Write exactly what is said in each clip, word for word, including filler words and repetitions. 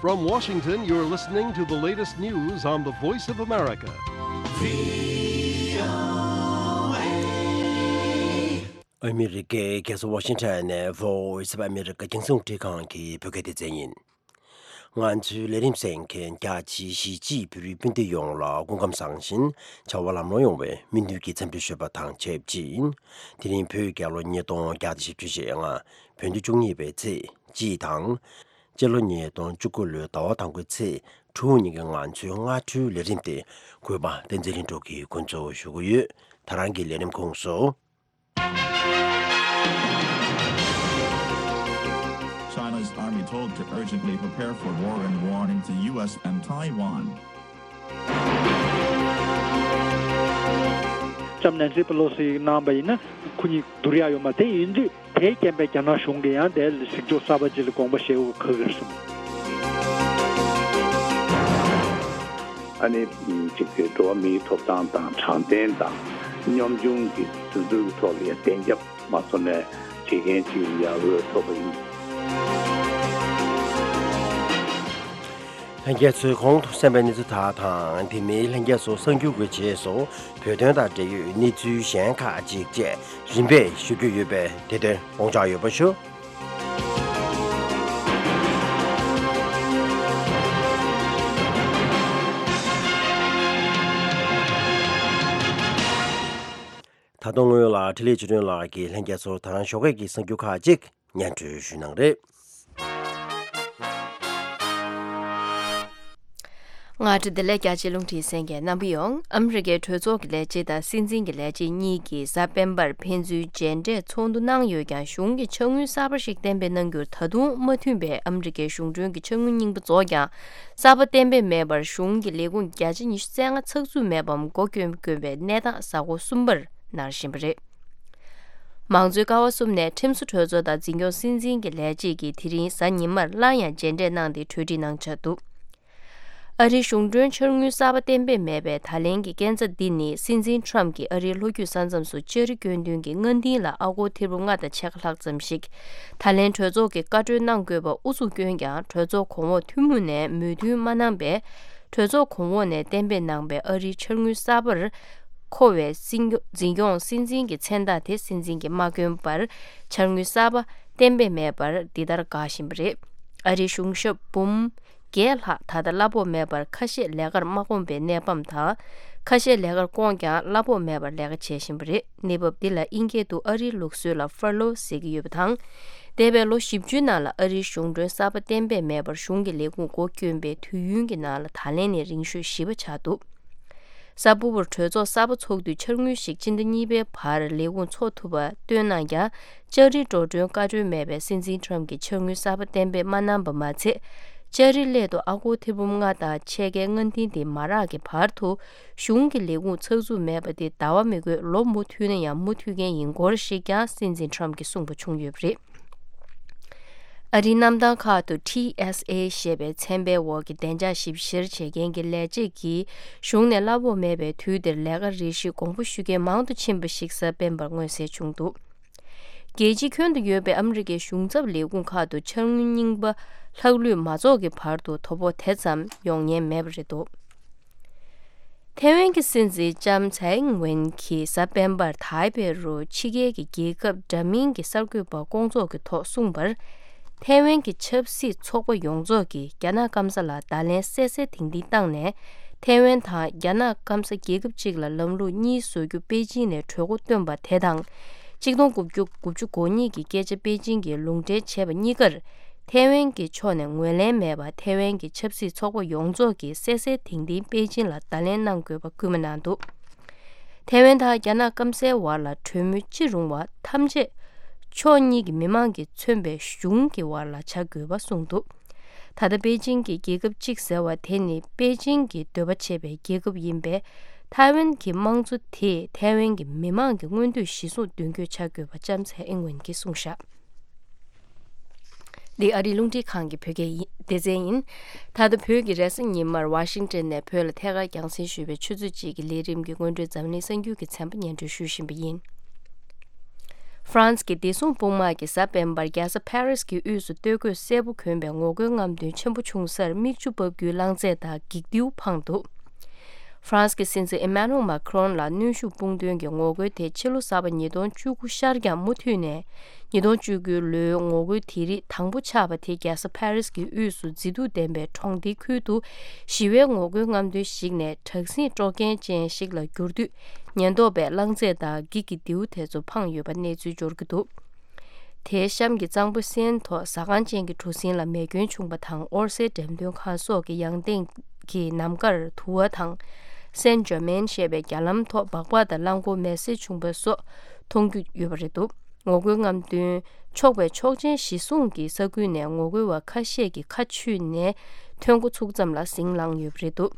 From Washington, you're listening to the latest news on the Voice of America. ཨ་མི་རི་ཀའི་རྒྱལ་ས་ཝ་ཤིང་ཊོན་ནས་Voice of America རྒྱང་སྲིང་རླུང་འཕྲིན་ཁང་གི་བོད་སྐད་སྡེ་ཚན་ཡིན། ང་ཚོའི་ལས་རིམ་གསན་མཁན་རྒྱ་ཆེའི་གཞིས་བྱེས་བོད་རིགས་སྤུན་ཟླ་ཡོངས་ལ་སྐུ་ཁམས་བཟང་ཞིང་བྱ་བ་ལམ་ལྷོང་ཡོང་བའི་སྨོན་འདུན་གྱི་འཚམས་འདྲི་ཞུས་པ་དང་ཆབས་ཅིག་དེ་རིང་བོད་རྒྱལ་ལོ་ཉིས་སྟོང་བརྒྱ་དང་བཞི་བཅུ་ཞེ་ལྔ་བོད་ཟླ་བཅུ་གཉིས་པའི་ཚེས་གཅིག་དང་། སྤྱི་ལོ་ཉིས་སྟོང་བཅུ་དགུ་ལོའི་ཟླ་བ་དང་པོའི་ཚེས་དྲུག་ཉིན་གྱི་ང་ཚོའི་སྔ་དྲོའི་ལས་རིམ་དེ་གུས་པ་བསྟན་འཛིན་ལྷུན་གྲུབ་ཀྱིས་འགོ་འཛུགས་ཞུ་གི་ཡོད། ད་རང་གི་ལས་རིམ་ཁོངས་སུ། China's army told to urgently prepare for war and warning to U S and Taiwan. ལྕམ་ནན་སི་པེ་ལོ་སི་གནང་བ་ཡིན་ན་ཁོ་གཉིས་བསྡུར་ཡག་ཡོད་མ་རེད། དེ་ཡིན་དུས་དེའི་རྐྱེན་པས་རྒྱ་ནག་གཞུང་གིས་ཡང་དེ་ལ་གཟིགས་སྐྱོར་གསར་པ་ཅིག་ལ་དགོངས་པ་བཞེས་དགོས་ཁག་གི་རེད་གསུངས། ཨ་ནི་གཅིག་གི་འགྲོ་བ་མིའི་ཐོབ་ཐང་དང་དྲང་བདེན་དང་གཉོམ་ཆུང་གི་འཛིན་སྐྱོང་གི་ཐོག་ལ་ཡང་གདན་འཇགས་མ་བཟོ་ནས་བྱེད་མཁན་ཅིག་ཡར་འོས་ཐོབ་པ་ཡིན། ལྷན་རྒྱས་ཚོས་གོང་དུ་གསན་པའི་གནས་ཚུལ་དག་དང་དེ་མིན་ལྷན་རྒྱས་ཚོ་གསར་འགྱུར་གྱི་རྗེས་སུ་བོད་དོན་དང་འབྲེལ་ཡོད་གནས་ཚུལ་གཞན་ཁག་ཅིག་བཅས་རིམ་པས་ཞུ་རྒྱུ་ཡོད་པས་དེ་དོན་དགོངས་འཇགས་ཡོད་པ་ཞུ། ད་དུང་སྔོན་ལ་འཕྲིན་ལས་ཆོས་སྒྲོན་ལགས་ཀྱིས་ལྷན་རྒྱས་ཚོར་ད་རང་ཞོགས་ཀས་ཀྱི་གསར་འགྱུར་ཁག་ཅིག་སྙན་སྒྲོན་ཞུ་གནང་རེད། ང་བཀྲ་བདེ་ལེགས། རྒྱ་ཆེའི་རླུང་འཕྲིན་གསན་མཁན་རྣམ་པ་ཡོངས། ཨ་མི་རི་ཀའི་གྲོས་ཚོགས་ཀྱི་ལས་བྱེད་དང་སྲིད་འཛིན་གྱི་ལས་བྱེད་གཉིས་ཀྱིས་གཟའ་སྤེན་པར་ཕན་ཚུན་མཇལ་འཕྲད་ཚོགས་འདུ་གནང་ཡོད་ཀྱང་གཞུང་གིས་ཕྱག་དངུལ་གསར་པ་ཞིག་གཏན་འབེབས་གནང་རྒྱུར་ད་དུང་མ་མཐུན་པས་ཨ་མི་རི་ཀའི་གཞུང་གྲོན་གྱི་ཕྱག་དངུལ་རྙིང་པ་རྫོགས་ཀྱང་གསར་པ་གཏན་འབེབས་མེད་པར་གཞུང་གི་ལས་ཁུངས་བརྒྱ་ཆ་ཉི་ཤུ་རྩ་ལྔ་ཚགས་ཚུད་མེད་པའམ་སྒོ་བསྐྱོན་དགོས་པའི་གནས་སྟངས་གཟའ་འཁོར་གསུམ་པར་ནར་བཞིན་པ་རེད། མང་གཙོའི་ཀ་བ་གསུམ་ནས་ཁྲིམས་བཟོ་གྲོས་ཚོགས་དང་འཛིན་སྐྱོང་སྲིད་འཛིན་གྱི་ལས་བྱེད་ཀྱིས་དེ་རིང་གཟའ་ཉི་མར་སླར་ཡང་མཇལ་འཕྲད་གནང་སྟེ་གྲོས་འགྲིག་གནང་འཆར་འདུག་ཨ་རིའི་གཞུང་གྲོན་འཆར་དངུལ་གསར་པ་གཏན་འབེབས་མེད་པའི་ད་ལན་གྱི་སྐྱོན་ཆ་འདི་ནི་སྲིད་འཛིན་ཁྲམ་གྱིས་ཨ་རིའི་ལྷོ་རྒྱུད་ས་མཚམས་སུ་ལྕགས་རི་སྐྱོན་མཁན་གྱི་མངའ་སྡིངས་ལ་ཨ་སྒོར་ཐེར་འབུམ་ལྔ་དང་ཕྱེད་ཀ་ལྷག་ཙམ་ཞིག་ད་ལན་གྲོས་ཚོགས་ཀྱིས་བཀའ་འཁྲོལ་གནང་དགོས་པ་ཨུ་ཚུགས་བསྐྱོན་ཀྱང་གྲོས་ཚོགས་གོང་འོག་ཐུན་མོང་ནས་མོས་མཐུན་མ་གནང་པས། གྲོས་ཚོགས་གོང་འོག་ནས་གཏན་འབེབས་གནང་པའི་ཨ་རིའི་འཆར་དངུལ་གསར་པར་མཁོ་བའི་སྲིད་སྐྱོང་འཛིན་སྐྱོང་སྲིད་འཛིན་གྱི་མཚན་རྟགས་དེ་སྲིད་འཛིན་གྱིས་མ་བསྐྱོན་པར་འཆར་དངུལ་གསར་པ་གཏན་འབེབས་མེད་པར་འདི་ལྟར་འགག་བཞིན་པ་རེད། ཨ་རིའི་གཞུང་ཞབས་འབུམ་བརྒྱད་ལྷག་ད་ལྟ་གླ་ཕོགས་མེད་པར་ཁ་ཤས་ལས་ཀར་མ་དགོངས་པའི་གནས་བབ་དང་། ཁ་ཤས་ལས་ཀར་བསྐོངས་ཀྱང་གླ་ཕོགས་མེད་པར་ལས་ཀ་བྱེད་བཞིན་པ་རེད། གནས་བབ་འདི་ལ་དབྱིན་སྐད་དུ་ཨ་རིའི་ལུགས་སྲོལ་ལ་ཧྥར་ལོ་ཟེར་གྱི་ཡོད་པ་དང་། འདས་པའི་ལོ་བཞི་བཅུའི་ནང་ལ་ཨ་རིའི་གཞུང་གྲོན་གསར་པ་གཏན་འབེབས་མེད་པར་གཞུང་གི་ལས་ཁུངས་སྒོ་བསྐྱོན་པའི་དུས་ཡུན་གྱི་ནང་ལ་ད་ལན་ནི་རིང་ཤོས་བཞི་པ་ཆགས་འདུག་གཟའ་ཕུར་བུར་གྲོས་ཚོགས་གསར་པ་འཚོགས་དུས་འཆར་དངུལ་ཞིག་སྤྱི་ཟླ་གཉིས་པའི་བར་ལས་ཁུངས་འཚོགས་ཐུབ་པ་སྟོན་གནང་ཀྱང་། ལྕགས་རིའི་འགྲོ་གྲོན་བཀའ་འཁྲོལ་མེད་པས་སྲིད་འཛིན་ཁྲམ་གྱིས་འཆར་དངུལ་གསར་པ་གཏན་འབེབས་མ་གནང་པ་མ་ཚད། ལྕགས་རི་སླད་དུ་ཨ་སྒོར་ཐེར་འབུམ་ལྔ་དང་ཕྱེད་ཀའི་མངའ་སྡིངས་དེ་མ་རག་གི་བར་དུ། གཞུང་གི་ལས་ཁུངས་ཚགས་ཚུད་མེད་པ་དེ་ཟླ་བ་མི་དགོས་ལོ་མུ་མཐུད་ན་ཡང་མུ་མཐུད་མཁན་ཡིན་སྐོར་ཞིག་ཀྱང་སྲིད་འཛིན་ཁྲམ་གྱིས་གསུངས་པ་བྱུང་ཡོད་པ་རེད། ཨ་རིའི་གནམ་ཐང་ཁག་ཏུ་ཊི་ཨེས་ཨེ་ཞེས་པའི་མཚན་པའི་འོག་གི་བདེ་འཇགས་ཞིབ་བཤེར་བྱེད་མཁན་གྱི་ལས་བྱེད་ཀྱིས་གཞུང་ནས་གླ་ཕོགས་མེད་པའི་དུས་དེར་ལས་ཀ་རེ་ཞིག་དགོངས་པ་ཞུ་མཁན་མང་དུ་ཕྱིན་པ་ཞིག་གཟའ་སྤེན་པར་མངོན་གསལ་བྱུང་འདུག་རྒྱལ་སྤྱིའི་ཁྱོན་དུ་ཡོད་པའི་ཨ་མི་རི་ཀའི་གཞུང་ཚབ་ལས་ཁུངས་ཁག་ཏུ་འཆར་དངུལ་རྙིང་པ་ལྷག་ལུས་མ་རྫོགས་ཀྱི་བར་དུ་དོ་ཕོག་དེ་ཙམ་ཡོང་ཉེན་མེད་པ་རེད་འདུག་ཐའེ་ཝན་གྱི་སྲིད་འཛིན་ལྕམ་ཚའེ་ཨིང་ཝེན་གྱིས་གཟའ་སྤེན་པར་ཐའེ་པེ་རུ་ཕྱི་རྒྱལ་གྱི་རྒྱལ་ཁབ་འདྲ་མིན་གྱི་གསར་འགོད་པ་སྐོང་ཚོགས་ཀྱི་ཐོག་གསུངས་པར། ཐའེ་ཝན་གྱི་ཆབ་སྲིད་ཚོགས་པ་ཡོངས་རྫོགས་ཀྱིས་རྒྱ་ནག་སྐམ་ས་ལ་བརྡ་ལན་གསལ་གསལ་དིང་དིང་བཏང་ནས། ཐའེ་ཝན་དང་རྒྱ་ནག་སྐམ་ས་རྒྱལ་ཁབ་གཅིག་ལ་ལམ་ལུགས་གཉིས་བཟོ་རྒྱུ་པེ་ཅིང་ནས་གྲོས་འགོ་བཏོན་པ་དེ་དང་། གཅིག་སྟོང་དགུ་བརྒྱ་དགུ་བཅུ་གོ་གཉིས་ཀྱི་སྐད་ཆ་པེ་ཅིང་གིས་ལུང་འདྲེན་བྱས་པ་གཉིས་ཀར། ཐའེ་ཝན་གྱི་ཕྱོགས་ནས་ངོས་ལེན་མེད་པར་ཐའེ་ཝན་གྱི་ཆབ་སྲིད་ཚོགས་པ་ཡོངས་རྫོགས་ཀྱིས་གསལ་གསལ་དིང་དིང་པེ་ཅིང་ལ་བརྡ་ལན་གནང་དགོས་པ་སྐུལ་མ་གནང་འདུག་ཐའེ་ཝན་དང་རྒྱ་ནག་སྐམ་སའི་བར་ལ་གྲོས་མོལ་ཅི་རུང་བ་ཐམས་ཅད་ཕྱོགས་གཉིས་ཀྱི་མི་མང་གིས་མཚོན་པའི་གཞུང་གི་བར་ལ་བྱ་དགོས་པ་གསུངས་འདུག་ད་ལྟ་པེ་ཅིང་གི་རྒྱལ་ཁབ་གཅིག་ཟེར་བ་དེ་ནི་པེ་ཅིང་གི་འདོད་པ་བྱེད་པའི་རྒྱལ་ཁབ་ཡིན་པས། ཐའེ་ཝན་གྱི་དམངས་གཙོ་དེས་ཐའེ་ཝན་གྱི་མི་མང་གི་མངོན་འདོད་གཞིར་བཟུང་མདུན་སྐྱོད་བྱ་དགོས་པ་ལྕམ་ཚའེ་ཨིང་ཝེན་གྱིས་གསུངས་བཞག་འདི་ཨ་རིའི་རླུང་འཕྲིན་ཁང་གི་བོད་སྐད་ཡིན། སྡེ་ཚན་ཡིན། ད་ལྟ་བོད་ཀྱི་རེས་གཟའ་ཉི་མར་ཝ་ཤིང་ཊོན་ནས་བོད་ལ་ཐད་ཀར་རྒྱང་སྲིང་ཞུས་པའི་ཆུ་ཚོད་གཅིག་གི་ལས་རིམ་གྱི་སྔོན་འགྲོའི་འཛམ་གླིང་གསར་འགྱུར་གྱི་ཚན་པ་སྙན་སྒྲོན་ཞུ་བཞིན་པ་ཡིན། ཧྥ་རན་སི་གི་བདེ་སྲུང་དཔུང་དམག་གིས་གཟའ་སྤེན་པར་རྒྱལ་ས་ཕ་རི་སི་གི་དབུས་སུ་སྟོད་གོས་སེར་པོ་གྱོན་པའི་ངོ་རྒོལ་རྔམ་སྟོན་ཆེན་པོ་བྱུང་སར་མིག་ཆུ་འབབ་རྒྱུའི་རླངས་རྫས་དང་འགྱིག་རྡེའུ་འཕངས་འདུག་ཧྥ་རན་སི་གི་སྲིད་འཛིན་ཨི་མ་ནུ་ཨེལ་མཱ་ཁི་རོན་ལ་གནོན་ཤུགས་སྤུངས་དོན་གྱི་ངོ་རྒོལ་དེ་ཕྱི་ལོ་གསར་པ་ཉིས་སྟོང་བཅུ་དགུ་ཤར་ཀྱང་མུ་མཐུད་ནས། ཉིས་སྟོང་བཅུ་དགུའི་ལོའི་ངོ་རྒོལ་དེ་རིགས་དང་པོ་ཆགས་པ་དེ་རྒྱལ་ས་ཕ་རི་སི་གི་དབུས་སུ་མཛེས་སྡུག་ལྡན་པའི་གྲོང་སྡེའི་ཁུལ་དུ་ཞི་བའི་ངོ་རྒོལ་རྔམ་སྟོན་ཞིག་ནས་དྲག་ཟིང་དཀྲོག་མཁན་ཅན་ཞིག་ལ་འགྱུར་དུས། ཉེན་རྟོག་པས་རླངས་རྫས་དང་འགྱིག་གི་རྡེའུ་དེ་ཚོ་འཕངས་ཡོད་པ་གནས་ཚུལ་འབྱོར་གྱི་འདུག་དེའི་གཤམ་གྱི་གཙང་པོའི་སེན་ཐོག་ཟ་ཁང་ཅན་གྱི་གྲུ་གཟིངས་ལ་མེ་སྐྱོན་བྱུང་བ་དང་། ཨོར་སེ་འགྲེམས་སྟོན་ཁང་སོགས་ཀྱི་ཡང་སྟེང་གི་ནམ་མཁར་དུ་བ་དང་། སེན་ཇར་མན་ཞེས་པའི་རྒྱ་ལམ་ཐོག་སྦག་སྦག་དང་རླངས་འཁོར་མེ་བསྲེགས་བྱུང་བ་སོགས་མཐོང་རྒྱུ་ཡོད་པ་རེད་འདུག་ངོ་རྒོལ་རྔམ་སྟོན་ཆོག་པའི་ཆོག་མཆན་གཞི་བཟུང་གིས་ས་ཁུལ་ནས་ངོ་རྒོལ་བ་ཁ་ཤས་ཀྱིས་ཁ་ཆུས་ནས་ཐོན་འགོ་ཚུགས་ཙམ་ལ་ཟིང་ལངས་ཡོད་པ་རེད་འདུག་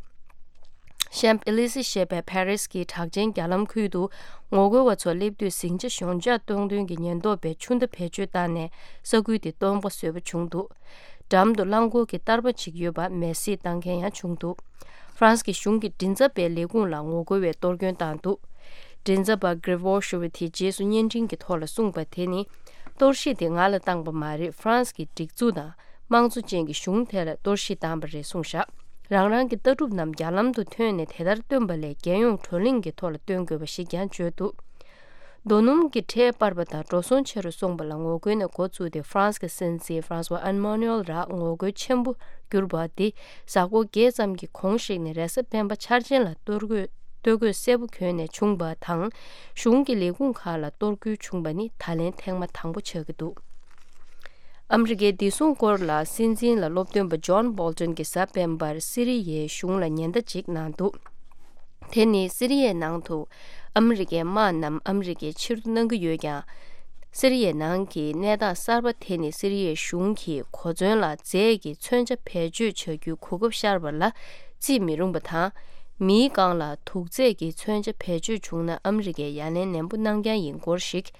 ཤམ་པི་ཨེ་ལི་སི་ཞེས་པའི་ཕ་རི་སི་གི་གྲགས་ཅན་རྒྱ་ལམ་ཁུལ་དུ་ངོ་རྒོལ་བ་ཚོ་སླེབས་དུས་ཟིང་ཆ་ཞོད་འཇགས་གཏོང་དོན་གྱི་ཉེན་རྟོག་པས་ཆུ་མདའ་བེད་སྤྱོད་བཏང་ནས་ས་ཁུལ་དེ་སྟོང་པ་བཟོས་པ་བྱུང་འདུག་འགྲམ་དུ་རླངས་འཁོར་གྱི་བསྟར་པ་ཅིག་ཡོད་པ་མེ་བསྲེགས་བཏང་མཁན་ཡང་བྱུང་འདུག་ཧྥ་རན་སི་གི་གཞུང་གི་མགྲིན་ཚབ་པའི་ལས་ཁུངས་ལ་ངོ་རྒོལ་བས་གཏོར་སྐྱོན་བཏང་འདུག་མགྲིན་ཚབ་པ་གྷི་རི་ཝོ་ཤི་ཝི་དེ་རྗེས་སུ་བརྙན་འཕྲིན་གྱི་ཐོག་ལ་གསུངས་པ་དེ་ནི། གཏོར་བཤིག་དེ་ང་ལ་བཏང་པ་མ་རེད། ཧྥ་རན་སི་གི་སྒྲིག་འཛུགས་དང་། དམངས་གཙོ་ཅན་གྱི་གཞུང་དེ་ལ་གཏོར་བཤིག་བཏང་པ་རེད་གསུངས་བཞག་རང་རང་གི་ལྟ་གྲུབ་རྣམས་རྒྱ་ལམ་དུ་ཐོན་ནས་དེ་ལྟར་སྟོན་པ་ལས་རྒྱལ་ཡོངས་བགྲོ་གླེང་གི་ཐོག་ལ་སྟོན་དགོས་པ་ཞིག་ཀྱང་བརྗོད་འདུག་རྡོ་སྣུམ་གྱི་ཁྲལ་སྤར་བ་དང་འགྲོ་སོང་ཆེ་རུ་སོང་བ་ལ་ངོ་རྒོལ་ནས་འགོ་བཙུགས་ཏེ། ཧྥ་རན་སི་གི་སྲིད་འཛིན་ཧྥ་རན་སི་ཝ་ཨན་མ་ནུ་ཨེལ་རག་ངོ་རྒོལ་ཆེན་པོ་གྱུར་པ་འདི་གཟའ་འཁོར་བརྒྱད་ཙམ་གྱི་གོང་ཞིག་ནས་རེས་གཟའ་སྤེན་པ་འཆར་ཅན་ལ་གཏོར་རྒོལ་སྟོད་གོས་སེར་པོ་གྱོན་ནས་བྱུང་བ་དང་། གཞུང་གི་ལས་ཁུངས་ཁག་ལ་གཏོར་རྒོལ་བྱུང་བ་ནི་ད་ལན་ཐེངས་མ་དང་པོ་ཆགས་ཀྱི་འདུག་ཨ་མི་རི་ཀའི་བདེ་སྲུང་སྐོར་ལ་སྲིད་འཛིན་ལ་སློབ་སྟོན་པ་ཇོན་བོལ་ཏོན་གྱིས་གཟའ་སྤེན་པར་སི་རི་ཡའི་གཞུང་ལ་ཉེན་བརྡ་ཅིག་གནང་འདུག་དེ་ནི་སི་རི་ཡའི་ནང་དུ་ཨ་མི་རི་ཀའི་དམག་རྣམས་ཨ་མི་རི་ཀས་ཕྱིར་བསྡུ་གནང་གི་ཡོད་ཀྱང་། སི་རི་ཡའི་ནང་གི་གནས་སྟངས་གསར་པ་དེ་ནི་སི་རི་ཡའི་གཞུང་གིས་གོ་མཚོན་ལ་རྫས་ཀྱི་མཚོན་ཆ་བེད་སྤྱོད་བྱ་རྒྱུའི་གོ་སྐབས་ཤར་བ་ལ་བརྩི་མི་རུང་བ་དང་། མིའི་རྐང་ལ་དུག་རྫས་ཀྱི་མཚོན་ཆ་བེད་སྤྱོད་བྱུང་ན་ཨ་མི་རི་ཀས་ཡ་ལན་ནན་པོ་གནང་རྐྱང་ཡིན་སྐོར་ཞིག་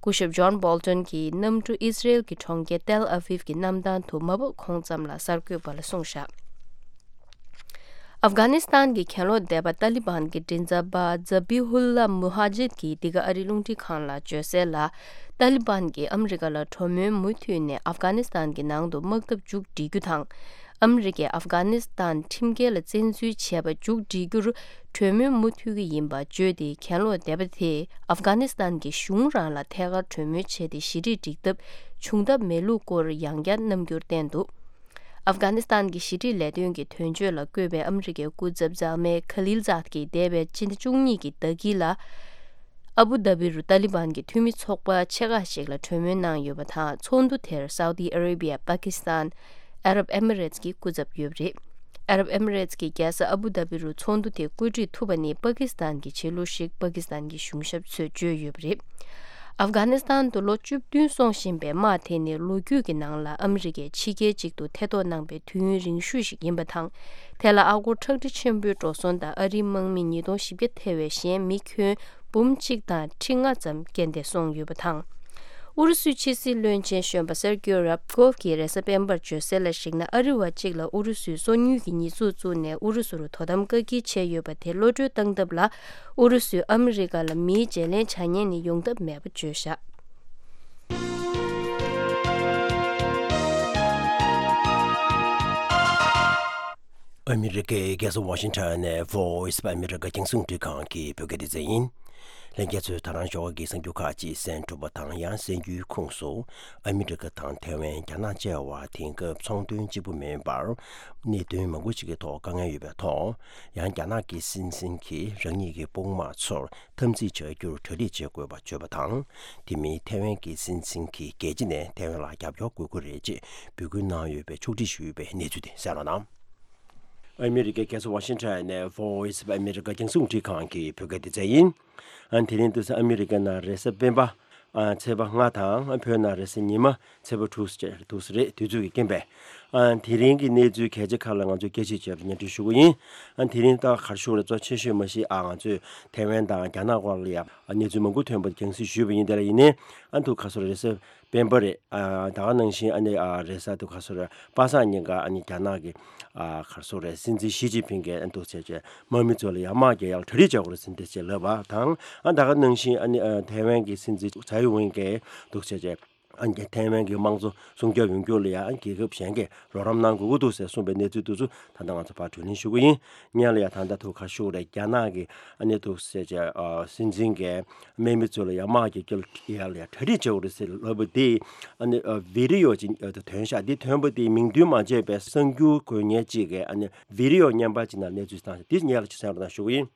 སྐུ་ཞབས་ཇོན་བོལ་ཏོན་གྱིས་གནམ་གྲུ་ཨི་སི་རེལ་གྱི་གྲོང་ཁྱེར་ཏེལ་ཨ་ཝིབ་ཀྱི་གནམ་ཐང་དུ་མ་བབས་གོང་ཙམ་ལ་གསར་འགོད་པ་ལ་གསུངས་བཞག་ཨབ་གྷ་ནི་སི་ཐན་གྱི་གྱེན་ལོག་སྡེ་པ་ཏཱ་ལི་བན་གྱི་མགྲིན་ཚབ་པ་ཛ་བྷི་ཧུ་ལ་མུ་ཧ་ཇིད་ཀྱིས་འདི་ག་ཨ་རིའི་རླུང་འཕྲིན་ཁང་ལ་བརྗོད་གསལ་ལ། ཏཱ་ལི་བན་གྱིས་ཨ་མི་རི་ཀ་ལ་གྲོས་མོལ་མུ་མཐུད་ནས་ཨབ་གྷ་ནི་སི་ཐན་གྱི་ནང་དུ་དམག་འཐབ་མཇུག་སྒྲིལ་རྒྱུ་དང་། ཨ་མི་རི་ཀས་ཨབ་གྷ་ནི་སི་ཐན་ཁྲིམས་འགལ་ལ་བཙན་འཛུལ་བྱས་པ་མཇུག་སྒྲིལ་རྒྱུར་གྲོས་མོལ་མུ་མཐུད་ཀྱི་ཡིན་པ་བརྗོད་དེ། གྱེན་ལོག་སྡེ་པ་དེས་ཨབ་གྷ་ནི་སི་ཐན་གྱི་གཞུང་རང་ལ་ཐད་ཀར་གྲོས་མོལ་བྱས་ཏེ་ཞི་འགྲིག་སྒྲིག་ཐབས་བྱུང་ཐབས་མེད་ལུགས་སྐོར་ཡང་བསྐྱར་རྣམ་འགྱུར་བསྟན་འདུག་ཨབ་གྷ་ནི་སི་ཐན་གྱི་ཞི་འགྲིག་ལས་དོན་གྱི་དོན་གཅོད་ལ་བསྐོས་པའི་ཨ་མི་རི་ཀའི་སྐུ་ཚབ་ཛལ་མེ་ཁ་ལིལ་ཛཱད་ཀྱིས་འདས་པའི་ཕྱི་ཟླ་བཅུ་གཉིས་ཀྱི་ཟླ་དཀྱིལ་ལ། ཨ་བུ་དྷ་བི་རུ་ཏཱ་ལི་བན་གྱི་འཐུས་མི་ཚོགས་པ་ཆེ་ཁག་ཞིག་ལ་གྲོས་མོལ་གནང་ཡོད་པ་དང་། ཚོགས་འདུ་དེར་སའུ་ཏི་ཨ་རེ་བྷི་ཡ། པ་ཀི་སི་ཐན། ཨ་རབ་ཨེ་མི་རེ་ཏི་ཀྱིས་སྐུ་ཚབ་ཡོད་པ་རེད། ཨ་རབ་ཨེ་མི་རེ་ཏི་ཀྱི་རྒྱལ་ས་ཨ་བུ་དྷ་བི་རུ་ཚོགས་འདུ་དེ་བཀོད་སྒྲིག་ཐུབ་པ་ནི་པ་ཀི་སི་ཐན་གྱི་བྱེད་ལུགས་ཤིག་པ་ཀི་སི་ཐན་གྱི་གཞུང་ཞབས་ཚོས་བརྗོད་ཡོད་པ་རེད། ཨབ་གྷ་ནི་སི་ཐན་དུ་ལོ་བཅུ་བདུན་སོང་བཞིན་པའི་དམག་དེ་ནི་ལོ་རྒྱུས་ཀྱི་ནང་ལ་ཨ་མི་རི་ཀས་ཕྱི་རྒྱལ་གཅིག་ཏུ་ཐེ་གཏོགས་གནང་པའི་དུས་ཡུན་རིང་ཤོས་ཤིག་ཡིན་པ་དང་། དེ་ལ་ཨ་སྒོར་ཁྲག་ཁྲིག་ཆེན་པོའི་འགྲོ་སོང་དང་ཨ་རིའི་དམག་མི་ཉིས་སྟོང་བཞི་བརྒྱ་ཐེ་བའི་གཞན་མི་ཁྱོན་འབུམ་གཅིག་དང་ཁྲི་ལྔ་ཙམ་རྐྱེན་འདས་སོང་ཡོད་པ་དང་། ཨུ་རུ་སུའི་ཕྱི་སྲིད་བློན་ཆེན་གཞོན་པ་སེར་ཀྱོ་རབ་ཀོབ་ཀྱིས་རེས་གཟའ་སྤེན་པར་བརྗོད་གསལ་ལ་གཞིགས་ན། ཨ་རི་བ་གཅིག་ལ་ཨུ་རུ་སུས་སོ་ཉུལ་གྱི་ཉེས་འཛུགས་བཙུགས་ནས་ཨུ་རུ་སུ་རུ་དོ་དམ་བཀག་སྐྱིལ་བྱས་ཡོད་པ་དེ་གློད་གྲོལ་བཏང་ཐབས་ལ། ཨུ་རུ་སུས་ཨ་མི་རི་ཀ་ལ་མིའི་བརྗེ་ལེན་བྱ་ཉེན་ནི་ཡོང་ཐབས་མེད་པ་བརྗོད་བཞག་ཨ་མི་རི་ཀའི་རྒྱལ་ས་ཝ་ཤིང་ཊོན་ནས་Voice of America རྒྱང་སྲིང་རླུང་འཕྲིན་ཁང་གི་བོད་སྐད་སྡེ་ཚན་ཡིན། ལྷན་རྒྱས་ཚོས་ད་རང་ཞོགས་ཀྱི་གསར་འགྱུར་ཁག་ཅིག་གསན་གྲུབ་པ་དང་། ཡང་གསན་རྒྱུའི་ཁོངས་སུ། ཨ་མི་རི་ཀ་དང་ཐའེ་ཝན། རྒྱ་ནག་བཅས་པ་དེང་སྐབས་ཚོང་དོན་གཅིག་པུ་མིན་པར། གནད་དོན་མང་པོ་ཞིག་གི་ཐོག་དཀའ་ངལ་ཡོད་པའི་ཐོག་ཡང་རྒྱ་ནག་གི་སྲིད་འཛིན་གྱིས་རང་ཉིད་ཀྱི་དཔུང་དམག་ཚོར་འཐབ་འཛིང་བྱ་རྒྱུར་གྲ་སྒྲིག་བྱེད་དགོས་པ་བརྗོད་པ་དང་། དེ་མིན་ཐའེ་ཝན་གྱི་སྲིད་འཛིན་གྱིས་རྒྱལ་སྤྱི་ནས་ཐའེ་ཝན་ལ་རྒྱབ་སྐྱོར་དགོས་ཀྱི་རེད་ཅེས་འབོད་སྐུལ་གནང་ཡོད་པའི་ཕྱོགས་སྒྲིག་ཞུས་པའི་གནས་ཚུལ་དེ་གསན་རོགས་གནང་། ཨ་མི་རི་ཀའི་རྒྱལ་ས་ཝ་ཤིང་ཊོན་ནས་Voice of America རྒྱང་སྲིང་རླུང་འཕྲིན་ཁང་གི་བོད་སྐད་སྡེ་ཚན་ཡིན། ཨ་དེ་རིང་དུས་ས་ཨ་མི་རི་ཀ་ནང་རེས་གཟའ་སྤེན་པ། ཨ་ཚེས་པ་ལྔ་དང་། ཨ་བོད་ནང་རེས་གཟའ་ཉི་མ་ཚེས་པ་དྲུག་ཅེས་དུས་ཚོད་རེད། དུས་ཚོད་ཀྱི་རྐྱེན་པས། ཨ་དེ་རིང་གི་གནས་ཚུལ་གལ་ཆེ་ཁག་ལ་ང་ཚོས་སྐད་ཆ་བྱས་པ་སྙན་སྒྲོན་ཞུ་གི་ཡིན། ཨ་དེ་རིང་ད་ག་རེ་ཞུ་དགོས་རེད། གཙོ་ཆེ་ཤོས་མ་གཞི་ཨ་ང་ཚོས་ཐའེ་ཝན་དང་རྒྱ་ནག་དབར་ལ་ཡ་ཨ་གནས་ཚུལ་མང་པོ་ཐོན་པ་རྒྱང་སྲིང་ཞུས་པ་ཡིན། དེ་ལ་ཡིན་ནའི་ཨ་ཐུག་ཁ་སོ་རེས་གཟའ་ སྤེན་པ་རེད། ཨ་ད་ག་ནང་བཞིན་ཨ་ནི་ཨ་རེས་གཟའ་དུ་ག་སོ་རེད། པ་སངས་ཉིན་ཀ་ཨ་ནི་རྒྱ་ནག་གི་ཨ་ག་སོ་རེད། སྲིད་འཛིན་ཞི་ཅིན་ཕིང་གིས་ཨ་འདུག་བྱས་བྱས་དམག་མི་ཚོ་ལ་ཡང་དམག་རྒྱག་ཡག་གྲ་སྒྲིག་བྱེད་དགོས་རེད་ཟེར་འདི་བྱས་ལབ་པ་དང་། ཨ་ད་ག་ནང་བཞིན་ཨ་ནི་ཨ་ཐའེ་ཝན་གྱི་སྲིད་འཛིན་ཚའེ་ཝེན་གྱིས་འདུག་བྱས་བྱས་ཨ་ནི་ཐའེ་ཝན་གྱི་དམངས་གཙོ་སྲུང་སྐྱོབ་ཡོང་རྒྱུ་ལ་ཡང་རྒྱལ་ཁབ་གཞན་གྱིས་རོགས་རམ་གནང་དགོས་ཀྱི་འདུག་ཟེར་གསུངས་པའི་གནས་ཚུལ་དེ་ཚོ་ད་ལྟ་ང་ཚོ་ཕར་བགྲོ་གླེང་ཞུ་གི་ཡིན། སྔོན་ལ་ཡང་ད་ལྟ་ཐུག་ག་ཞུ་རེད། རྒྱ་ནག་གི་ཨ་ནི་འདུག་ཟེར་བྱས་ཨ་སྲིད་འཛིན་གྱིས་དམག་མི་ཚོ་ལ་ཡང་དམག་རྒྱག་རྒྱུ་ལ་ཡང་ལ་ཡང་གྲ་སྒྲིག་བྱེད་དགོས་རེད་ཟེར་ལབ་པ་དེ་ཨ་ནི་ཨ་བི་ཌི་ཡོ་ཅིག་ཨ་ཐོན་ཤག་འདི་ཐོན་པ་དེ་མིང་འདོན་མ་བྱས་པའི་གསར་འགྱུར་འགོད་མཁན་གཅིག་གིས་ཨ་ནི་བི་ཌི་ཡོ་བརྙན་པར་ཅིག་ནང་གནས་ཚུལ་བཏང་ཤག་འདི་སྔོན་ལ་ཅིག་གསན་རོགས་གནང་ཞུ་གི་ཡིན།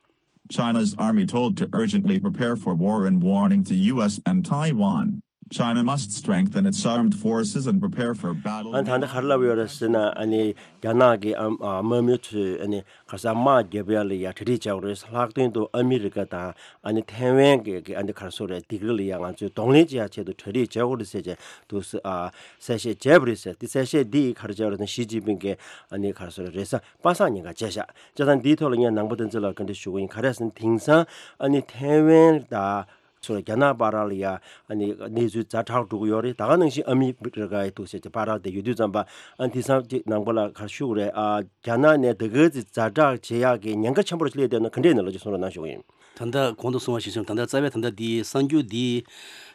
China's army told to urgently prepare for war in warning to U S and Taiwan. China must strengthen its armed forces and prepare for battle. ཨ་ད་ལྟ་ག་རེ་ལབ་ཡོད་རེད་ཟེར་ན། ཨ་ནི་རྒྱ་ནག་གི་ཨ་ཨ་དམག་མི་ཚོས་ཨ་ནི་ག་ས་དམག་རྒྱབ་ཡ་ལ་ཡ་གྲ་སྒྲིག་བྱེད་དགོས་རེད། ལྷག་དོན་དུ་ཨ་མི་རི་ཀ་དང་ཨ་ནི་ཐའེ་ཝན་གྱི་གི་ཨ་ནི་ག་རེ་ཟེར་རེད། སྡིགས་ར་ལ་ཡ་ང་ཚོས་གདོང་ལེན་བྱེད་ཡ་ཆེད་དུ་གྲ་སྒྲིག་བྱེད་དགོས་རེད་ཟེར་བྱས་འདུག་ཟེར་ཨ་གསལ་བཤད་བྱས་པ་རེད་ཟེར། དེ་གསལ་བཤད་འདི་ག་རེ་བྱས་པ་རེད་ཟེར་ན། ཞི་ཅིན་ཕིང་གིས་ཨ་ནི་ག་རེ་ཟེར་རེད། རེས་གཟའ་པ་སངས་ཉིན་ཀ་བྱས་ཤག་བྱས་ཙང་འདིའི་ཐོག་ལ་ངས་ནང་པ་བསྟན་འཛིན་ལགས་བཀའ་འདྲི་ཞུ་གི་ཡིན། ག་རེ་ཟེར་ན་དེང་སང་ཨ་ནི་ཐའེ་ཝན་དང་ཚོ་རྒྱ་ནག་བར་ལ་ཡ་ཨ་ནི་གནས་ཚུལ་ཛ་དྲག་འགྲོ་གི་ཡོད་རེད། ད་ག་ནང་བཞིན་ཨ་མི་རི་ཀ་ཡི་འདུག་ཟེར་གྱི་བར་དེ་ཡོད་དུས་ཙམ་པ་ཨ་ནི་དེང་སང་ཅིག་ནང་པ་ལ་ག་རེ་ཞུ་དགོས་རེད། ཨ་རྒྱ་ནག་ནས་དེ་ག་ཚོད་ཛ་དྲག་བྱེད་ཡག་གི་ཉེན་ཁ་ཆེན་པོ་རེ་སླེབས་བསྡད་ན་ག་འདྲས་ནས་ལོ་ཅིག་གསུང་རོགས་གནང་ཞུ་གི་ཡིན། ད་ལྟ་གོང་དུ་གསུངས་པ་བཞིན་ཞུ། ད་ལྟ་རྩ་བའི་ད་ལྟ་འདི་གསར་འགྱུར་འདི་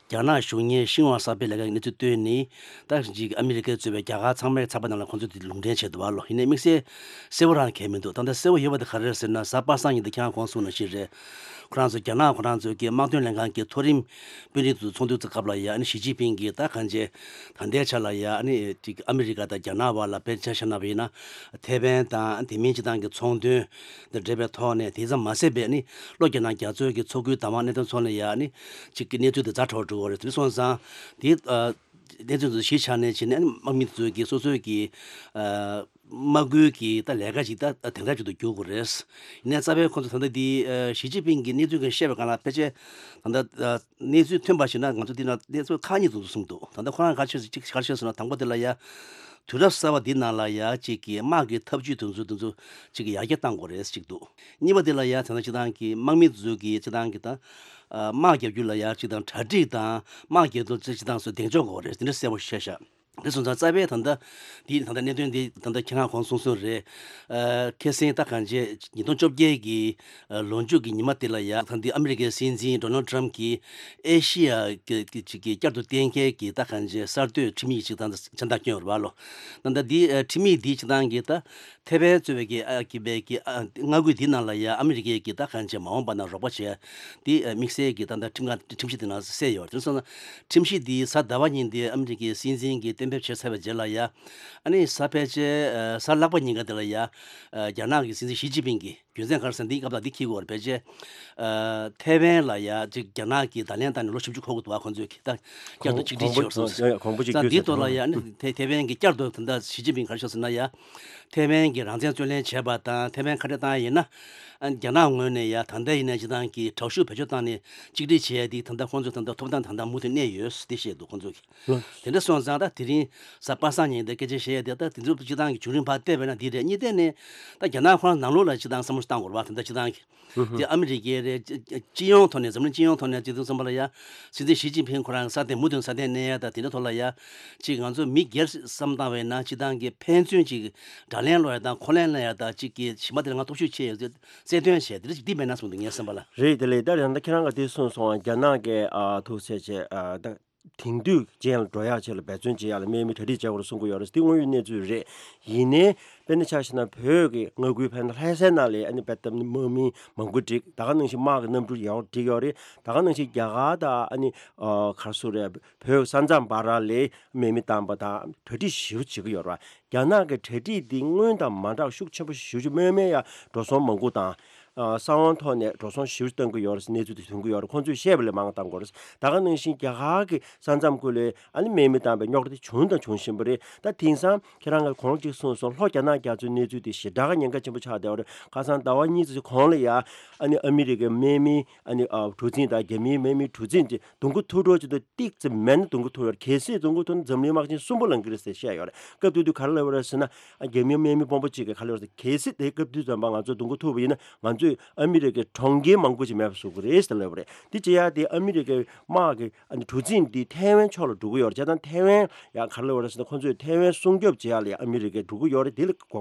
རྒྱ་ནག་གཞུང་གཉེར་ཤིན་ཧྭ་གསར་སྤེལ་ལས་ཀའི་གནས་ཚུལ་བཏོན་ནས། ད་ཅིག་ཨ་མི་རི་ཀས་གཙོས་པའི་རྒྱ་གར་ཚང་མའི་ཚགས་པར་ནང་ལ་ཁོང་ཚོས་དེ་ལུང་འདྲེན་བྱས་འདུག་བ་ལོ། ཡིན་ནའི་དམིགས་བསལ་གསལ་བོ་རང་གང་ཡང་མི་འདུག་ད་ལྟ་གསལ་བོ་ཡོད་པ་དེ་ག་རེ་རེད་ཟེར་ན། གཟའ་པ་སངས་ཉིན་དེ་ཁྱེད་རང་གོང་གསུངས་ནང་བཞིན་རེད། ཁོ་རང་ཚོ་རྒྱ་ནག་ཁོ་རང་ཚོའི་གི་དམག་དོན་ལྷན་ཁང་གི་མཐོ་རིམ་དཔོན་རིགས་ཚོ་ཚོགས་འདུ་ཚོགས་སྐབས་ལ་ཡ་ཨ་ནི་ཞི་ཅིན་ཕིང་གིས་ད་གང་བྱས་ད་ལྟའི་ཆ་ལ་ཡ་ཨ་ནི་ཅིག་ཨ་མི་རི་ཀ་དང་རྒྱ་ནག་བར་ལ་དཔེར་ཆ་བཞག་ན་བ་ཡིན་ན། ཐའེ་ཝན་དང་དེ་མིན་སྤྱི་བཏང་གི་ཚོང་དོན་དང་འབྲེལ་བའི་ཐོག་ནས། དེ་ཙམ་མ་ཟད་པའི་ཨ་ནི་བློ་རྒྱ་ནག་རྒྱ་མཚོའི་གི་མཚོ་ཁུལ་བདག་དབང་གནད་དོན་ཚོགས་ནས་ཡ་ཨ་ནི་ཅིག་གི་གནས་ཚུལ་དེ་ཛ་དྲག་འགྲོ་གི་རེད། དེ་སོང་ཙང་དེ་ཨ་གནས་ཚུལ་དེ་གཞི་ཆགས་ནས་བྱས་ནས་ཨ་ནི་དམག་མི་ཚོའི་གི་སོ་སོའི་གི་ཨ་དམག་ཁུལ་གྱི་ད་ལས་ཀ་ཞིག་ད་དེང་རབས་ཅིག་ཏུ་འགྱུར་དགོས་རེད། ཡིན་ནའི་རྩ་བའི་ཁོང་ཚོ་ད་ལྟ་འདི་ཨ་ཞི་ཅིན་ཕིང་གིས་གནས་ཚུལ་གྱི་བཤད་པའི་སྒང་ལ་ཕལ་ཆེར་ད་ལྟ་ཨ་གནས་ཚུལ་ཐོན་པ་ཞིག་ན་ང་ཚོ་འདི་ན་གནས་ཚུལ་ཁག་གཉིས་འདུག་གསུངས་འདུག་ད་ལྟ་ཁོ་རང་ག་ཆོས་གཅིག་ག་ཆོས་ཟེར་ན། དང་པོ་དེ་ལ་ཡ་དུས་རབས་གསར་པ་འདི་ནང་ལ་ཡ་གཅིག་གི་དམག་གི་ཐབས་ཇུས་དེ་ཚོ་དེ་ཚོ་གཅིག་གི་ཡར་རྒྱས་གཏང་དགོས་རེད་གཅིག་འདུག་གཉིས་པ་དེ་ལ་ཡ་ད་ལྟ་སྤྱི་བཏང་གི་དམག་མི་ཚོ་གི་སྤྱི་བཏང་གི་ད་ཨ་དམག་རྒྱག་རྒྱུ་ལ་ཡ་སྤྱི་བཏང་གྲ་སྒྲིག་དང་དམག་རྒྱག་དུས་སྤྱི་བཏང་སོ་གདེང་འཇོག་དགོས་རེད། དེ་འདྲ་གསལ་པོ་བཤད་ཤག་དེ་སོང་ཙང་རྩ་བའི་ད་ལྟ་འདི་ད་ལྟ་གནད་དོན་འདི་ད་ལྟ་ཁྱེད་རང་གོང་གསུངས་སོང་རེད། ཨ་ཁ་སང་ད་གང་བྱས་ཉིས་སྟོང་བཅོ་བརྒྱད་ཀྱི་ཨ་ལོ་མཇུག་གི་ཉི་མ་དེ་ལ་ཡ་ད་འདི་ཨ་མི་རི་ཀའི་སྲིད་འཛིན་ཌོ་ནལ་ཊམ་གྱིས་ཨེ་ཤི་ཡ་གི་གི་ཅིག་གི་བསྐྱར་དུ་གཏན་འཁེལ་གྱི་ད་གང་བྱས་གསར་གཏོད་ཁྲིམས་ཡིག་ཅིག་ད་ལྟ་མཚན་རྟགས་བསྐྱོན་ཡོད་རེད་བ་ལོ། ད་ལྟ་འདི་ཨ་ཁྲིམས་ཡིག་འདི་སྤྱི་བཏང་གི་ད་ཐའེ་ཝན་གཙོས་པའི་གི་ཨ་གི་པའི་གི་ཨ་མངའ་ཁུལ་འདི་ནང་ལ་ཡ་ཨ་མི་རི་ཀའི་གི་ད་གང་བྱས་མ་འོངས་པ་ན་རོགས་པ་བྱས་འདི་ཨ་དམིགས་བསལ་གྱི་ད་ལྟ་ཁྲིམས་ཁང་ཁྲིམས་གཞི་འདི་ནང་གསལ་ཡོད་རེད། དེ་སོང་ན་ཁྲིམས་གཞི་འདི་གཟའ་ཟླ་བ་ཉིན་འདི་ཨ་མི་རི་ཀའི་སྲིད་འཛིན་གྱིས་གཏན་འབེབས་བྱས་ཚར་བའི་རྗེས་ལ་ཡ་ཨ་ནི་གཟའ་ཕལ་ཆེར་ཨ་གཟའ་ལྷག་པ་ཉིན་ཀ་འདི་ལ་ཡ་ཨ་རྒྱ་ནག་གི་སྲིད་འཛིན་ཞི་ཅིན་ཕིང་གིས་རྒྱུ་མཚན་ག་རེ་ཟེར་ན་འདི་སྐབས་ལ་འདི་འཁྱེར་དགོས་རེད། ཕལ་ཆེར་ཨ་ཐའེ་ཝན་ལ་ཡ་ཅིག་རྒྱ་ནག་གིས་བརྡ་ལན་བཏང་ནས་ལོ་བཞི་བཅུ་འཁོར་གྱི་འདུག་བ། ཁོང་ཚོས་ཀྱིས་ད་བསྐྱར་དུ་གཅིག་སྒྲིལ་བྱས་ཡོད་སོང་ཟེར། ཡ་གོང་བུ་གཅིག་ད་གྱུར་འདིའི་ཐོག་ལ་ཡ་ཨ་ནི་ཐའེ་ཐའེ་ཝན་གྱིས་བསྐྱར་དུ་ད་ལྟ་ཞི་ཅིན་ཕིང་ག་རེ་ཞུས་ཟེར་ན་ཡ། ཐའེ་ཝན་གྱིས་རང་བཙན་རྩོད་ལེན་བྱས་པ་དང་ཐའེ་ཝན་ཁ་བྲལ་བཏང་ཡ་ཡིན་ན། ཨ་རྒྱ་ནག་ངོས་ནས་ཡ་ད་ལྟ་ཡིན་ན་སྤྱི་བཏང་གི་དྲག་ཤུགས་བེད་སྤྱོད་བཏང་ནས་གཅིག་སྒྲིལ་བྱས་ཡ་འདི་ད་ལྟ་ཁོང་ཚོ་ད་ལྟ་ཐོབ་ཐང་ད་ལྟ་མུ་མཐུད་གནས་ཡོད་ཟེར་བཤད་འདུག་ཁོང་ཚོ་གིས། ལགས། དེ་འདྲ་སོང་ཙང་ད་དེ་རིང་གཟའ་པ་སངས་ཉིན་དེ་སྐད་ཆ་བཤད་ཡ་དེ་ད་དེ་ཚོ་སྤྱི་བཏང་གི་བྱུང་རིམ་ཕར་བལྟས་པས་ན་འདི་རེད། གཉིས་བལྟས་ནས་ད་རྒྱ་ནག་ཁོ་རང་ནང་ལོགས་ལ་སྤྱི་བཏང་བསམ་བློ་བཏང་དགོས་རེད་བ། ད་ལྟ་སྤྱི་བཏང་གི་དེ་ཨ་མི་རི་ཀའི་རེད། སྤྱི་ཡོངས་ཐོག་ནས་འཛམ་གླིང་སྤྱི་ཡོངས་ཐོག་ནས་སྤྱི་ཚོགས་གསུམ་པ་ལ་ཡ་སྲིད་འཛིན་ཞི་ཅིན་ཕིང་ཁོ་རང་སྲ་བརྟན་མུ་མཐུད་སྲ་བརྟན་གནས་ཡ་ད་དེ་འདྲ་ཐོག་ལ་ཡ་ཅིག་ང་ཚོ་མི་སྒེར་བསམ་བཏང་བས་ན་སྤྱི་བཏང་གི་ཕན་ཚུན་ཅིག་དགྲ་ལན་སློག་ཡ་དང་ཁོག་ལན་སློག་ཡ་དང་ཅིག་གི་གཞན་པ་དེ་ལ་ང་སྟོབས་ཤུགས་ཆེ་ཡོད་ཚེ་རྩལ་འདོན་བྱས་དེ་འདྲ་ཅིག་འདི་མེད་ན་གསུངས་འདུག་ངའི་བསམ་པ་ལ། རེད། དེ་ལས་ད་རེས་ད་ཁྱེད་རང་ག་དེ་གསུངས་སོང་། རྒྱ་ནག་གི་ཨ་ཐུགས་སེ་བྱས་ཨ་ད། དེང་དུས་ཅན་ལ་འགྲོ་ཡག་ཆེད་ལ་འབད་བརྩོན་བྱེད་ཡག་ལ་དམག་མི་གྲ་སྒྲིག་བྱེད་དགོས་རེད་གསུང་གི་ཡོད་རེད། འདི་དངོས་ཡོད་གནས་ཚུལ་རེད། ཡིན་ནའི་དཔེར་ན་ཆ་བཞག་ན་བོད་ཀྱི་མངའ་ཁུལ་དཔེར་ན་ལྷ་སའི་ནང་ལ་ཨ་ནི་དཔེ་ལྟ་ན་དམག་མི་མང་པོ་བསྒྲིགས། ད་ག་ནང་བཞིན་དམག་གི་གནམ་གྲུ་ཡག་པོ་བསྒྲིགས་ཡོད་རེད། ད་ག་ནང་བཞིན་རྒྱ་གར་དང་ཨ་ནི་ཨ་ག་རེ་ཟེར་དགོས་རེད། བོད་ས་མཚམས་བར་ལ་དམག་མི་བཏང་པ་དང་གྲ་སྒྲིག་ཞེ་པོ་བྱེད་ཀྱི་ཡོད་རེད་བ། རྒྱ་ནག་གི་གྲ་སྒྲིག་འདི་སྔོན་དང་མ་འདྲ་བ་ཤུགས་ཆེན་པོ་ཞེ་པོ་ཅིག་དམག་མི་ཡང་འགྲོ་སོང་མང་པོ་དང་། ཨ་གསང་བ་ཐོག་ནས་འགྲོ་སོང་ཞེ་པོ་ཅིག་བཏང་གི་ཡོད་རེད་ཟེར་གནས་ཚུལ་དེ་ཐོན་གྱི་ཡོད་རེད། ཁོང་ཚོས་བཤད་པ་ལས་མང་བ་བཏང་དགོས་རེད། ད་ག་ནང་བཞིན་རྒྱ་གར་གྱི་ས་མཚམས་ཁུལ་ལ་ཨ་ནི་དམག་མི་བཏང་པའི་རྙོག་དྲ་དེ་བྱུང་དང་འབྱུང་བཞིན་པ་རེད། ད་དེང་སང་ཁྱེད་རང་གིས་གོང་གཅིག་གསུངས་སོང་། ལྷོ་རྒྱ་ནག་རྒྱ་མཚོའི་གནས་ཚུལ་དེ་ཞེ་དྲག་ཉེན་ཁ་ཆེན་པོ་ཆགས་བསྡད་ཡོད་རེད། ཁ་སང་ཟླ་བ་གཉིས་ཙམ་གོང་ལ་ཡ་ཨ་ནི་ཨ་མི་རི་ཀའི་དམག་མི་ཨ་ནི་ཨ་གྲུ་གཟིངས་དང་རྒྱ་མིའི་དམག་མིའི་གྲུ་གཟིངས་དེ་རྡུང་རྡེག་ཐུག་འགྲོ་ཅིག་ཏུ་ཏིག་ཙམ་མེད་ན་རྡུང་རྡེག་ཐུག་ཡོད་རེད། གལ་སྲིད་རྡུང་རྡེག་ཐུག་ན་འཛམ་གླིང་དམག་ཆེན་གསུམ་པ་ལངས་ཀྱི་རེད་ཟེར་བཤད་ཡོད་རེད། སྐབས་དེ་དུས་ག་རེ་ལབ་ཡོད་རེད་ཟེར་ན། རྒྱ་མིའི་དམག་མི་དཔོན་པོ་གཅིག་གིས་ག་རེ་ལབ་ཡོད་རེད་ཟེར། གལ་སྲིད་དེ་སྐབས་དུས་ཙམ་པ་ང་ཚོ་རྡུང་རྡེག་ཐུག་པ་ཡིན་ན་ང་ཚོས་ ཚོས་ཨ་མི་རི་ཀའི་གྲོང་ཁྱེར་མང་པོ་ཅིག་མེད་པ་བཟོ་གི་རེད་ཟེར་ལབ་པ་རེད། དེ་བྱེད་ཡ་དེ་ཨ་མི་རི་ཀའི་དམག་གི་ཨ་ནི་གྲུ་གཟིངས་འདི་ཐའེ་ཝན་ཕྱོགས་ལ་འགྲོ་གི་ཡོད་རེད། བྱས་ཙང་ཐའེ་ཝན་ཡང་ག་རེ་ལབ་པ་རེད་ཟེར་ན། ཁོ་ཚོས་ཐའེ་ཝན་སྲུང་སྐྱོབ་བྱེད་ཡ་ལ་ཡང་ཨ་མི་རི་ཀས་འགྲོ་གི་ཡོད་རེད། དེ་ལ་གོ་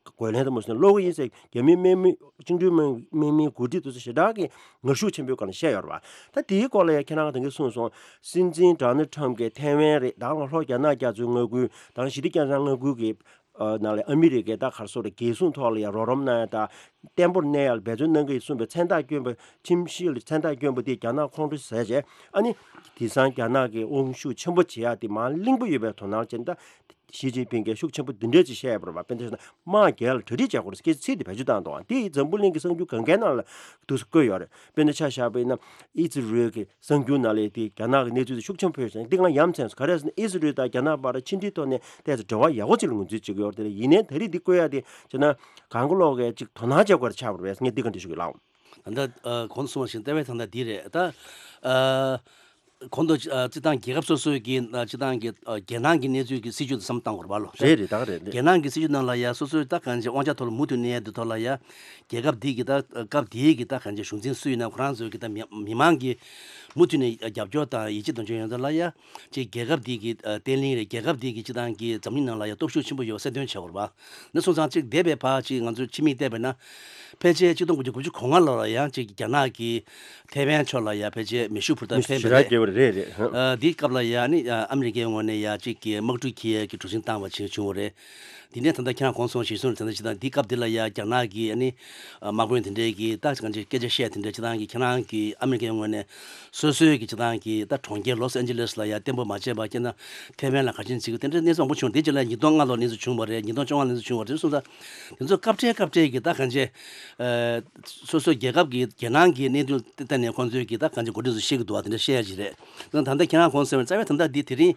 རྒོལ་ལན་དང་མ་སོང་ན་སློག་གི་ཡིན་ཟེར། རྒྱ་མིའི་དམག་མི་བཅིངས་འགྲོལ་དམག་དམག་མིའི་འགོ་ཁྲིད་དེ་ཚོ་ཞེ་དྲག་གི་ངར་ཤུགས་ཆེན་པོའི་སྒང་ལ་བཤད་ཡོད་རེད་བ། ད་དེའི་སྐོར་ལ་ཡང་ཁྱེད་རང་ད་གིན་གསུངས་སོང་། སྲིད་འཛིན་ཌོ་ནལ་ཊམ་གྱིས་ཐའེ་ཝན་རེད། ད་ལ་ལྷོ་རྒྱ་ནག་རྒྱ་མཚོའི་མངའ་ཁུལ་དང་ཞི་བདེ་རྒྱ་མཚོའི་མངའ་ཁུལ་གྱི་ཨ་ནང་ལ་ཨ་མི་རི་ཀས་ད་ག་རེ་ཟེར་དགོས་རེད། རྒྱལ་སྲུང་ཐོག་ལ་ཡང་རོགས་རམ་གནང་ཡ་དང་བརྟན་པོར་གནས་ཡ་ལ་འབད་བརྩོན་གནང་གི་ཡིན་གསུངས་པའི་མཚན་རྟགས་བསྐྱོན་པ། ཁྲིམས་གཞི་ལ་མཚན་རྟགས་བསྐྱོན་པ་དེ་རྒྱ་ནག་ཁོང་ཁྲོ་ཟ་བྱས། ཨ་ནི་དེང་སང་རྒྱ་ནག་གི་དབང་ཤུགས་ཆེན་པོ་བྱེད་ཡ་དེ་མར་གླེང་པོ་ཡོད་པའི་དོ་སྣང་བྱས་ནས། ད་ཞི་ཅིན་ཕིང་གིས་ཤུགས་ཆེན་པོ་འདི་འདྲས་ཅིག་བཤད་ཡོད་པ་རེད་བ། དཔེར་ན་ཆ་བཞག་ན་དམག་རྒྱག་ཡ་ལ་གྲ་སྒྲིག་བྱེད་དགོས་རེད་ཟེར་ཚིག་དེ་བེད་སྤྱོད་བཏང་འདུག་བ། དེ་ཡིས་འཛམ་བུ་གླིང་གི་གསར་འགྱུར་གང་གའི་ནང་ལ་འདུག་སེ་བཀོད་ཡོད་རེད། དཔེར་ན་ཆ་བཞག་པ་ཡིན་ན་ཨི་ཛི་རལ་གྱི་གསར་འགྱུར་ནང་ལ་དེ་རྒྱ་ནག་གི་གནས་ཚུལ་དེ་ཤུགས་ཆེན་པོ་ཡོད་ཅིང་། འདི་ང་ཡ་མཚན་སོང་། ག་རེ་ཟེར་ན་ཨི་ཛི་རལ་དང་རྒྱ་ནག་བར་ཕྱི་འབྲེལ་ཐོག་ནས་ཏོག་ཙམ་འབྲེལ་བ་ཡག་པོ་ཅིག་ལ་ངོས་འཛིན་བྱེད་ཀྱི་ཡོད་རེད། དེ་ལ་ཡིན་ནའི་ད་རེས་འདི་བཀོད་ཡ་དེ་བྱས་ན་གང་ག་ལོག་གིས་ཅིག་དོ་སྣང་བྱེད་དགོས་རེད་ཆགས་པ་རེད་ཟེར་ངས་འདི་ག་འདྲ་ཞུ་གི་ལགས། ད་ལྟ་ཨ་གོང་དུ་གསུངས་པ་བཞིན་ལྟ་བའི་ཐང་ད་འདི་རེད། ད་ཨ་གོང་དུ་ཨ་སྤྱི་བཏང་རྒྱལ་ཁབ་སོ་སོའི་གི་ཨ་སྤྱི་བཏང་གི་ཨ་རྒྱལ་ནང་གི་གནས་ཚུལ་གྱི་སྲིད་ཇུས་དེ་བསམ་བློ་བཏང་དགོས་རེད་པ་ལོ། རེད་རེད། ད་ག་རེད་རེད། རྒྱལ་ནང་གི་སྲིད་ཇུས་ནང་ལ་ཡ་སོ་སོའི་ད་གང་ཅི་དབང་ཆ་ཐོག་ལ་མུ་མཐུད་གནས་ཡ་འདི་ཐོག་ལ་ཡ་རྒྱལ་ཁབ་འདི་གི་ད་སྐབས་འདིའི་གི་ད་གང་ཅི་གཞུང་འཛིན་སུ་ཡིན་ན་ཁོ་རང་ཚོའི་གི་ད་མི་མི་མང་གི་མུ་མཐུད་ནས་རྒྱབ་སྐྱོར་དང་ཡིད་ཆེས་གདུང་མཆོག་ཡོང་ཐབས་ལ་ཡ་ཅིག་རྒྱལ་ཁབ་འདི་གི་ཨ་བརྟན་ལྷིང་རེད། རྒྱལ་ཁབ་འདི་གི་སྤྱི་བཏང་གི་འཛམ་གླིང་ནང་ལ་ཡ་སྟོབས་ཤུགས་ཆེན་པོ་ཡོད་གསལ་སྟོན་བྱེད་དགོས་རེད་པ། ནས་སོང་ཙང་གཅིག་འདས་པའི་བར་གཅིག་ང་ཚོས་ཕྱི་མིག་བལྟས་པས་ན། ཕལ་ཆེར་གཅིག་སྟོང་དགུ་བརྒྱ་གོ་ལྔ་ལོ་ལ་ཡང་གཅིག་རྒྱ་ནག་གིས་ཐའེ་ཝན་ཕྱོགས་ལ་ཡང་ཕལ་ཆེར་མེ་ཤུགས་འཕུར་མདའ་འཕེན་པ་རེད། རེད་རེད། ཨ་འདིའི་སྐབས་ལ་ཡང་ནི་ཨ་ཨ་མི་རི་ཀའི་ངོས་ནས་ཡང་གཅིག་གི་དམག་འཁྲུག་འཁྱེར་ཡས་ཀྱི་གྲུ་གཟིངས་བཏང་བ་ཅིག་བྱུང་བ་རེད། འདི་ནས་ད་ལྟ་ཁྱེད་རང་གོང་གསུངས་ཞེས་གསུངས་ད་ལྟ་སྤྱི་བཏང་འདིའི་སྐབས་འདི་ལ་ཡང་རྒྱ་ནག་གི་ཨ་ནི་དམག་དཔོན་དེ་འདྲས་ཀྱིས་ད་གང་ཅི་སྐད་ཆ་བཤད་དེ་འདྲས་སྤྱི་བཏང་གི་ཁྱེད་རང་གི་ཨ་མི་རི་ཀའི་ངོས་ནས་སོ་སོའི་གི་སྤྱི་བཏང་གི་ད་གྲོང་ཁྱེར་ལོས་ཨན་ཇི་ལེས་ལ་ཡང་བརྟན་པོ་མ་བྱས་པ་ཁྱེད་ན་ཐའེ་ཝན་ལ་ག་ཅིན་བྱེད་ཀྱི་དེ་འདྲའི་གནས་ཚུལ་མང་པོ་བྱུང་། དེ་རྗེས་ལ་ཉིས་སྟོང་ལྔ་ལོར་གནས་ཚུལ་བྱུང་བ་རེད། ཉིས་སྟོང་བཅོ་ལྔ་གནས་ཚུལ་བྱུང་བ་རེད། སོང་ཙང་དེ་ཚོ་སྐབས་འཕྲལ་སྐབས་འཕྲལ་གྱི་ད་གང་ཅི་ཨ་སོ་སོའི་རྒྱལ་ཁབ་ཀྱི་རྒྱལ་ནང་གི་གནད་དོན་ལྟ་ནས་ཁོང་ཚོས་ཀྱི་ད་གང་ཅི་འགོ་ཁྲིད་ཚོས་བཤད་ཀྱི་འདུག་བ། དེ་འདྲ་བཤད་ཡ་ཅིག་རེད། ད་ལྟ་ཁྱེད་རང་གོང་གསལ་བའི་རྩ་བའི་ད་ལྟ་འདི་དེ་རིང་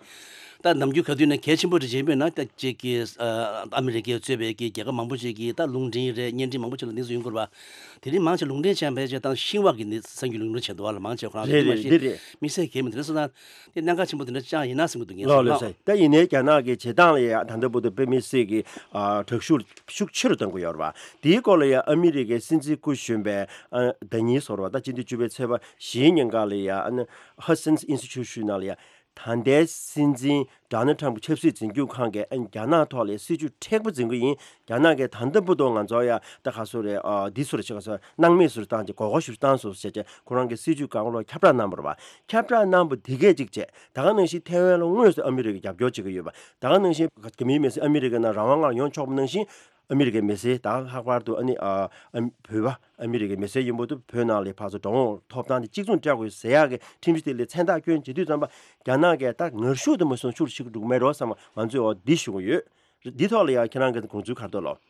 ད་ནམ་རྒྱུན་ག་དུས་ན་གལ་ཆེན་པོ་རེད་ཅེས་འབོད་ན། ད་ཅིག་གི་ཨ་ཨ་མི་རི་ཀས་གཙོས་པའི་གི་རྒྱལ་ཁབ་མང་པོ་ཅིག་གིས་ད་རླུང་འཕྲིན་རེད། བརྙན་འཕྲིན་མང་པོ་ཅིག་ལ་གནས་ཚུལ་ཡོང་གི་རེད་པ། དེ་རིང་མང་ཆེ་རླུང་འཕྲིན་ཆེན་ཕལ་ཆེར་ད་ཤིན་ཧྭ་གི་གནས་གསར་འགྱུར་རླུང་འཕྲིན་ཆེན་འདུག་བ་ལ། མང་ཆེ་ཁོ་རང་རེད་རེད་རེད། མ་གཏོགས་མི་སེར་གས་མི་འདུག་རེད། སོང་ཙང་དེ་གནད་འགག་ཆེན་པོ་དེ་འདྲ་ཅང་ཡིན་ན་བསམ་གྱི་འདུག་ངས་ལགས་ལགས་བསམ། ད་ཡིན་ནའི་རྒྱ་ནག་གི་བྱེད་སྟངས་ལ་ཡང་ད་ལྟ་བར་དུ་དཔེ་མི་སྲིད་ཀྱི་ཨ་དྲག་ཤུགས་ཤུགས་ཆེ་རུ་གཏོང་གི་ཡོད་རེད་པ། དེའི་སྐོར་ལ་ཡང་ཨ་མི་རི་ཀའི་སྲིད་འཛིན་སྐུ་གཞོན་པས་ཨ་ཟླ་ཉིན་ཟེར་བ་ད་སྤྱི་ཟླ་བཅུ་པའི་ཚེས་པ་བཞིའི་ཉིན་ཀ་ལ་ཡང་ཨ་ནི་ཧ་སན་ཨིན་སི་ཊི་ཊུ་ཊི་ནང་ལ་ཡང་ད་ལྟའི་སྲིད་འཛིན་ཌོ་ནལ་ཊམ་གྱི་ཆབ་སྲིད་འཛིན་སྐྱོང་ཁང་གིས་ཨ་ནི་རྒྱ་ནག་ཐོག་ལ་སྲིད་ཇུས་མཁྲེགས་པོ་འཛིན་གྱི་ཡིན། རྒྱ་ནག་གིས་ད་ལྟ་བར་དུ་ང་ཚོ་ཡ་ད་ག་སོ་རེད། ཨ་འདི་སོ་རེད་ཅེས་ག་སོ་སྣང་མེད་སོ་རེ་བཏང་ཅིག་མགོ་སྐོར་ཞུ་རེ་བཏང་སོང་ཟེར་བྱས་ཁོ་རང་གི་སྲིད་ཇུས་སྒང་ལོགས་ཁྱབ་བསྒྲགས་གནང་བ་རེད་པ། ཁྱབ་བསྒྲགས་གནང་བ་འདི་གས་ཅིག་བྱས། ད་ག་ནང་བཞིན་ཐའེ་ཝན་ལ་དངོས་སུ་ཨ་མི་རི་ཀས་རྒྱབ་སྐྱོར་བྱེད་ཀྱི་ཡོད་པ། ད་ག་ནང་བཞིན་རྒྱ་མིའི་མི་སེར་ཨ་མི་རི་ཀའི་ནང་རང་དབང་ངང་ཡོང་ཆོག་པ་ནང་བཞིན་ཨ་མི་རི་ཀའི་མི་སེར་ད་ལྷག་པར་དུ་ཨ་ནི་ཨ་ཨ་བོད་པ་ཨ་མི་རི་ཀའི་མི་སེར་ཡིན་པ་དུ་བོད་ནང་ལ་ཕར་ཚུར་འགྲོ་འོང་ཐོབ་ཐང་དེ་གཅིག་མཚུངས་སྤྲད་དགོས་ཟེར་ཡག་གི་ཁྲིམས་གཞི་དེ་ལ་མཚན་རྟགས་བསྐྱོན་བྱེད་དུས་ཙམ་པ་རྒྱ་ནག་གིས་ད་ངར་ཤུགས་དུ་མ་སོང་ཤུགས་ཤིག་འགྲོ་གི་མེད་འགྲོ་བསམ་པ་ང་ཚོས་འོ་འདི་ཞུ་གི་ཡོད། འདི་ཐོག་ལ་ཡང་ཁྱེད་རང་གི་དགོངས་ཚུལ་ག་རེ་འདུག་ལགས།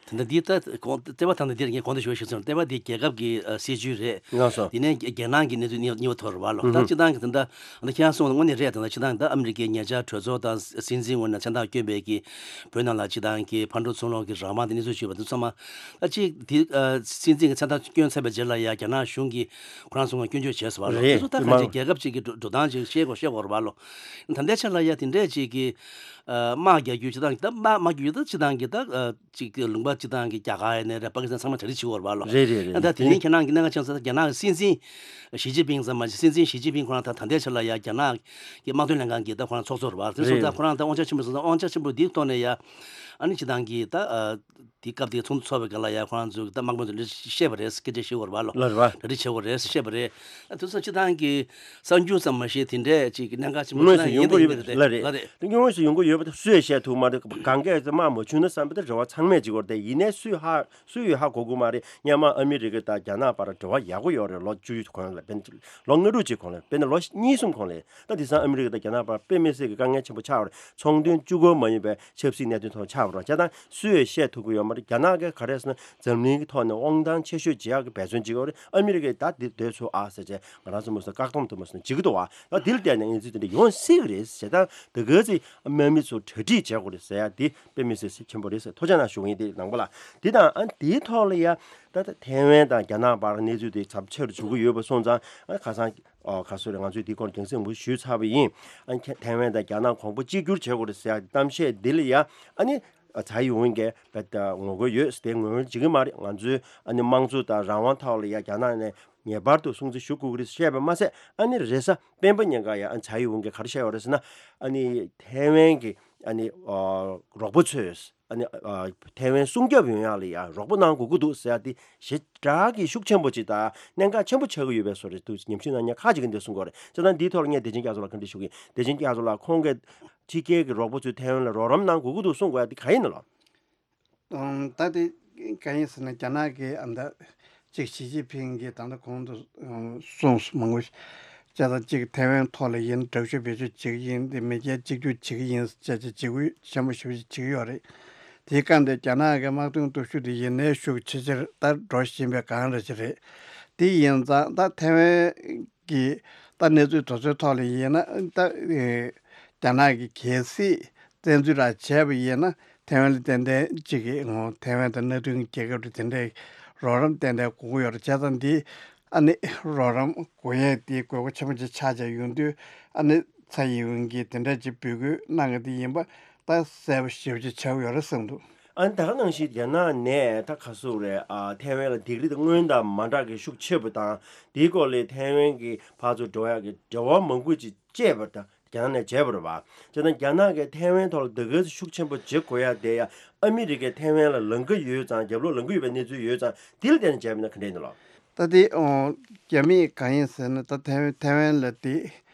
ད་ལྟ་འདི་ལྟ་དགོངས་ལྟེ་བ་ཐང་ནས་འདིར་ངས་གོང་དུ་ཞུ་བ་ཞིག་སོང་། ལྟེ་བ་འདི་རྒྱལ་ཁབ་ཀྱི་ཨ་སྲིད་ཇུས་རེད། ལགས་སོ། དེ་ནས་རྒྱ་རྒྱལ་ནང་གི་གནས་ཚུལ་གཉིས་གཉིས་པ་ཐོག་རེད་པ་ལགས། ད་སྤྱིར་བཏང་གི་ད་ལྟ་ད་ཁྱེད་རང་གསུངས་དངོས་གནས་རེད། ད་ལྟ་སྤྱིར་བཏང་གི་ད་ཨ་མི་རི་ཀའི་ཉེ་ཆར་གྲོས་ཚོགས་དང་སྲིད་འཛིན་ངོས་ནས་མཚན་རྟགས་བསྐྱོན་པའི་གི་བོད་ནང་ལ་སྤྱིར་བཏང་གི་ཕར་འགྲོ་ཚུར་འོང་གི་རང་དབང་དེ་གནས་ཚུལ་ཞུས་པ་དེ་ཚང་མ་ད་གཅིག་དེ་ཨ་སྲིད་འཛིན་གྱི་མཚན་རྟགས་བསྐྱོན་ཚར་བའི་རྗེས་ལ་ཡ་རྒྱ་ནག་གཞུང་གིས་ཁོ་རང་ཚོ་ལ་སྐྱོན་བརྗོད་བྱས་སོང་བ་ལགས། རེད། དེ་ཚོ་ད་གང་ཅི་རྒྱལ་ཁབ་ཅིག་གི་འགྲོ་འགྲོ་སྟངས་ཅིག་ཤེས་དགོས་ཤེས་དགོས་རེད་པ་ལགས། ད་ལྟའི་ཆ་ལ་ཡ་དེ་འདྲས་ཅིག་གི་ཨ་དམག་རྒྱག་རྒྱུ་ཅི་དང་ད་དམག་དམག་རྒྱག་རྒྱུ་ད་ཅི་དང་གི་ད་ཨ་ཅིག་གི་ལུང་པ་ཅི་དང་གི་རྒྱ་གར་ཡིན་ནའི་རེད། པ་ཀི་སི་ཐན་ཚང་མ་གྲ་སྒྲིག་བྱེད་དགོས་རེད་པ་ལགས། རེད་རེད་རེད། ཨ་ད་དེ་དེ་རིང་ཁྱེད་རང་གི་གནད་འགག་ཆེ་ས་རྒྱ་ནག་གི་སྲིད་འཛིན་ཞི་ཅིན་ཕིང་ཙམ་མ་ཞིག་སྲིད་འཛིན་ཞི་ཅིན་ཕིང་ཁོ་རང་ད་ད་ལྟའི་ཆ་ལ་ཡ་རྒྱ་ནག་གི་དམག་དོན་ལྷན་ཁང་གི་ད་ཁོ་རང་ཚོགས་གཙོ་རེད་པ། དེ་སོང་ད་རེད། ཁོ་རང་ད་དབང་ཆ་ཆེན་པོ་སོང་ད་དབང་ཆ་ཆེན་པོ་འདིའི་ཐོག་ནས་ཡ་ཨ་ནི་ཅི་དང་གི་ད་ཨ་དེ་སྐབས་དེ་ཚོགས་འདུ་ཚོགས་པའི་སྐབས་ལ་ཡ་ཁོ་རང་ཚོས་ད་དམག་དཔོན་ཚོ་འདི་བཤད་པ་རེད། སྐད་ཆ་བཤད་དགོས་རེད་པ་ལགས། ལགས་རེད་པ། གྲ་སྒྲིག་བྱེད་དགོས་རེད་བཤད་པ་རེད། ཨ་དེ་ཚོ་སྤྱིར་བཏང་གི་གསར་འགྱུར་ཙམ་མ་ཤེས་དེ་འདྲས་ཅིག་གནད་འགག་ཆེན་པོ་དངོས་སུ་ཡོང་གི་ཡོད་པ་རེད། ལགས་རེད། དངོས་སུ་ཡོང་གི་ཡོད་པ་དེ་སུས་བཤད་ཐུབ་མ་རེད། གང་གས་དམག་མ་བྱུང་ན་བསམ་པ་དེ་རེ་བ་ཚང་མས་བྱེད་དགོས་རེད་དེ། ཡིན་ནའི་སུས་ཧ་སུས་ཡོད་ཧ་གོ་གི་མ་རེད། སྔོན་མ་ཨ་མི་རི་ཀ་དང་རྒྱ་ནག་བར་འབྲེལ་བ་ཡག་པོ་ཡོད་རེད། ལོ་བཅུ་གོང་ལ་དཔེར་ན་ལོ་ལྔ་དྲུག་ཅིག་གོང་ལ་དཔེར་ན་ལོ་གཉིས་གསུམ་གོང་ལ། ད་དེང་སང་ཨ་མི་རི་ཀ་དང་རྒྱ་ནག་བར་དཔེ་མི་སྲིད་ཀྱི་དཀའ་ངལ་ཆེན་པོ་ཆགས་པ་རེད། ཚོང་དོན་གཅིག་པོ་མ་ཡིན་པའི་ཆབ་སྲིད་གནད་དོན་ཐོག་ཆགས་པ་རེད། བྱས་ཙང་སུས་ཡང་བཤད་ཐུབ་ཀྱི་ཡོད་མ་རེད། རྒྱ་ནག་གིས་ག་རེ་ཟེར་ན་འཛམ་གླིང་གི་ཐོག་ནས་དབང་ཐང་ཆེ་ཤོས་བྱེད་ཡག་གི་འབད་བརྩོན་བྱེད་ཀྱི་ཡོད་རེད། ཨ་མི་རི་ཀས་ད་འདི་སྡོད་ཆོག་ཨ་ཟེར་བྱས་ང་རང་ཚོ་མུ་སོ་བཀག་སྡོམ་དུ་མ་སོང་བྱེད་ཀྱི་འདུག་ཨ། ད་འདི་ལ་བལྟས་ནས་ང་ཚོས་དེ་འདྲ་ཡོང་སྲིད་ཀྱི་རེད་ཟེར། ད་དེ་ག་ཚོད་དམག་མི་ཚོ་གྲ་སྒྲིག་བྱེད་དགོས་རེད་ཟེར་ཡ་འདི་དཔེ་མི་སྲིད་ཆེན་པོ་རེད་ཟེར་ཐུགས་རྗེ་གནང་ཞུ་གི་ཡིན། དེ་ནང་པ་ལ་འདི་དང་ཨ་འདིའི་ཐོག་ལ་ཡ་ད་ད་ཐའེ་ཝན་དང་རྒྱ་ནག་བར་གནས་ཚུལ་དེ་ཚབས་ཆེ་རུ་འགྱུར་གྱི་ཡོད་པ་སོང་ཙང་ཨ་ཁ་སང་། ཨོ་ཁ་སོ་རེ་ང་ཚོས་འདི་སྐོར་རྒྱང་སྲིང་མུ་ཞུས་ཚར་བ་ཡིན། ཨ་ནི་ཐའེ་ཝན་དང་རྒྱ་ནག་གོང་བུ་གཅིག་གྱུར་བྱེད་དགོས་རེད་ཟེར་ཡག་གཏམ་བཤད་འདི་ལ་ཡ་ཨ་ནི་ ཨ་ཚའེ་ཡིན་ཝུན་གྱིས་བེད་ངོ་རྒོལ་ཡོད་ཟེར་ཏེ་ངོ་རྒོལ་བྱེད་ཀྱི་མ་རེད། ང་ཚོའི་ཨ་ནི་དམངས་གཙོ་དང་རང་དབང་ཐོག་ལ་ཡ་རྒྱ་ནག་ནས་ངེས་པར་དུ་སྲུང་བརྩི་ཞུ་དགོས་ཀྱི་རེད་བཤད་པ་མ་ཟད། ཨ་ནི་རེས་གཟའ་སྤེན་པ་ཉིན་ཀ་ཡ་ཨ་ཚའེ་ཡིན་ཝུན་གྱིས་ག་རེ་བཤད་ཡོད་རེད་ཟེར་ན། ཨ་ནི་ཐའེ་ཝན་གྱི་ཨ་ནི་ཨ་རོགས་པ་ཚོས་ཨ་ནི་ཨ་ཐའེ་ཝན་སྲུང་སྐྱོབ་ཡོང་ཡག་ལ་ཡ་རོགས་པ་གནང་དགོས་ཀྱི་འདུག་ཟེར་ཡ་དེ་ཞེ་དྲག་གི་ཤུགས་ཆེན་པོ་ཅིག་དང་གནད་འགག་ཆེན་པོ་ཆགས་ཀྱི་ཡོད་པའི་བཟོ་འདྲ་འདུག་ཉམས་ཞིབ་གནང་མཁན་ཁག་ཅིག་གིས་འདི་གསུང་གི་ཡོད་རེད། བྱས་ཙང་འདིའི་ཐོག་ལ་ངས་བདེ་ཆེན་རྒྱ་མཚོ་ལགས་བཀའ་འདྲི་ཞུ་གི་ཡིན། བདེ་ཆེན་རྒྱ་མཚོ་ལགས། ཁོང་གིས་ཕྱི་རྒྱལ་གྱི་རོགས་པ་ཚོས་ཐའེ་ཝན་ལ་རོགས་རམ་གནང་དགོས་ཀྱི་འདུག་གསུང་དགོས་ཡ་དེ་གང་ཡིན་ནོ། ཨང་། ད་དེ་གང་ཡིན་ཟེར་ན། རྒྱ་ནག་གི་ཨ་ད་གཅིག་ཞི་ཅིན་ཕིང་གིས་ད་ལྟ་གོང་དུ་ཨང་གསུངས་སོང་། མང་པོ་ཞིག་བྱས་ཙང་གཅིག་ཐའེ་ཝན་ཐོག་ལ་ཡིན་དྲག་ཤུགས་བེད་སྤྱོད་བྱེད་ཀྱི་ཡིན། དེ་མེས་རྒྱལ་གཅིག་གྱུར་བྱེད་ཀྱི་ཡིན་ཟེར་བྱས་བྱས་འཇིགས་སྐུལ་ཆེན་པོ་ཞེ་པོ་ཞིག་བྱེད་ཀྱི་ཡོད་རེད། དེའི་སྐབས་འདིར་རྒྱ་ནག་གི་དམག་དོན་སྟོབས་ཤུགས་དེ་ཡུན་ནན་ཤུགས་ཆེ་ཆེར་ད་འགྲོ་བཞིན་པའི་སྒང་རེད་ཅིག་རེད། དེ་ཡིན་ཙང་ད་ཐའེ་ཝན་གྱི་ད་གནས་ཚུལ་དེ་ཚོའི་ཐོག་ལ་ཡིན་ན། ད་ཨེ་རྒྱ་ནག་གིས་གལ་སྲིད་བཙན་འཛུལ་ར་བྱས་པ་ཡིན་ན། ཐའེ་ཝན་ལ་ཏན་ཏན་གཅིག་གི་ངོ་། ཐའེ་ཝན་དང་མནའ་མཐུན་རྒྱལ་ཁབ་རེད། དེ་འདྲའི་རོགས་རམ་ཏན་ཏན་དགོས་ཀྱི་ཡོད་རེད། བྱས་ཙང་འདི་ཨ་ནི་རོགས་རམ་དགོས་ཡས་དེ་དགོས་མཁོ་ཆེན་པོ་ཅིག་ཆགས་བྱས་ཡོང་དུས། ཨ་ནི་ཚའེ་ཡིན་ཝུན་གྱིས་དེ་འདྲ་ཅིག་འབོད་སྐུལ་གནང་གི་དེ་ཡིན་པ་ད་གསལ་པོ་ཞེ་པོ་ཅིག་ཆགས་ཀྱི་ཡོད་རེད་བསམ་འདུག། ཨ་ནི་ད་ག་ནང་བཞིན་རྒྱ་ནག་ནས་ད་ག་ཟེར་དགོས་རེད། ཨ་ཐའེ་ཝན་ལ་སྡིགས་ར་དེ་སྔོན་དང་མ་འདྲ་གི་ཤུགས་ཆེ་བ་དང་། དེའི་སྐོར་ལ་ཐའེ་ཝན་གྱི་ཕར་ཚུར་འགྲོ་ཡག་གི་འབྲེལ་བ་མང་པོ་ཅིག་བཅད་པ་དང་རྒྱ་ནག་ནས་བྱས་པ་རེད་པ། བྱས་ཙང་རྒྱ་ནག་གིས་ཐའེ་ཝན་ཐོག་ལ་ད་ག་ཚོད་ཤུགས་ཆེན་པོ་བྱེད་དགོས་ཡ་དེ་ཡ་ཨ་མི་རི་ཀས་ཐའེ་ཝན་ལ་ལངས་ཀྱི་ཡོད་ཙང་། རྒྱབ་ལོགས་ལངས་ཀྱི་ཡོད་པའི་གནས་ཚུལ་ཡོད་ཙང་། དེ་ལ་བརྟེན་ནས་བྱས་པ་ཡིན་ན་ག་འདྲ་ཡིན་ནོ་ལགས། ད་དེ་ཨོ་རྒྱ་མིས་གང་ཡིན་ཟེར་ན། ད་ཐའེ་ཝན་ཐའེ་ཝན་ལ་དེ་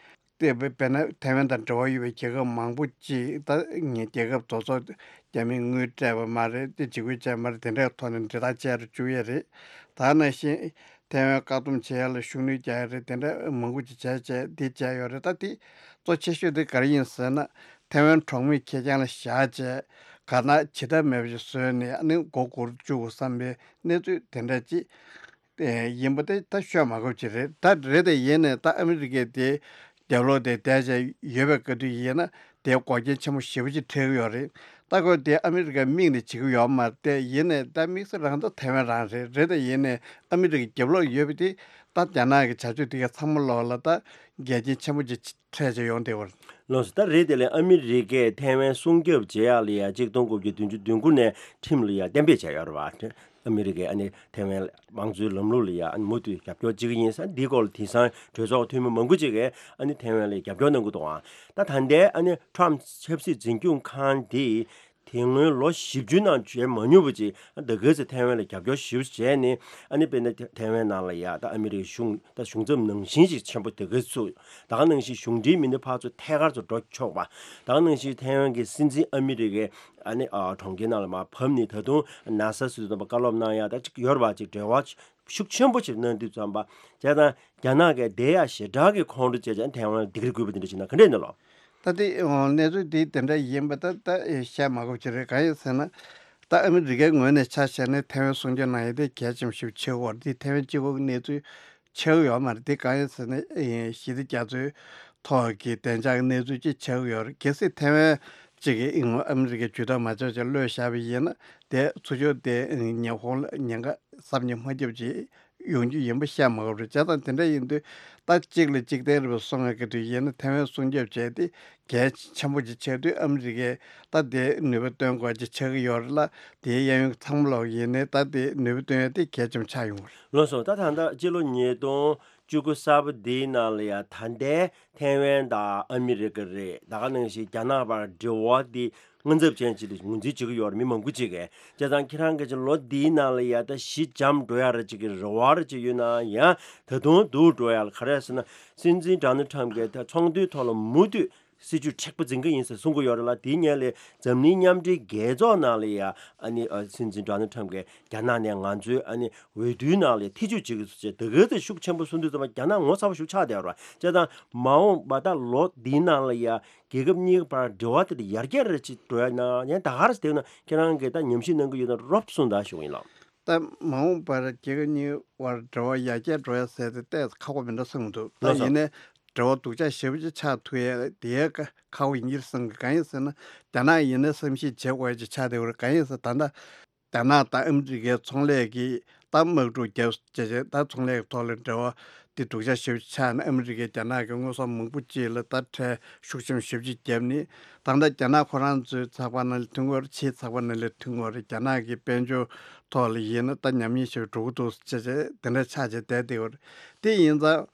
དེ་དཔེར་ན་ཐའེ་ཝན་དང་འབྲེལ་བ་ཡོད་པའི་རྒྱལ་ཁབ་མང་པོ་ཅིག་ད་ངའི་རྒྱལ་ཁབ་དེ་ཚོ་རྒྱ་མིས་དངུལ་སྤྲད་པ་མ་རེད། དེ་འཇིགས་སྐུལ་བྱས་མ་རེད། དེ་འདྲའི་ཐོག་ནས་འབྲེལ་ཐག་བཅད་རུ་བཅུག་ཡས་རེད། ད་ནང་བཞིན་ཐའེ་ཝན་བཀག་སྡོམ་བྱེད་ཡ་ལ་ཤུགས་སྣོན་རྒྱག་ཡ་རེད། དེ་འདྲ་མང་པོ་ཅིག་བྱས་བྱས་དེ་བྱས་ཡོད་རེད། ད་དེ་གཙོ་ཆེ་ཤོས་དེ་ག་རེ་ཡིན་ཟེར་ན། ཐའེ་ཝན་གྲོང་མིའི་ཁེ་རྐྱང་ལ་བཞག་བྱས་ག་ན་བྱེད་ཐབས་མེད་པ་ཞིག་བཟོས་ནས་ཨ་ནི་མགོ་སྒུར་བཅུག་བསམ་པའི་གནས་ཚུལ་དེ་འདྲ་ཅིག་ཨེ་ཡིན་པ་དེ་ད་ཤོད་མ་དགོས་ཅིག་རེད། ད་རེད་དེ་ཡིན་ནས་ད་ཨ་མི་རི་ཀས་དེ་རྒྱབ་ལོགས་དེ་བསྡད་བྱས་ཡོད་པའི་སྐབས་དུས་ཡིན་ན། དེ་འགོག་རྐྱེན་ཆེན་པོ་ཞེ་པོ་ཅིག་འཕྲད་ཀྱི་ཡོད་རེད། ད་ཁོས་དེ་ཨ་མི་རི་ཀའི་མིང་ནས་བྱེད་ཀྱི་ཡོད་མ་རེད། དེ་ཡིན་ནས་ད་དམིགས་བསལ་རང་ད་ཐའེ་ཝན་རང་རེད། རེད་དེ་ཡིན་ནས་ཨ་མི་རི་ཀའི་རྒྱབ་ལོགས་ཡོད་པ་དེ། ད་རྒྱ་ནག་གི་བྱ་སྤྱོད་དེ་ག་ཚང་མ་ལོག་ལ་ད་འགལ་རྐྱེན་ཆེན་པོ་ཅིག་འཕྲད་བྱས་ཡོང་བསྡད་པ་རེད། ལགས་སོ། ད་རེད་དེ་ལས་ཨ་མི་རི་ཀས་ཐའེ་ཝན་སྲུང་སྐྱོབ་བྱེད་ཡག་ལ་ཡ་གཅིག་སྟོང་དགུ་བརྒྱ་བདུན་ཅུ་དོན་དགུ་ནས་ཁྲིམས་ལ་ཡ་གཏན་འབེབས་བྱས་ཡོད་རེད་པ། ཨ་མི་རི་ཀས་ཨ་ནི་ཐའེ་ཝན་དམངས་གཙོའི་ལམ་ལུགས་ལ་ཡ་ཨ་ནི་མུ་མཐུད་རྒྱབ་སྐྱོར་བྱེད་ཀྱི་ཡིན་ཟེར། འདིའི་སྐོར་ལ་དེང་སང་གྲོས་ཚོགས་འཐུས་མི་མང་པོ་ཅིག་གིས་ཨ་ནི་ཐའེ་ཝན་ལ་རྒྱབ་སྐྱོར་གནང་གི་འདུག་ཨང་། ད་ད་ལྟའི་ཨ་ནི་ཊམ་ཆབ་སྲིད་འཛིན་སྐྱོང་ཁང་འདི་དེ་སྔོན་ལོ་བཞི་བཅུ་ནང་བྱས་མ་མྱོང་བ་ཅིག་ད་ག་ཚོད་ཐའེ་ཝན་ལ་རྒྱབ་སྐྱོར་ཞེ་པོ་བྱས་ནས། ཨ་ནི་དཔེར་ན་ཐའེ་ཝན་ནང་ལ་ཡ་ད་ཨ་མི་རི་ཀའི་གཞུང་ད་གཞུང་ཚབ་ནང་བཞིན་ཞིག་ཆེན་པོ་དེ་ག་ཚོད། ད་ག་ནང་བཞིན་གཞུང་འབྲེལ་མི་སྣ་ཕར་ཚུར་ཐད་ཀར་ཚུར་འགྲོ་ཆོག་པ། ད་ག་ནང་བཞིན་ཐའེ་ཝན་གྱི་སྲིད་འཛིན་ཨ་མི་རི་ཀའི་ཨ་ནི་ཨ་གྲོང་ཁྱེར་ནང་ལ་མར་ཕབ་ནས། ད་དུང་ནཱ་སཱ་ཟེར་དུས་ཙམ་པ་བཀའ་སློབ་གནང་ཡ་ད་ཅིག་ཡོད་རེད་པ། ཅིག་འབྲེལ་བ་ཤུགས་ཆེན་པོ་ཞིག་གནང་དུས་ཙམ་པ། བྱས་ཙང་རྒྱ་ནག་གིས་དེ་ཡ་ཞེ་དྲག་གི་ཁོང་ཁྲོ་བྱས་བྱས་ཐའེ་ཝན་ལ་སྡིགས་ར་རྒུད་པ་དེ་འདྲ་བྱེད་ན་ག་འདྲ་ཡིན་ནོ་ལགས། ད་དེ་ཨོ་གནས་ཚུལ་དེ་དེ་འདྲ་ཡིན་པ་ད་ད་བཤད་མ་དགོས་ཅིག་རེད། གང་ཡིན་ཟེར་ན། ད་ཨ་མི་རི་ཀའི་ངོས་ནས་ཆ་བཞག་ན་ཐའེ་ཝན་སྲུང་སྐྱོབ་གནང་ཡ་དེ་གལ་ཆེན་པོ་ཞིག་ཆགས་ཀྱི་ཡོད་རེད། དེ་ཐའེ་ཝན་གཅིག་པོ་གི་གནས་ཚུལ་ཆགས་ཀྱི་ཡོད་མ་རེད། དེ་གང་ཡིན་ཟེར་ན། ཨེ་ཞི་བདེ་རྒྱ་མཚོའི་ཐོག་གི་བདེ་འཇགས་ཀྱི་གནས་ཚུལ་ཅིག་ཆགས་ཀྱི་ཡོད་རེད། གལ་སྲིད་ཐའེ་ཝན་གཅིག་གིས་ཨ་མི་རི་ཀས་ཇུས་གཏོགས་མ་བྱས་བྱས་གློད་བཞག་པ་ཡིན་ན། དེ་ཚུར་ཕྱོགས་དེ་ཉི་ཧོང་ལ་ཉེན་ཁ་བསམ་གྱིས་མ་ཁྱབ་ཅིག་ཡོང་རྒྱུ་ཡིན་པ་བཤད་མ་དགོས་རེད། བྱས་ཙང་དེ་འདྲ་ཡིན་དུས་ད་གཅིག་ལ་གཅིག་བརྟེན་རེད་པ་སོང་བའི་སྐབས་དུས་ཡིན་ན། ཐའེ་ཝན་སྲུང་སྐྱོབ་བྱས་ཏེ་གལ་ཆེན་པོ་ཅིག་ཆགས་དུས། ཨ་མི་རི་ཀས་ད་དེ་ནུས་པ་བཏོན་དགོས་ཅིག་ཆགས་ཀྱི་ཡོད་རེད་ལ། དེའི་གཡས་གཡོན་ཚང་མ་ལོག་ཡིན་ནའི་ད་དེ་ནུས་པ་བཏོན་ཡ་དེ་གལ་ཆེན་པོ་ཆགས་ཡོང་གི་རེད། ལགས་སོ། ད་ད་ལྟ་སྤྱི་ལོ་ཉིས་སྟོང་བཅུ་དགུ་གསར་པ་འདིའི་ནང་ལ་ཡ་ད་ལྟའི་ཐའེ་ཝན་དང་ཨ་མི་རི་ཀ་རེད། ད་ག་ནང་བཞིན་རྒྱ་ནག་བར་འབྲེལ་བ་འདི་དངངས་འཚབ་ཅན་ཅིག་ཏུ་ངོས་འཛིན་བྱེད་ཀྱི་ཡོད་རེད། མི་མང་པོ་ཅིག་གིས། བྱས་ཙང་ཁྱེད་རང་གིས་ཅིག་ལོ་འདིའི་ནང་ལ་ཡ་ད་ཞི་འཇམ་འགྲོ་ཡ་རེ་ཅིག་གི་རེ་བ་རེ་ཅིག་ཡོད་ན་ཡང་། ད་དུང་སྡུག་འགྲོ་ཡ་ལ་ག་རེ་ཟེར་ན། སྲིད་འཛིན་ཌོ་ནལ་ཊམ་གྱིས་ད་ཚོགས་འདུའི་ཐོག་ལ་མུ་མཐུད་སྲིད་ཇུས་མཁྲེགས་པོ་འཛིན་གྱི་ཡིན་ཟེར་གསུང་གི་ཡོད་རེད་ལ། དེའི་སྔོན་ལ་འཛམ་གླིང་མཉམ་འབྲེལ་རྒྱལ་ཚོགས་ནང་ལ་ཡ་ཨ་ནི་ཨ་སྲིད་འཛིན་ཌོ་ནལ་ཊམ་གྱིས་རྒྱ་ནག་ནས་ང་ཚོའི་ཨ་ནི་འོས་བསྡུའི་ནང་ལ་ཐེ་བྱུས་བྱེད་ཀྱི་འདུག་ཟེར་ད་ག་ཚོད་ཤུགས་ཆེན་པོ་གསུང་དུས་ཙམ་པ་རྒྱ་ནག་ངོ་ཚ་པོ་ཞེ་པོ་ཆགས་བསྡད་ཡོད་རེད། བྱས་ཙང་མ་འོངས་པ་ད་ལོ་འདིའི་ནང་ལ་ཡ་རྒྱལ་ཁབ་གཉིས་ཀྱི་བར་འབྲེལ་བ་དེ་ལ་ཡར་རྒྱས་རེ་ཅིག་འགྲོ་ཡ་ན་ཡང་ད་ག་རེ་བསྡད་ན་ཁྱེད་རང་གིས་ད་ཉམས་ཞིབ་གནང་གི་ཡོད་ན་རོབ་གསུངས་དང་ཞུ་གི་ཡིན་ལགས། ད་མ་འོངས་པར་རྒྱལ་ཁབ་གཉིས་བར་འབྲེལ་བ་ཡར་རྒྱས་འགྲོ་ཡ་ཟེར་དེ་ཏོག་ཙམ་ཁག་པོ་མི་འདུག་བསམ་གྱི་འདུག། ད་ལགས་སོ། ཡིན་ནའི་འབྲེལ་བ་སྡུག་ཅག་ཞེ་པོ་ཅིག་ཆགས་ཐུབ་ཡ་དེ་ཡ་ཁག་པོ་ཡིན་གྱི་རེད་བསམ་གྱི། གང་ཡིན་ཟེར་ན། རྒྱ་ནག་ཡིན་ན་བསམ་ཤེས་བྱེད་དགོས་ཡ་ཅིག་ཆགས་བསྡད་ཡོད་རེད། གང་ཡིན་ཟེར་ད་ལྟ་རྒྱ་ནག་དང་ཨ་མི་རི་ཀའི་ཚོང་ལས་ཀྱི་ད་དམག་འཁྲུག་རྒྱབ་བྱས་བྱས་ད་ཚོང་ལས་ཀྱི་ཐོག་ལ་འབྲེལ་བ་ དེ་སྡུག་ཅག་ཞེ་པོ་ཆགས་ནས། ཨ་མི་རི་ཀས་རྒྱ་ནག་གི་དངོས་ཟོག་མང་པོ་ཅིག་ལ་ད་ཁྲལ་ཤུགས་ཆེན་ཞེ་པོ་ཅིག་བརྒྱབ་ནས། ད་ལྟ་རྒྱ་ནག་ཁོ་རང་ཚོའི་ཚགས་པར་ནང་ལ་ཐོན་གྱི་ཡོད་རེད། ཕྱིའི་ཚགས་པར་ནང་ལ་ཐོན་གྱི་ཡོད་རེད། རྒྱ་ནག་གི་དཔལ་འབྱོར་ཐོག་ལ་ཡིན་ན་ད་ཉམས་ཉེས་ཞིག་འགྲོ་གི་འདུག་ཅེས་བྱས་དེ་འདྲ་ཆགས་བྱས་བསྡད་བསྡད་ཡོད་རེད། དེ་ཡིན་ཙང་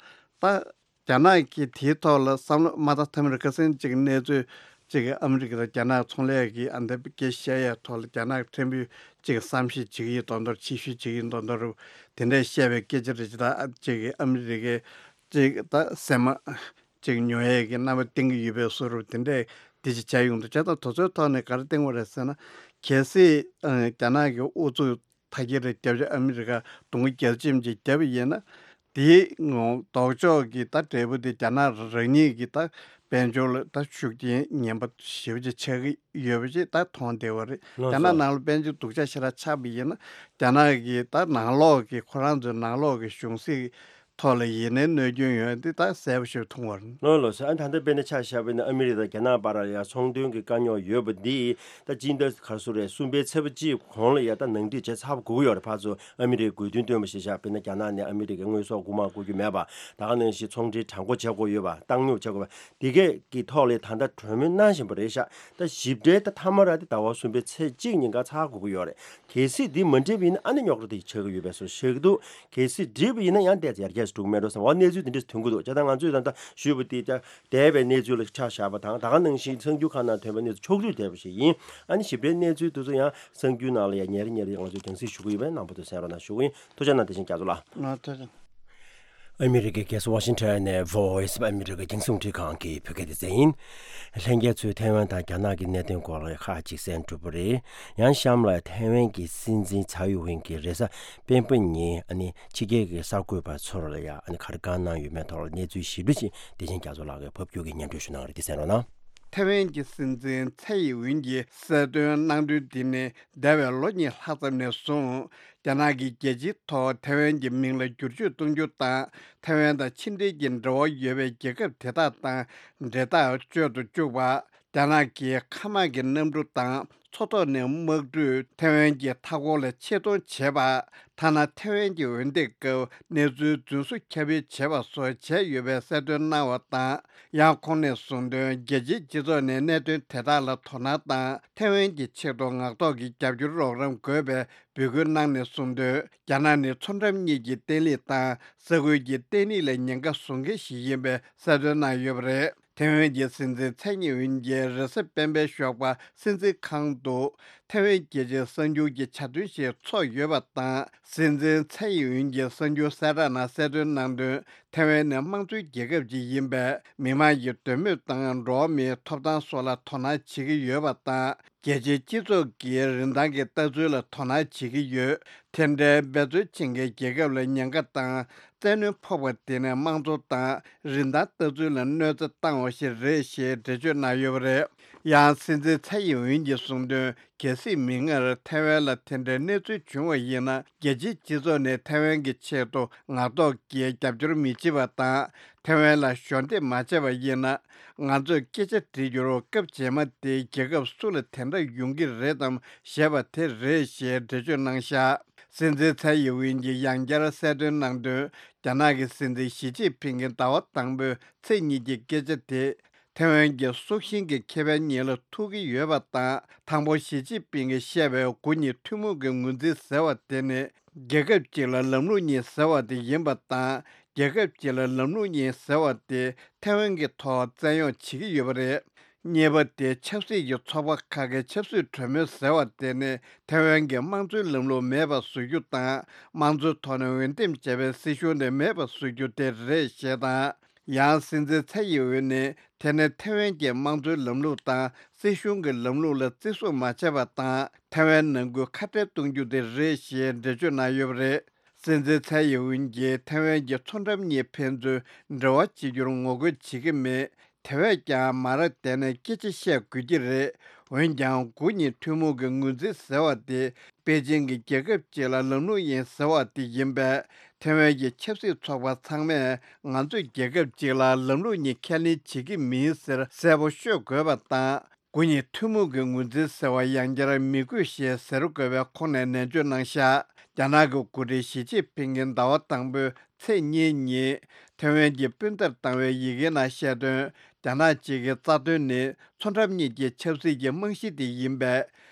ད་རྒྱ་ནག་གིས་དེའི་ཐོག་ལ་བསམ་བློ་མ་བཏང་ཐབས་མེད་རེད། ཁ་སང་གཅིག་གནས་ཚུལ་གཅིག་གིས་ཨ་མི་རི་ཀ་དང་རྒྱ་ནག་ཚོང་ལས་ཀྱི་ཨ་འདི་སྐད་བཤད་ཡས་ཐོག་ལ་རྒྱ་ནག་ཕྲན་བུ་གཅིག་བསམ་ཤེས་བྱེད་ཀྱི་ཡིན་མདོག་མདོག་ཕྱི་བཤོལ་བྱེད་ཀྱི་ཡིན་མདོག་མདོག་རེད། དེ་འདྲ་བཤད་པའི་སྐད་ཆ་རེད། ཅི་ད་གཅིག་གིས་ཨ་མི་རི་ཀའི་གཅིག་ད་སེམས་མ་གཅིག་ཉོ་ཡས་ཀྱི་རྣམ་པ་བསྟན་གྱི་ཡོད་པའི་བཟོ་འདྲ་དེ་འདྲས་དེ་ཅིག་བྱས་ཡོང་འདུག་བྱས་ཙང་དེ་ཚོའི་ཐོག་ནས་ག་རེ་བསྟན་དགོས་རེད་ཟེར་ན། གལ་སྲིད་ཨ་རྒྱ་ནག་གི་ཨུ་ཚུགས་མཐའ་སྐྱེལ་རེ་བརྒྱབ་བྱས་ཨ་མི་རི་ཀ་གདོང་རྒྱལ་ཆེམ་ཅིག་བརྒྱབ་པ་ཡིན་ན། དེའི་ལྡོག་ཕྱོགས་ཀྱི་ད་འབྲས་བུ་དེ་རྒྱ་ནག་རང་ཉིད་ཀྱི་ད་དཔལ་འབྱོར་ལ་ད་ཤུགས་རྐྱེན་ངན་པ་ཞེ་པོ་ཅིག་ཆགས་ཀྱི་ཡོད་པ་ཞིག་ད་མཐོང་བསྡད་པ་རེད། ལགས་རྒྱ་ནག་སོ། ནང་ལ་དཔལ་འབྱོར་སྡུག་ཅག་ཞེ་དྲག་ཆགས་པ་ཡིན་ན། རྒྱ་ནག་གི་ད་ནང་ལོགས་ཀྱི་ཁོ་རང་ཚོའི་ནང་ལོགས་ཀྱི་གཞུང་སྲིད་ཐོག་ལ་ཡིན་ནའི་གནོད་སྐྱོན་ཡོང་ཡ་འདི་ད་གསལ་པོ་ཞིག་མཐོང་བ་རེད། ལགས་ལགས་སོ། ཨ་ད་ལྟ་དཔེར་ན་ཆ་བཞག་པ་ཡིན་ན་ཨ་མི་རི་ཀ་དང་རྒྱ་ནག་བར་ལ་ཡང་ཚོང་དོན་གྱི་དཀའ་རྙོག་ཡོད་པ་འདི་ད་སྤྱི་ཟླ་ག་རེ་ཟེར་རེད། གསུམ་པའི་ཚེས་པ་གཅིག་གོང་ལ་ཡ་ད་ནང་འགྲིག་བྱས་ཚར་དགོས་ཀྱི་ཡོད་རེད། ཕར་ཚུར་ཨ་མི་རི་ཀས་དགོས་འདུན་བཏོན་པ་ཞིག་བཞག་པ་ཡིན་ན་རྒྱ་ནག་ནས་ཨ་མི་རི་ཀའི་དངོས་ཟོག་རྐུ་མ་རྐུ་རྒྱུ་མེད་པ། ད་ག་ནང་བཞིན་ཚོང་འབྲེལ་དྲང་པོ་བྱེད་དགོས་ཡོད་པ། བཏང་སྙོམས་བྱེད་དགོས་པ། འདི་གས་ཀྱི་ཐོག་ལ་ད་ལྟ་གྲོས་མོལ་གནང་བཞིན་པ་རེད་ཤག་ད་ཞིབ་ཕྲའི་ད་མཐའ་མ་ར་དེ་ཟླ་བ་གསུམ་པའི་ཚེས་གཅིག་ཉིན་ཀ་ཚར་དགོས་ཀྱི་ཡོད་རེད། གལ་སྲིད་འདི་མ་འགྲིག་པ་ཡིན་ན་ཨ་ནི་རྙོག་དྲ་དེ་ཆགས་ཀྱི་ཡོད་པའི་བཟོ་ཞིག་འདུག་གལ་སྲིད་འགྲིག་པ་ཡིན་ན་ཡང་ཏོག་ཙམ་ཡར་རྒྱས་སུ་འགྲོ་གི་མེད་འགྲོ་བསམ་པ་གནས་ཚུལ་དེ་འདྲ་ཐོན་གྱི་འདུག་བྱས་ཙང་ང་ཚོས་ད་ལྟ་ཞུས་པ་དེ་ད་འདས་པའི་གནས་ཚུལ་ལ་ཆ་བཞག་པ་དང་། ད་ག་ནང་བཞིན་གསར་འགྱུར་ཁག་ནང་ཐོན་པའི་གནས་ཚུལ་ཕྱོགས་བསྡུས་བྱས་པ་ཞིག་ཡིན། ཨ་ནི་ཞིབ་ཕྲའི་གནས་ཚུལ་དེ་ཚོ་ཡང་གསར་འགྱུར་ནང་ལ་ཡང་ཉེ་རེ་ཉེ་རེ་ང་ཚོས་རྒྱང་སྲིང་ཞུ་གི་ཡོད་པས་རྣམ་པ་ཚོས་གསན་རོགས་གནང་ཞུ་གི་ཡིན། ཐུགས་རྗེ་གནང་། དེ་བཞིན་རྒྱ་མཚོ་ལགས། ང་ཐུགས་རྗེ་གནང་། ཨ་མི་རི་ཀའི་རྒྱལ་ས་ཝ་ཤིང་ཊོན་ནས་Voice of America་རྒྱང་སྲིང་རླུང་འཕྲིན་ཁང་གི་བོད་སྐད་སྡེ་ཚན་ཡིན། ལྷན་རྒྱས་ཚོས་ཐའེ་ཝན་དང་རྒྱ་ནག་གི་གནད་དོན་སྐོར་ལ་ཁག་ཅིག་གསན་གྲུབ་པ་རེད། ཡང་གཤམ་ལ་ཐའེ་ཝན་གྱི་སྲིད་འཛིན་ཚའེ་ཡིན་ཝིན་གྱིས་རེས་གཟའ་སྤེན་པ་ཉིན་ཨ་ནི་ཕྱི་རྒྱལ་གྱི་གསར་འགོད་པ་ཚོར་ལ་ཡང་ཨ་ནི་ག་རེ་བཀའ་གནང་ཡོད་མེད་ཐོག་ལ་གནས་ཚུལ་ཞིབ་ཕྲ་ཅིག་བདེ་ཆེན་རྒྱ་མཚོ་ལགས་ཀྱིས་ཕབ་སྒྱུར་གྱིས་སྙན་སྒྲོན་ཞུ་གནང་བ་རེད། འདི་གསན་རོགས་གནང་། ཐའེ་ཝན་གྱི་སྲིད་འཛིན་ཚའེ་ཡིན་ཝིན་གྱིས་གསལ་སྟོན་གནང་དོན་འདི་ནི། འདས་པའི་ལོ་གཉིས་ལྷག་ཙམ་ནས་བཟུང་རྒྱ་ནག་གིས་རྒྱལ་སྤྱིའི་ཐོག་ཐའེ་ཝན་གྱི་མིང་ལ་བསྒྱུར་བཅོས་གཏོང་རྒྱུ་དང་། ཐའེ་ཝན་དང་ཕྱི་འབྲེལ་གྱི་འབྲེལ་བ་ཡོད་པའི་རྒྱལ་ཁབ་དེ་དག་དང་འབྲེལ་ཐག་གཅོད་དུ་བཅུག་པ། རྒྱ་ནག་གིས་མཁའ་དམག་གི་གནམ་གྲུ་དང་མཚོ་ཐོག་ནས་དམག་གྲུས་ཐའེ་ཝན་གྱི་མཐའ་འཁོར་ལ་ཆེད་གཏོང་བྱེད་པ། ཐ་ན་ཐའེ་ཝན་གྱི་འོས་འདེམས་སྐབས་གནས་ཚུལ་རྫུན་བཟོ་ཁྱབ་སྤེལ་བྱེད་པ་སོགས་བྱས་ཡོད་པའི་གསལ་སྟོན་གནང་བ་དང་། ཡང་ཁོང་ནས་གསུངས་དོན། རྒྱལ་སྤྱིའི་སྤྱི་ཚོགས་ནས་གནད་དོན་དེ་དག་ལ་དོ་སྣང་དང་། ཐའེ་ཝན་གྱི་ཆེད་དུ་ངག་ཐོག་གི་རྒྱབ་སྐྱོར་རོགས་རམ་དགོས་པའི་འབོད་སྐུལ་གནང་ནས་གསུངས་དོན། རྒྱ་ནག་ནི་མཚོ་འགྲམ་གཉིས་ཀྱི་བརྟན་ལྷིང་དང་ས་ཁུལ་གྱི་བརྟན་ལྷིང་ལ་ཉེན་ཁ་བཟོ་མཁན་ཞིག་ཡིན་པའི་གསལ་སྟོན་གནང་ཡོད་པ་རེད། ཐའེ་ཝན་གྱི་སྲིད་འཛིན་ཚའེ་ཡིན་ཝིན་གྱིས་རེས་གཟའ་སྤེན་པའི་ཞོགས་པ་སྲིད་འཛིན་ཁང་དུ་ཐའེ་ཝན་རྒྱལ་སྤྱིའི་གསར་འགྱུར་གྱི་ཆ་ཚང་ཞིག་ཚོགས་ཡོད་པ་དང་། སྲིད་འཛིན་ཚའེ་ཡིན་ཝིན་གྱིས་གསར་འགྱུར་གསལ་བསྒྲགས་ནང་གསལ་སྟོན་གནང་དོན། ཐའེ་ཝན་ནི་དམངས་གཙོའི་རྒྱལ་ཁབ་ཅིག་ཡིན་པས། མི་དམངས་ཀྱི་འདོད་མོས་དང་འགྲོ་བ་མིའི་ཐོབ་ཐང་སོགས་ལ་དོ་སྣང་བྱེད་ཀྱི་ཡོད་པ་དང་། རྒྱལ་སྤྱིའི་སྤྱི་ཚོགས་ཀྱིས་རིན་ཐང་གི་ལྟ་ཚུལ་ལ་དོ་སྣང་བྱེད་ཀྱི་ཡོད། དེ་འདྲའི་འབད་རྩོལ་བྱེད་མཁན་རྒྱལ་ཁབ་ལ་ཉེན་ཁ་དང་། བཙན་གནོན་ཕོག་པ་དེ་ནི་དམངས་གཙོ་དང་རིན་ཐང་ལྟ་ཚུལ་ལ་གནོད་འཚེ་བཏང་བ་ཞིག་རེད་ཞེས་འགྲེལ་བརྗོད་གནང་ཡོད་པ་རེད། ཡང་སྲིད་འཛིན་ཚའེ་ཡིན་ཝིན་གྱིས་གསུངས་དོན། གལ་སྲིད་མིག་སྔར་ཐའེ་ཝན་ལ་དེ་འདྲའི་གནས་ཚུལ་བྱུང་བ་ཡིན་ན། རྒྱལ་སྤྱིའི་སྤྱི་ཚོགས་ནས་ཐའེ་ཝན་གྱི་ཆེད་དུ་ངག་ཐོག་གི་རྒྱབ་སྐྱོར་མི་བྱེད་པ་དང་། ཐའེ་ཝན་ལ་གཞོགས་འདེགས་མ་བྱས་པ་ཡིན་ན། ང་ཚོས་སྐད་ཆ་དྲི་རྒྱུར་སྐབས་རྗེས་མ་དེ་རྒྱལ་ཁབ་སུ་ལ་དེ་འདྲ་ཡོང་གི་རེད་དམ་ཞེས་པ་དེ་རེད་ཞེས་འགྲེལ་བརྗོད་གནང་བཞག་སྲིད་འཛིན་ཚའེ་ཡིན་ཝིན་གྱིས་ཡང་བསྐྱར་གསལ་སྟོན་གནང་དོན། རྒྱ་ནག་གི་སྲིད་འཛིན་ཞི་ཅིན་ཕིང་གིས་ཟླ་བ་དང་པོའི་ཚེས་གཉིས་ཀྱི་སྐད་ཆ་དེ། ཐའེ་ཝན་གྱི་སྲོག་ཤིང་གི་ཁེ་ཕན་གཉིས་ལ་ཐུག་གི་ཡོད་པ་དང་། དང་པོ་ཞི་ཅིན་ཕིང་གིས་བཤད་པའི་དགུ་གཉིས་ཐུན་མོང་གི་ངོས་འཛིན་ཟེར་བ་དེ་ནི། རྒྱལ་ཁབ་ཅིག་ལ་ལམ་ལུགས་གཉིས་ཟེར་བ་དེ་ཡིན་པ་དང་། རྒྱལ་ཁབ་ཅིག་ལ་ལམ་ལུགས་གཉིས་ཟེར་བ་དེ་ཐའེ་ཝན་གྱི་ཐོག་བཙན་གཡོག་བྱེད་ཀྱི་ཡོད་པ་རེད། གཉིས་པ་དེ་ཆབ་སྲིད་ཀྱི་ཚོགས་པ་ཁག་གི་ཆབ་སྲིད་གྲོས་མོལ་ཟེར་བ་དེ་ནི་ཐའེ་ཝན་གྱི་དམངས་གཙོའི་ལམ་ལུགས་མེད་པ་བཟོ་རྒྱུ་དང་། དམངས་གཙོའི་ཐོག་ནས་འོས་འདེམས་བྱས་པའི་སྲིད་གཞུང་དེ་མེད་པ་བཟོ་རྒྱུ་དེ་རེད་ཞེས་དང་། ཡང་སྲིད་འཛིན་ཚའེ་ཡིན་ཝིན་ནི་དེ་ནི་ཐའེ་ཝན་གྱི་དམངས་གཙོའི་ལམ་ལུགས་དང་སྲིད་གཞུང་གི་ལམ་ལུགས་ལ་བརྩི་སྲུང་མ་བྱས་པ་དང་། ཐའེ་ཝན་ནང་ཁུལ་ཁ་བྲལ་གཏོང་རྒྱུ་དེ་རེད་ཞེས་འགྲེལ་བརྗོད་གནང་ཡོད་པ་རེད། སྲིད་འཛིན་ཚའེ་ཡིན་ཝིན་གྱིས་ཐའེ་ཝན་གྱི་མཚོ་འགྲམ་གཉིས་ཕན་ཚུན་འབྲེལ་བ་བྱེད་རྒྱུར་ངོ་རྒོལ་བྱེད་ཀྱི་མེད། དེ་བས་ཀྱང་མ་ར་བསྡད་ནས་སྐད་ཆ་བཤད་དགོས་ཀྱི་རེད། འོན་ཀྱང་དགུ་གཉིས་ཐུན་མོང་གི་ངོས་འཛིན་ཟེར་བ་དེ། པེ་ཅིང་གིས་རྒྱལ་ཁབ་ཅིག་ལ་ལམ་ལུགས་གཉིས་ཟེར་བ་དེ་ཡིན་པས། ཐའེ་ཝན་གྱི་ཆབ་སྲིད་ཚོགས་པ་ཚང་མས་ང་ཚོས་རྒྱལ་ཁབ་ཅིག་ལ་ལམ་ལུགས་གཉིས་ཁས་ལེན་བྱེད་ཀྱི་མིན་ཟེར་གསལ་པོ་ཤོད་དགོས་པ་དང་། དགུ་གཉིས་ཐུན་མོང་གི་ངོས་འཛིན་ཟེར་བ་ཡང་བསྐྱར་མི་དགོས་ཞེས་ཟེར་དགོས་པའི་ཁོང་ནས་ནན་བརྗོད་གནང་བཞག་རྒྱ་ནག་གི་འགོ་ཁྲིད་ཞི་ཅིན་ཕིང་གིས་ཟླ་བ་དང་པོའི་ ཚེས་གཉིས་ཉིན་ཐེ་ཝན་གྱི་སྤུན་ཟླར་བཏང་བའི་ཡི་གེའི་ནང་བཤད་དོན། རྒྱ་ནག་གཅིག་གི་རྩ་དོན་ནི་མཚོ་འགྲམ་གཉིས་ཀྱི་ཆབ་སྲིད་ཀྱི་རྨང་གཞི་དེ་ཡིན་པས།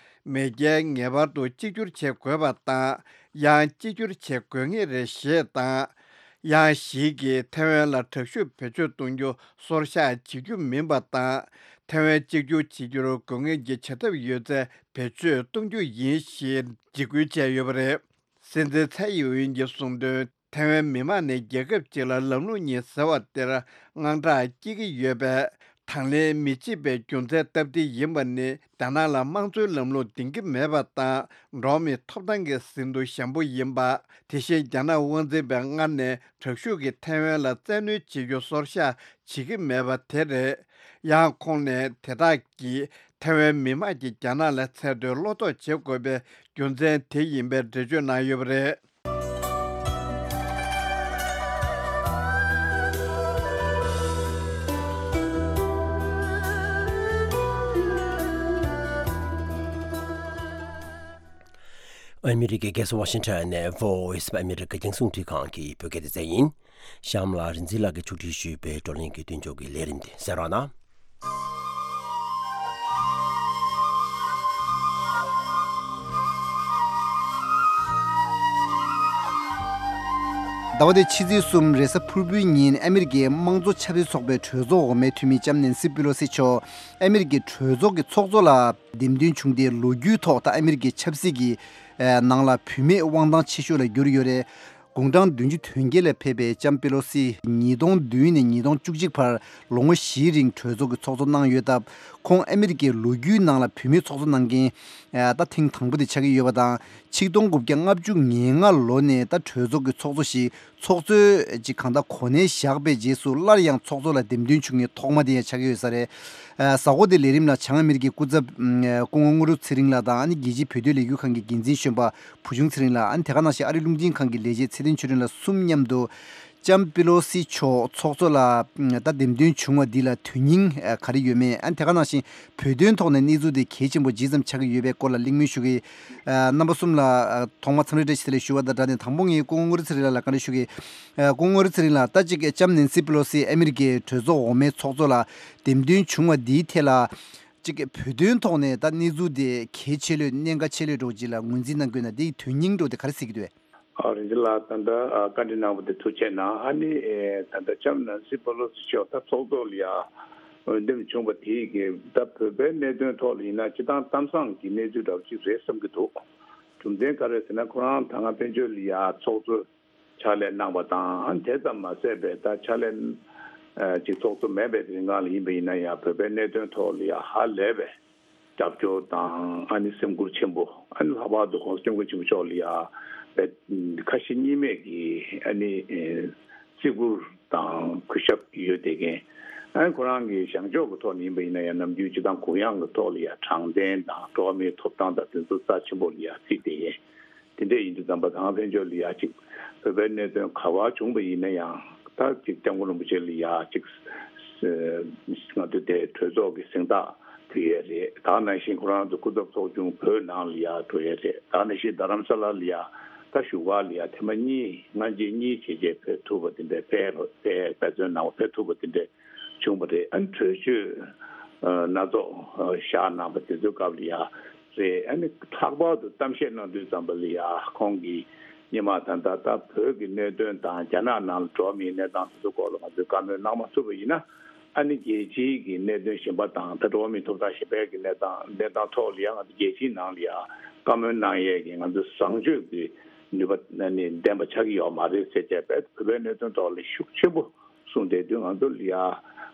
མེས་རྒྱལ་ངེས་པར་དུ་གཅིག་གྱུར་བྱེད་དགོས་པ་དང་། ཡང་གཅིག་གྱུར་བྱེད་དགོས་ངེས་རེད་ཞེས་དང་། ཡང་ཞིག་གིས་ཐེ་ཝན་ལ་དྲག་ཤུགས་བེད་སྤྱོད་གཏོང་རྒྱུ་སོར་བཞག་བྱེད་རྒྱུ་མིན་པ་དང་། ཐེ་ཝན་གཅིག་གྱུར་བྱེད་རྒྱུར་དགོས་ངེས་ཀྱི་བྱ་ཐབས་ཡོད་ཚད་བེད་སྤྱོད་གཏོང་རྒྱུ་ཡིན་ཞེས་འཇིགས་སྐུལ་བྱས་ཡོད་པ་རེད། སྲིད་འཛིན་ཚའེ་ཡིན་ཝིན་གྱིས་གསུངས་དོན། ཐེ་ཝན་མི་མང་ནི་རྒྱལ་ཁབ་ཅིག་ལ་ལམ་ལུགས་གཉིས་ཟེར་བ་དེར་དངངས་སྐྲག་སྐྱེ་གི་ཡོད་པས། དང་ལེན་མི་བྱེད་པའི་རྒྱུ་མཚན་སྟབས་བདེ་ཡིན་པ་ནི། རྒྱ་ནག་ལ་དམངས་གཙོའི་ལམ་ལུགས་ལྡན་གྱི་མེད་པ་དང་། འགྲོ་བ་མིའི་ཐོབ་ཐང་གི་ཟིན་ཐོ་ཞན་པོ་ཡིན་པ། དེ་བཞིན་རྒྱ་ནག་དབང་འཛིན་པས་སྔར་ནས་དྲག་ཤུགས་ཀྱིས་ཐེ་ཝན་ལ་བཙན་གནོན་བྱེད་རྒྱུ་སོར་བཞག་བྱེད་ཀྱི་མེད་པ་དེ་རེད། ཡང་ཁོང་ནས་དེ་དག་གིས་ཐེ་ཝན་མི་མང་གིས་རྒྱ་ནག་ལ་འཚེ་མཐོའི་བློ་དོགས་བྱེད་དགོས་པའི་རྒྱུ་མཚན་དེ་ཡིན་པའི་འགྲེལ་བརྗོད་གནང་ཡོད་པ་རེད། ཨ་མི་རི་ཀའི་རྒྱལ་ས་ཝ་ཤིང་ཊོན་ནས་Voice of America རྒྱང་སྲིང་རླུང་འཕྲིན་ཁང་གི་བོད་སྐད་སྡེ་ཚན་ཡིན། གཤམ་ལ་རིག་འཛིན་ལགས་ཀྱིས་ཕྱོགས་སྒྲིག་ཞུས་པའི་བགྲོ་གླེང་གི་མདུན་ལྕོག་གི་ལས་རིམ་དེ་གསན་རོགས་གནང་། ཟླ་བ་འདིའི་ཕྱི་ཚེས་གསུམ་རེས་གཟའ་ཕུར་བུའི་ཉིན་ཨ་མི་རི་ཀའི་དམངས་གཙོ་ཆབ་སྲིད་ཚོགས་པའི་གྲོས་ཚོགས་འོག་མའི་འཐུས་མི་ལྕམ་ནེན་སི་པི་ལོ་སི་མཆོག་ཨ་མི་རི་ཀའི་གྲོས་ཚོགས་ཀྱི་ཚོགས་གཙོ་ལ་འདེམས་ཐོན་བྱུང་སྟེ། ལོ་རྒྱུས་ཐོག་ད་ཨ་མི་རི་ཀའི་ཆབ་སྲིད་ཀྱི་ནང་ལ་བུད་མེད་དབང་ཐང་ཆེ་ཤོས་ལ་གྱུར་ཡོད་རེད། དགུང་གྲངས་བདུན་ཅུ་དོན་བརྒྱད་ལ་ཕེབས་པའི་ལྕམ་པེ་ལོ་སི་ཉིས་སྟོང་བདུན་ནས་ཉིས་སྟོང་བཅུ་གཅིག་བར་ལོ་ངོ་བཞིའི་རིང་གྲོས་ཚོགས་ཀྱི་ཚོགས་གཙོ་གནང་ཡོད་སྟབས། ཁོང་ཨ་མི་རི་ཀའི་ལོ་རྒྱུས་ནང་ལ་བུད་མེད་ཚོགས་གཙོ་གནང་མཁན་ད་ཐེངས་དང་པོ་དེ་ཆགས་ཀྱི་ཡོད་པ་དང་། ཆིག་སྟོང་དགུ་བརྒྱ་ལྔ་བཅུ་ང་ལྔ་ལོ་ནས་ད་གྲོས་ཚོགས་ཀྱི་ཚོགས་གཙོ་ཞིག་ཚོགས་གཙོས་ཅིག་གང་ལྟར་གོ་གནས་བཞག་པའི་རྗེས་སུ་སླར་ཡང་ཚོགས་གཙོ་ལ་འདེམས་ཐོན་བྱུང་མཁན་ཐོག་མ་དེ་ཡང་ཆགས་ཀྱི་ཡོད་ས་རེད། ཨ། གཟའ་འཁོར་དེའི་ལས་རིམ་ལ་བྱང་ཨ་མི་རི་ཀའི་སྐུ་ཚབ་ཨ་སྐུ་ངོ་དངོས་གྲུབ་ཚེ་རིང་ལགས་དང་། ཨ་ནི་རྒྱལ་སྤྱིའི་བོད་དོན་ལས་འགུལ་ཁང་གི་འགན་འཛིན་གཞོན་པ་བུ་ཆུང་ཚེ་རིང་ལགས། ཨ་ནི་དེ་ག་ནང་བཞིན་ཨ་རིའི་རླུང་འཕྲིན་ཁང་གི་ལས་བྱེད་ཚེ་བརྟན་ཆོས་སྒྲོན་ལགས་གསུམ་མཉམ་དུ་ལྕམ་པེ་ལོ་སི་མཆོག་ཚོགས་གཙོ་ལ་ཨ་ད་འདེམས་ཐོན་བྱུང་བ་འདི་ལ་དོན་སྙིང་ཨ་ག་རེ་ཡོད་མེད། ཨ་ནི་དེ་ག་ནང་བཞིན་བོད་དོན་ཐོག་ནས་གནས་ཚུལ་དེ་གལ་ཆེན་པོ་ཇི་ཙམ་ཆགས་ཀྱི་ཡོད་པའི་སྐོར་ལ་གླེང་མོལ་ཞུ་གི། ཨ་རྣམ་པ་གསུམ་ལ་ཨ་ཐོག་མར་འཚམས་འདྲི་བཀྲ་ཤིས་བདེ་ལེགས་ཞུ་བ་དང་སྦྲགས་ནས། དང་པོ་ངས་སྐུ་ངོ་དངོས་གྲུབ་ཚེ་རིང་ལགས་ལ་བཀའ་འདྲི་ཞུ་གི། ཨ་སྐུ་ངོ་དངོས་གྲུབ་ཚེ་རིང་ལགས། ད་ཅིག་ལྕམ་ནེན་སི་པེ་ལོ་སི་ཨ་མི་རི་ཀའི་གྲོས་ཚོགས་འོག་མའི་ཚོགས་གཙོ་ལ་འདེམས་ཐོན་བྱུང་བ་འདིའི་ཐད་ལ། ཅིག་བོད་དོན་ཐོག་ནས་ད་གནས་ཚུལ་དེ་གལ་ཆེ་ལོས་གནད་འགག་ཆེ་ལོས་འདྲ་བོ་ཅིག་ལ་ངོས་འཛིན་གནང་དགོས་ན། དེའི་དོན་སྙིང་འདྲ་བོ་དེ་ག་རེ་གཟིགས་ཀྱི་འདུག། ཨ། རིན་ཆེན་ལགས། ད་ལྟ་ཨ་བཀའ་འདྲི་གནང་བ་དེ་ཐུགས་རྗེ་གནང་། ཨ་ནི་ཨེ་ད་ལྟ་ལྕམ་ནེན་སི་པེ་ལོ་སི་མཆོག་ད་ཚོགས་གཙོ་ལ་ཡ་འོས་འདེམས་བྱུང་བ་དེ་གི་ད་བོད་པའི་གནད་དོན་ཐོག་ལ་ཡིན་ན་སྤྱིར་བཏང་གཏམ་བཟང་གི་གནས་ཚུལ་འདྲ་བོ་ཅིག་རེད་བསམ་གྱི་འདུག། རྒྱུ་མཚན་ག་རེ་ཟེར་ན། ཁོ་རང་ད་སྔ་ཕན་ཆད་ལ་ཡ་ཚོགས་གཙོ་ཕྱག་ལས་གནང་བ་དང་། ཨ་ནི་དེ་ཙམ་མ་ཟད་པའི་ད་ཕྱག་ལས་ཨ་ཅིག་ཚོགས་གཙོ་མེད་པའི་རིང་ལ་ཡིན་པ་ཡིན་ན་ཡང་། བོད་པའི་གནད་དོན་ཐོག་ལ་ཡ་ཧ་ལས་པའི་རྒྱབ་སྐྱོར་དང་། ཨ་ནི་སེམས་ཁུར་ཆེན་པོ། ཨ་ནི་ལྷག་པར་དུ་༸གོང་ས་༸སྐྱབས་མགོན་ཆེན་པོ་མཆོག་ལ་ཡ་ཁ་ཞེ་གཉིས་མེད་ཀྱི་ཨ་ནི་ཨེ་བརྩི་བཀུར་དང་གུས་ཞབས་ཡོད་བསྡད་མཁན། ཨ་ནི་ཁོ་རང་གི་བཞེངས་ཕྱོགས་ཀྱི་ཐོག་ནས་ཡིན་པ་ཡིན་ན་ཡང་། ནམ་རྒྱུན་སྤྱིར་བཏང་གུ་ཡངས་ཀྱི་ཐོག་ལ་ཡ་དྲང་བདེན་དང་འགྲོ་བ་མིའི་ཐོབ་ཐང་དང་དེ་ཚོ་རྩ་ཆེན་པོ་ལ་ཡ་བརྩིས་བསྡད་མཁན། དེ་འདྲ་ཡིན་དུས་ཙམ་པ། ད་སྔ་ཕན་ཆད་ལ་ཡ་ཅིག་བོད་པའི་གནད་དོན་ག་པར་བྱུང་བ་ཡིན་ན་ཡང་། ད་ཅིག་སྐྱབས་མགོན་རིན་པོ་ཆེ་ལ་ཡ་ཅིག་ང་ཚོ་དེ་གྲོས་ཚོགས་ཀྱི་གཟེངས་རྟགས་ཕུལ་ཡས་རེད། ད་ག་ནང་བཞིན་ཁོ་རང་ཚོ་སྐུ་ཚབ་ཚོགས་ཆུང་བོད་ནང་ལ་ཡ་འགྲོ་ཡས་རེད། ད་ག་ནང་བཞིན་རྡ་རམ་ས་ལ་ལ་ཡ་ད་བཞུགས་སྒར་ལ་ཡ་ཐེངས་མ་གཉིས། སྔ་རྗེས་གཉིས་བྱས་རྗེས་ཕེབས་ཐུབ་པ་དེ་འདྲ། ཕེབས་ཕེབས་འབད་བརྩོན་གནང་བ་ཕེབས་ཐུབ་པ་དེ་འདྲ་བྱུང་བ་རེད། ཨ་ནི་གྲོས་ཆོད་ཨ་སྣ་ཚོགས་ཨ་བཞག་གནང་བ་དེ་ཚོའི་སྐབས་ལ་ཡ་རེད། ཨ་ནི་ལྷག་པར་དུ་གཏམ་བཤད་གནང་དུས་ཙམ་པ་ལ་ཡ་ཁོང་གིས་སྔོན་མ་ད་ལྟ་ད་བོད་ཀྱི་གནད་དོན་དང་རྒྱ་ནག་ནང་ལ་འགྲོ་བ་མིའི་གནས་སྟངས་དེ་ཚོའི་སྐོར་ལ་ང་ཚོས་བཀའ་མོལ་གནང་མ་ཐུབ་པ་ཡིན་ན། ཨ་ནི་རྒྱལ་སྤྱིའི་གི་གནད་དོན་གཞན་པ་དང་། ད་འགྲོ་བ་མིའི་ཐོབ་ཐང་གཞན་པའི་གི་གནས་སྟངས་གནས་སྟངས་ཐོག་ལ་ཡ་ང་ཚོ་རྒྱལ་སྤྱིའི་ནང་ལ་ཡ་བཀའ་མོལ་གནང་ཡས་ཀྱི་ང་ཚོ་བཟང་སྤྱོད་ཀྱི་ནུས་པ་ཨ་ནི་ལྡན་པ་ཆགས་ཀྱི་ཡོད་མ་རེད་ཟེར་བྱས་པའི་བོད་པའི་གནད་དོན་ཐོག་ལ་ཤུགས་ཆེན་པོ་གསུངས་བསྡད་དུས། ང་ཚོ་ལ་ཡ་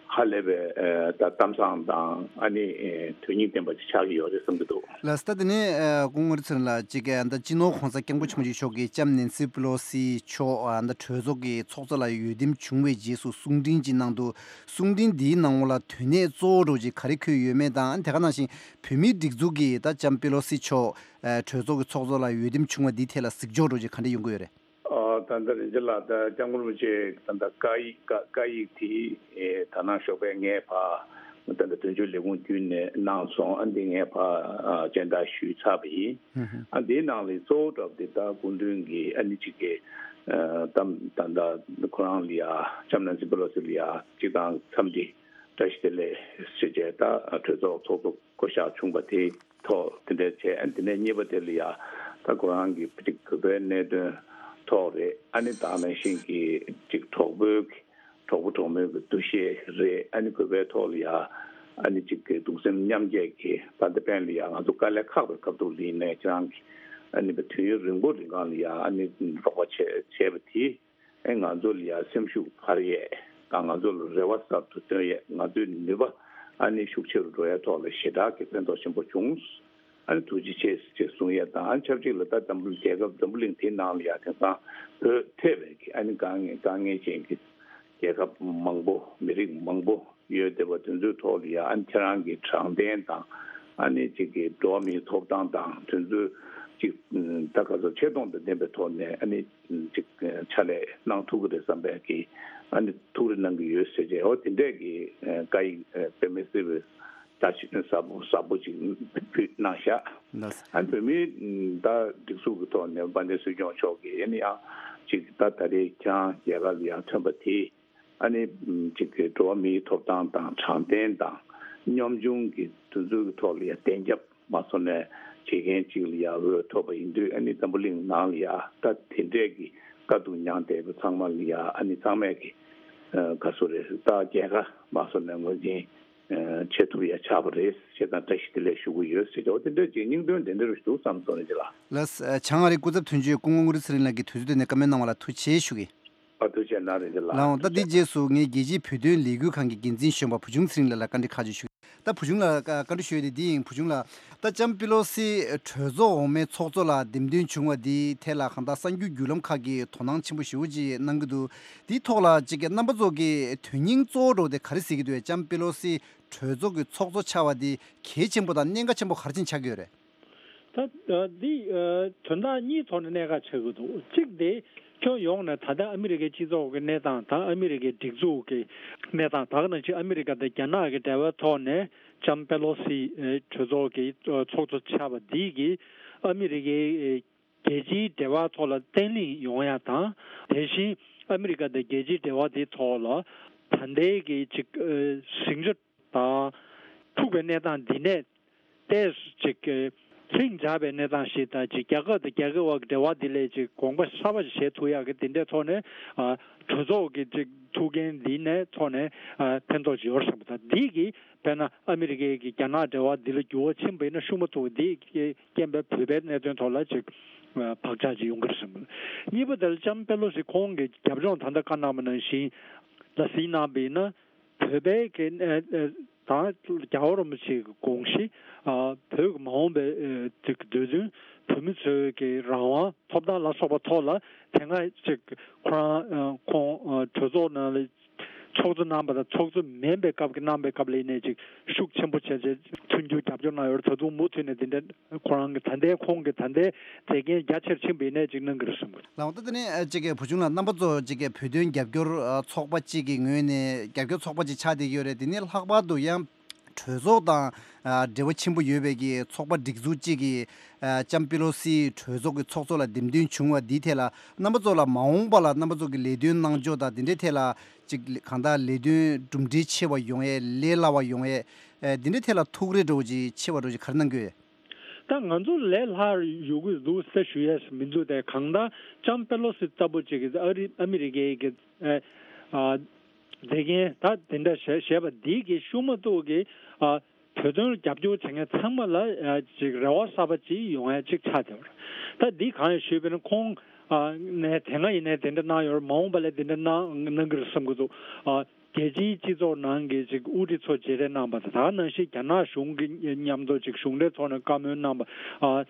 ཧ་ལས་པའི་ཨ་ད་གཏམ་བཟང་དང་ཨ་ནི་ཨེ་དོན་སྙིང་ལྡན་པ་ཅིག་ཆགས་ཀྱི་ཡོད་རེད་བསམ་གྱི་འདུག། ལགས་སོ། ད་དེ་ནས་ཨ་སྐུ་ངོ་རིན་ཆེན་ལགས། ཅིག་ཨ་ད་སྤྱི་ནོར་༸གོང་ས་༸སྐྱབས་མགོན་ཆེན་པོ་མཆོག་གིས་ལྕམ་ནེན་སི་པེ་ལོ་སི་མཆོག་ཨ་ད་གྲོས་ཚོགས་ཀྱི་ཚོགས་གཙོ་ལ་འོས་འདེམས་བྱུང་བའི་རྗེས་སུ་གསུང་འཕྲིན་ཅིག་གནང་འདུག། གསུང་འཕྲིན་འདིའི་ནང་ལོགས་ལ་དོན་གནད་གཙོ་བོ་འདྲ་བོ་ཅིག་ག་རེ་འཁོད་ཡོད་མེད་དང་། དེ་ག་ནང་བཞིན་བོད་མིའི་སྒྲིག་འཛུགས་ཀྱིས་ད་ལྕམ་པེ་ལོ་སི་མཆོག་ཨ་གྲོས་ཚོགས་ཀྱི་ཚོགས་གཙོ་ལ་འོས་འདེམས་བྱུང་བ་འདིའི་ཐད་ལ་གཟིགས་ཕྱོགས་འདྲ་བོ་ཅིག་ག་འདྲ་ཡོང་གི་ཡོད་རེད། ཨ་ད་ལྟ་རིན་ཆེན་ལགས། ད་སྐྱབས་མགོན་རིན་པོ་ཆེ་ད་ལྟ་བཀའ་ཡིག་བཀའ་བཀའ་ཡིག་དེ་ཨེ་ད་ནང་ཞོགས་པའི་ངས་ཕར་ད་ལྟ་དོན་གཅོད་ལས་ཁུངས་བརྒྱུད་ནས་གནང་སོང་། ཨ་འདི་ངས་ཕར་ཨ་སྤྱན་བསྟར་ཞུས་ཚར་བ་ཡིན། ཨ་འདིའི་ནང་ལ་གཙོ་བོ་འདྲ་བོ་དེ་ད་སྐུ་མདུན་གྱིས་ཨ་ནི་ཅིག་གི་ ཨ་ད་ད་ད་ཁོ་རང་ལ་ཡ་ལྕམ་ནན་སི་པེ་ལོ་སི་ལ་ཡ་གཅིག་དང་འཚམས་འདྲི་བཀྲ་ཤིས་བདེ་ལེགས་ཞུ་བྱས། ད་གྲོས་ཚོགས་ཚོགས་གཙོ་བསྐོ་གཞག་བྱུང་བ་དེའི་ཐོག་དེ་འདྲ་བྱས། ཨ་ནི་དེ་ནས་གཉིས་པ་དེ་ལ་ཡ་ད་ཁོ་རང་གི་གཅིག་གུས་པའི་གནད་དོན་ཐོག་རེད། ཨ་ནི་ད་ནང་བཞིན་གྱི་གཅིག་གྲོགས་པོའི་གྲོགས་པོ་གྲོགས་མོའི་གི་འདུ་ཤེས་རེད། ཨ་ནི་གུས་པའི་ཐོག་ལ་ཡ་ཨ་ནི་གཅིག་གི་གདུང་སེམས་མཉམ་སྐྱེད་ཀྱི་བར་མདའ་སྤེལ་ལ་ཡ་ང་ཚོ་དཀའ་ལས་ཁག་པའི་སྐབས་ཐོག་ལ་ཡིན་ནའི་ཁྱེད་རང་གི་ཨ་ནི་དུས་ཡུན་རིང་པོ་རིང་གང་ལ་ཡ་ཨ་ནི་རོགས་པ་བྱས་བྱས་པ་དེས་ཨ་ང་ཚོ་ལ་ཡ་སེམས་ཤུགས་འཕར་ཡས་དང་ང་ཚོ་ལ་རེ་བ་གསར་དུ་བཏོན་ཡས། ང་ཚོའི་ནུས་པ་ཨ་ནི་ཤུགས་ཆེ་རུ་འགྲོ་ཡས་ཐོག་ལ་ཞེ་དྲག་གི་ཕན་ཐོགས་ཆེན་པོ་བྱུང་། ཨ་ནི་ཐུགས་རྗེ་ཆེ་ཞེས་གསུང་ཡས་དང་། ཨ་ནི་ཆབས་ཅིག་ལ་ད་འཛམ་བུ་རྒྱལ་ཁབ་འཛམ་བུ་གླིང་དེའི་ནང་ལ་ཡ་དེང་སང་བོད་ཐེ་བའི་གི་ཨ་ནི་དཀའ་ངལ་དཀའ་ངལ་ཅན་གྱི་རྒྱལ་ཁབ་མང་པོ་མི་རིགས་མང་པོ་ཡོད་བསྡད་པ་དེ་ཚོའི་ཐོག་ལ་ཡ་ཨ་ནི་ཁྱེད་རང་གི་དྲང་བདེན་དང་ཨ་ནི་གཅིག་གི་འགྲོ་བ་མིའི་ཐོབ་ཐང་དང་དེ་ཚོའི་གཅིག་ད་ག་ཚོད་ཆེ་མཐོང་དང་ལྡན་པའི་ཐོག་ནས་ཨ་ནི་གཅིག་ཕྱག་ལས་གནང་ཐུབ་ཀྱི་རེད་བསམ་པའི་གི་ཨ་ནི་ཐུགས་རེ་གནང་གི་ཡོད་ཟེར་བྱས། འོ་དེ་འདྲས་ཀྱི་བཀའ་ཡིག་དཔེ་མི་སྲིད་པའི་ད་ཞིག་ཟབ་པོ་ཟབ་པོ་ཅིག་ཕུལ་གནང་ཤག་ལགས། ཨ་ནི་བོད་མིའི་ད་སྒྲིག་འཛུགས་ཀྱི་ཐོག་ནས་དཔལ་ལྡན་སྲིད་སྐྱོང་མཆོག་གིས་ཨ་ནི་ཡང་ཅིག་ད་ད་རེས་ཁྱེད་རང་རྒྱལ་ཁབ་ལ་ཡང་ཐོན་པ་དེས་ཨ་ནི་ཅིག་གི་འགྲོ་བ་མིའི་ཐོབ་ཐང་དང་དྲང་བདེན་དང་སྙོམས་ཆུང་གི་དུས་ཚོད་ཀྱི་ཐོག་ལ་ཡང་བདེན་རྒྱབ་མ་སོང་ནས་བྱེད་མཁན་ཅིག་ལ་ཡང་འོས་ཐོབ་པ་ཡིན་དུས། ཨ་ནི་འཛམ་བུ་གླིང་ནང་ལ་ཡང་ད་དེ་འདྲས་ཀྱི་དཀའ་སྡུག་མྱངས་བསྡད་པ་ཚང་མ་ལ་ཡང་ཨ་ནི་ཚང་མས་ཀྱི་ག་སོ་རེད། ད་རྒྱལ་ཁ་མ་སོང་ནས་ངོས་འཛིན་བྱེད་ཐུབ་ཡ་ཆགས་པ་རེད་ཞེས་དང་བཀྲ་ཤིས་བདེ་ལེགས་ཞུ་གི་ཡོད་ཟེར་ཏེ། འོ་དེ་འདྲ་ཅིག་སྙིང་དོན་དེ་འདྲ་རུ་འདུག་བསམ་སོང་རེད་ལགས། ལགས། བྱང་ཨ་རིའི་སྐུ་ཚབ་དོན་གཅོད་སྐུ་ངོ་ངུ་རི་ཚེ་རིང་ལགས་ཀྱིས་དུས་ཚོད་བཏོན་ནས་བཀའ་མོལ་གནང་བ་ལ་ཐུགས་རྗེ་ཆེ་ཞུ་གི། ཨ་ཐུགས་རྗེ་གནང་རེད་ལགས། ལགས་འོང་། ད་འདི་རྗེས་སུ་ངས་རྒྱལ་སྤྱིའི་བོད་དོན་ལས་འགུལ་ཁང་གི་འགན་འཛིན་གཞོན་པ་བུ་ཆུང་ཚེ་རིང་ལགས་ལ་བཀའ་འདྲི་ཁག་ཅིག་ཞུ་གི། ད་བུ་ཆུང་ལགས་བཀའ་འདྲི་ཞུ་ཡས་དེ་འདི་ཡིན། བུ་ཆུང་ལགས། ད་ལྕམ་པེ་ལོ་སི་གྲོས་ཚོགས་འོག་མའི་ཚོགས་གཙོ་ལ་འདེམས་ཐོན་བྱུང་བ་འདིའི་ཐད་ལ་གང་ལྟར་གསར་འགྱུར་བརྒྱུད་ལམ་ཁག་གིས་དོ་སྣང་ཆེན་པོ་ཞེ་པོ་ཅིག་གནང་གི་འདུག། དེའི་ཐོག་ལ་ཅིག་རྣམ་པ་ཚོ་གི་དོན་སྙིང་གཙོ་བོ་འདྲ་བོ་དེ་ག་རེ་གཟིགས་ཀྱི་འདུག། ལྕམ་པེ་ལོ་སི་གྲོས་ཚོགས་ཀྱི་ཚོགས་གཙོ་ཆགས་པ་འདི་གལ་ཆེན་པོ་དང་གནད་འགག་ཆེན་པོ་ག་རེ་ཅིག་ཆགས་ཀྱི་ཡོད་རེད། ད་ཨ་འདི་ཨ་དོན་དག་གཉིས་ཐོག་ནས་གནད་འགག་ཆགས་ཀྱི་འདུག། གཅིག་དེ་ཁྱོན་ཡོངས་ནས་ད་ལྟ་ཨ་མི་རི་ཀའི་སྤྱི་ཚོགས་ཀྱི་གནས་སྟངས་དང་ཨ་མི་རི་ཀའི་སྒྲིག་འཛུགས་ཀྱི་གནས་སྟངས། ད་ག་ནང་བཞིན་ཨ་མི་རི་ཀ་དང་རྒྱ་ནག་གི་འབྲེལ་བའི་ཐོག་ནས་ལྕམ་པེ་ལོ་སི་ཨ་གྲོས་ཚོགས་ཀྱི་ཨ་ཚོགས་གཙོ་ཆགས་པ་འདི་གིས་ཨ་མི་རི་ཀའི་ཨ་རྒྱལ་སྤྱིའི་འབྲེལ་བ་ཐོག་ལ་བརྟན་ལྷིང་ཡོང་ཡ་དང་། དེ་བཞིན་ཨ་མི་རི་ཀ་དང་རྒྱལ་སྤྱིའི་འབྲེལ་བ་དེའི་ཐོག་ལ་ད་ལྟའི་གི་ཅིག་ཨ་ཟིང་ཆ་དང་འཁྲུག་པའི་གནས་སྟངས་འདི་ནས་ཏོག་ཙམ་ཅིག་ལྷིང་འཇགས་པའི་གནས་སྟངས་ཤིག་དང་། ཅིག་རྒྱལ་ཁབ་དང་རྒྱལ་ཁབ་བར་གྱི་འབྲེལ་བ་འདི་ལས་ཅིག་གོམ་པ་གསར་པ་ཞིག་བྱེད་ཐུབ་ཡག་གི་འདི་འདྲའི་ཐོག་ནས་ཨ་གྲོས་ཚོགས་ཀྱི་ཅིག་ཐུགས་འགན་འདི་ནས་ཐོག་ནས་ཨ་ཕན་ཐོགས་ཅིག་ཡོད་བསམ་གི། ད་འདི་གིས་དཔེར་ན་ཨ་མི་རི་ཀའི་གི་རྒྱ་ནག་འབྲེལ་བ་འདི་ལ་འགྱུར་བ་ཕྱིན་པ་ཡིན་ན་ཤུགས་མ་ཐུག་པ་འདི་རྐྱེན་པས་བོད་པའི་གནད་དོན་ཐོག་ལ་ཅིག་ཨ་བག་ཆགས་ཅིག་ཡོང་གི་རེད་བསམ་གི། གཉིས་པ་དེ་ལ་ལྕམ་པེ་ལོ་སི་ཁོང་གི་རྒྱབ་ལྗོངས་ད་ལྟ་བཀའ་གནང་བ་ནང་བཞིན་ལ་གཟིགས་གནང་བ་ཡིན་ན། བོད་པའི་གི་ཨ་ཨ་དང་རྒྱལ་བ་རིན་པོ་ཆེའི་དགོངས་གཞི། ཨ་བོད་ཀྱི་མ་འོངས་པའི་ཨ་དེ་གི་འདོད་འདུན། བོད་མི་ཚོའི་གི་རང་དབང་ཐོབ་ཐང་ལ་སོགས་པ་ཐོག་ལ་དེ་སྔ་ཅིག་ཁོ་རང་ཨ་ཁོང་ཨ་གྲོས་ཚོགས་ནང་ལ་ཚོགས་གཙོ་གནང་བ་དང་ཚོགས་གཙོ་མིན་པའི་སྐབས་ཀྱི་གནང་བའི་སྐབས་ལ་ཡིན་ནའི་ཅིག་ཤུགས་ཆེན་པོ་བྱས་བྱས་མཐུན་འགྱུར་རྒྱབ་སྐྱོར་གནང་ཡོད་རེད། ད་དུང་མུ་མཐུད་ནས་འདི་འདྲ་ཁོ་རང་གི་ད་ལྟའི་ཁོང་གི་ད་ལྟའི་མཛད་འགན་རྒྱ་ཆེར་ཕྱིན་པ་ཡིན་ནའི་ཅིག་གནང་གི་རེད་བསམ་གི། ལགས་འོང་། ད་དེ་ནས་ཨ་གཅིག་གི་བུ་ཆུང་ལགས། རྣམ་པ་ཚོ་གཅིག་གི་བོད་དོན་རྒྱབ་སྐྱོར་ཨ་ཚོགས་པ་གཅིག་གི་ངོས་ནས་རྒྱབ་སྐྱོར་ཚོགས་པ་གཅིག་ཆགས་བསྡད་ཀྱི་ཡོད་རེད། དེ་ནས་ལྷག་པར་དུ་ཡང་གྲོས་ཚོགས་དང་ཨ་འབྲེལ་བ་ཆེན་པོ་ཡོད་པའི་གི་ཚོགས་པ་སྒྲིག་འཛུགས་གཅིག་གིས་ཨ་ལྕམ་པེ་ལོ་སི་གྲོས་ཚོགས་ཀྱི་ཚོགས་གཙོ་ལ་འདེམས་ཐོན་བྱུང་བ་འདིའི་ཐད་ལ་རྣམ་པ་ཚོ་ལ་མ་འོངས་པ་ལ་རྣམ་པ་ཚོ་གི་ལས་དོན་གནང་ཕྱོགས་དང་དེ་འདྲའི་ཐད་ལ་གཅིག་གང་ལྟར་ལས་དོན་གྲུབ་འབྲས་ཆེ་བ་ཡོང་ཡས། ལས་སླ་བ་ཡོང་ཡས། ཨ་འདི་འདྲའི་ཐད་ལ་ཐུགས་རེ་འདྲ་བོ་ཅིག་ཆེ་བ་འདྲ་བོ་ཅིག་ག་རེ་གནང་གི་ཡོད། ད་ང་ཚོ་ལས་སླ་ཡོང་གི་འདུག་ཟེར་ཞུ་ཡས་མི་འདུག། དེ་གང་ལྟར་ལྕམ་པེ་ལོ་སི་ལྟ་བུ་ཅིག་གིས་ཨ་རི་ཨ་མི་རི་ཀའི་གི་ཨ་ཨ་མཛད་འགན་ད་དེ་འདྲ་བཞེས་བཞེས་པ་འདི་གི་ཤུགས་མ་ཐུག་གི་ཨ་བོད་དོན་རྒྱབ་སྐྱོར་བྱེད་མཁན་ཚང་མ་ལ་ཨ་ཅིག་རེ་བ་གསར་པ་ཅིག་ཡོང་ཡ་ཅིག་ཆགས་བསྡད་པ་རེད། ད་འདི་གང་ཡིན་ཞུས་པ་ཡིན་ན་ཁོང་ཨ་ནས་དེ་སྔ་ཡིན་ནའི་དེ་འདྲ་གནང་ཡོད་རེད། མ་འོངས་པ་ལ་དེ་འདྲ་གནང་གནང་གི་རེད་བསམ་གི་འདུག། ཨ་རྒྱལ་སྤྱིའི་སྤྱི་ཚོགས་ནང་གི་ཅིག་དབུ་ཁྲིད་ཚོ་མཇལ་འཕྲད་གནང་བ་དང་། ད་ག་ནང་བཞིན་རྒྱ་ནག་གཞུང་གི་མཉམ་དུ་ཅིག་གཞུང་འབྲེལ་ཐོག་ནས་བཀའ་མོལ་གནང་བ། ཨ་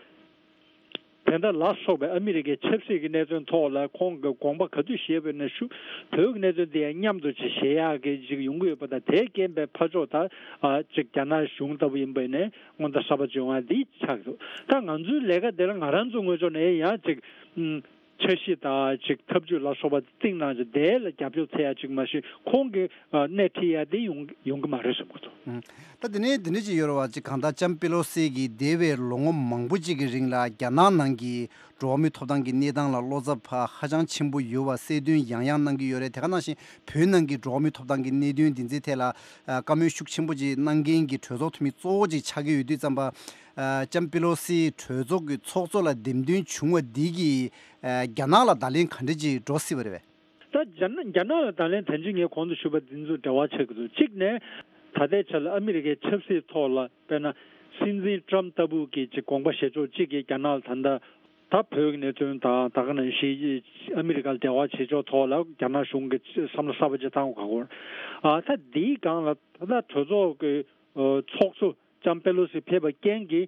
དེ་འདྲ་ལ་སོགས་པའི་ཨ་མི་རི་ཀའི་ཆབ་སྲིད་ཀྱི་གནད་དོན་ཐོག་ལ་ཁོང་གི་དགོངས་པ་ག་དུས་བཞེས་པ་ཡིན་ན་ཤུ་བོད་ཀྱི་གནད་དོན་དེ་ཡང་མཉམ་དུ་ཅིག་བཞེས་ཡག་གི་ཅིག་ཡོང་གི་ཡོད་པ་དང་། དེའི་རྐྱེན་པས་ཕར་ཕྱོགས་ད་ཨ་ཅིག་རྒྱ་ནག་གཞུང་ལྟ་བུ་ཡིན་པ་ཡིན་ནའི་སྔོན་བརྡ་གསར་པ་ཅིག་ཡོང་ཡ་འདི་ཆགས་འདུག། ད་ང་ཚོའི་ལས་ཀ་དེ་ལ་ང་རང་ཚོ་ངོས་ཕྱོགས་ནས་ཡང་ཅིག་ཨུམ། འཆར་གཞི་དང་ཅིག་ཐབས་ཇུས་ལ་སོགས་པ་བཏིང་གནང་ཅིག་དེ་ལ་རྒྱབ་སྐྱོར་འཚོལ་ཡ་ཅིག་མ་གཞི་ཁོང་གི་ཨ་སྣེ་ཁྲིད་ཡ་དེ་ཡོང་ཡོང་གི་མ་རེད་བསམ་གི་འདུག། ཨང་། ད་དེ་ནས་དེ་འདྲ་ཅིག་ཡོད་རེད་བ། ཅིག་གང་ལྟར་ལྕམ་པེ་ལོ་སི་གིས་འདས་པའི་ལོ་ངོ་མང་པོ་ཅིག་གི་རིང་ལ་རྒྱ་ནག་ནང་གི་ འགྲོ་བ་མིའི་ཐོབ་ཐང་གི་གནས་སྟངས་ལ་བློ་འཚབ་ཧ་ཅང་ཆེན་པོ་ཡོད་པ་གསལ་སྟོན་ཡང་ཡང་གནང་གི་ཡོད་རེད། དེ་ག་ནང་བཞིན་བོད་ནང་གི་འགྲོ་བ་མིའི་ཐོབ་ཐང་གི་གནད་དོན་འདི་ཚོའི་ཐད་ལ་ཨ་བཀའ་མོལ་ཤུགས་ཆེན་པོ་ཅིག་གནང་མཁན་གྱི་གྲོས་ཚོགས་འཐུས་མི་གཙོ་བོ་ཅིག་ཆགས་ཀྱི་ཡོད་དུས་ཙམ་པ། ཨ་ལྕམ་པེ་ལོ་སི་གྲོས་ཚོགས་ཀྱི་ཚོགས་གཙོ་ལ་འདེམས་ཐོན་བྱུང་བ་འདི་གིས་ཨ་རྒྱ་ནག་ལ་བརྡ་ལན་ག་འདྲ་ཅིག་འགྲོ་སྲིད་པ་རེད་པས། ད་རྒྱ་ནག་རྒྱ་ནག་ལ་བརྡ་ལན་དེ་འདྲ་ངས་གོང་དུ་ཞུས་པ་འདི་ཚོ་འབྲེལ་བ་ཆགས་ཀྱི་འདུག་གཅིག་ནས་ད་ལྟའི་ཆ་ལ་ཨ་མི་རི་ཀའི་ཆབ་སྲིད་ཐོག་ལ་དཔེར་ན་སྲིད་འཛིན་ཊམ་ལྟ་བུ་གི་ཅིག་དགོངས་པ་བཞེས་ཕྱོགས་གཅིག་གིས་རྒྱ་ནག་ལ་ད་ལྟ་ད་བོད་ཀྱི་གནད་དོན་དང་ད་ག་ནང་བཞིན་ཨ་མི་རི་ཀ་ལ་འབྲེལ་བ་བྱེད་ཕྱོགས་ཐོག་ལ་རྒྱ་ནག་གཞུང་གིས་བསམ་བློ་གསར་པ་ཅིག་བཏང་དགོས་ཀྱི་ཡོད། ཨ་ད་འདིའི་སྒང་ལ་ད་ལྟ་གྲོས་ཚོགས་ཀྱི་ཚོགས་གཙོ་ལྕམ་པེ་ལོ་སི་ཕེབས་པའི་རྐྱེན་གྱིས་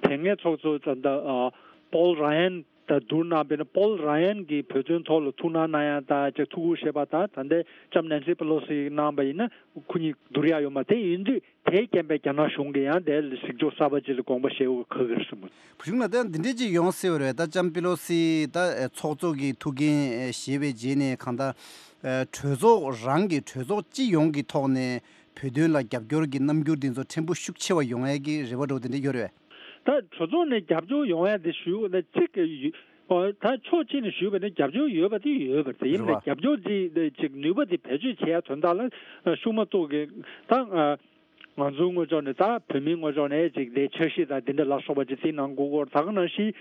དེ་སྔའི་ཚོགས་གཙོ་ད་ལྟ་ཨ་པོལ་ར་ཡན་དང་བསྡུར་ན་དཔེར་ན་པོལ་ར་ཡན་གྱིས་བོད་དོན་ཐོག་ལ་ཐུགས་སྣང་གནང་ཡ་དང་ཅིག་ཐུགས་ཁུར་བཞེས་པ་དང་ད་ལྟའི་ལྕམ་ནན་སི་པེ་ལོ་སི་གནང་པ་ཡིན་ན་ཁོ་གཉིས་བསྡུར་ཡ་ཡོད་མ་རེད། དེ་ཡིན་དུས་དེའི་རྐྱེན་པས་རྒྱ་ནག་གཞུང་གིས་ཡང་དེ་ལ་གཟིགས་ཕྱོགས་གསར་པ་ཅིག་ལ་དགོངས་པ་བཞེས་དགོས་ཁག་གི་རེད་བསམ་གྱི། བུ་ཆུང་ལགས་ད་འདི་འདྲས་ཅིག་ཡོང་སྲིད་པ་རེད། ད་ལྕམ་པེ་ལོ་སི་ད་ཚོགས་གཙོ་གི་ཐུགས་འགན་བཞེས་པའི་རྗེས་ནས་གང་ལྟར་གྲོས་ཚོགས་རང་གི་གྲོས་ཚོགས་སྤྱི་ཡོངས་ཀྱི་ཐོག་ནས་བོད་དོན་ལ་རྒྱབ་སྐྱོར་གྱི་རྣམ་འགྱུར་འདི་ཚོ་ཕྲན་བུ་ཤུགས་ཆེ་བ་ཡོང་ཡས་ཀྱི་རེ་བ་འདྲ་བོ་དེ་འདྲ་ཡོད་རེད། ད་གྲོས་ཚོགས་ནས་རྒྱབ་སྐྱོར་ཡོང་ཡ་དེ་ཞུ་ན་གཅིག་གི་ཡུ་ཨོ་ད་ཕྱོགས་གཅིག་ནས་ཞུས་པ་ནི་རྒྱབ་སྐྱོར་ཡོད་པ་དེ་ཡོད་པ་དེ་ཡིན་པ་རེད་པ། རྒྱབ་སྐྱོར་དེ་ཅིག་ནུས་པ་དེ་བེད་སྤྱོད་བྱེད་ཡ་དོན་དག་ལ་ཤུགས་མ་གཏོགས་ཀྱི་ད་ང་ཚོའི་ངོས་ཕྱོགས་ནས་ད་བོད་མིའི་ངོས་ཕྱོགས་ནས་ཅིག་དེ་འཆར་གཞི་དང་དེ་འདྲ་ལ་སོགས་པ་ཅིག་དེ་གནང་དགོས་སྐོར་ད་ག་ནང་བཞིན་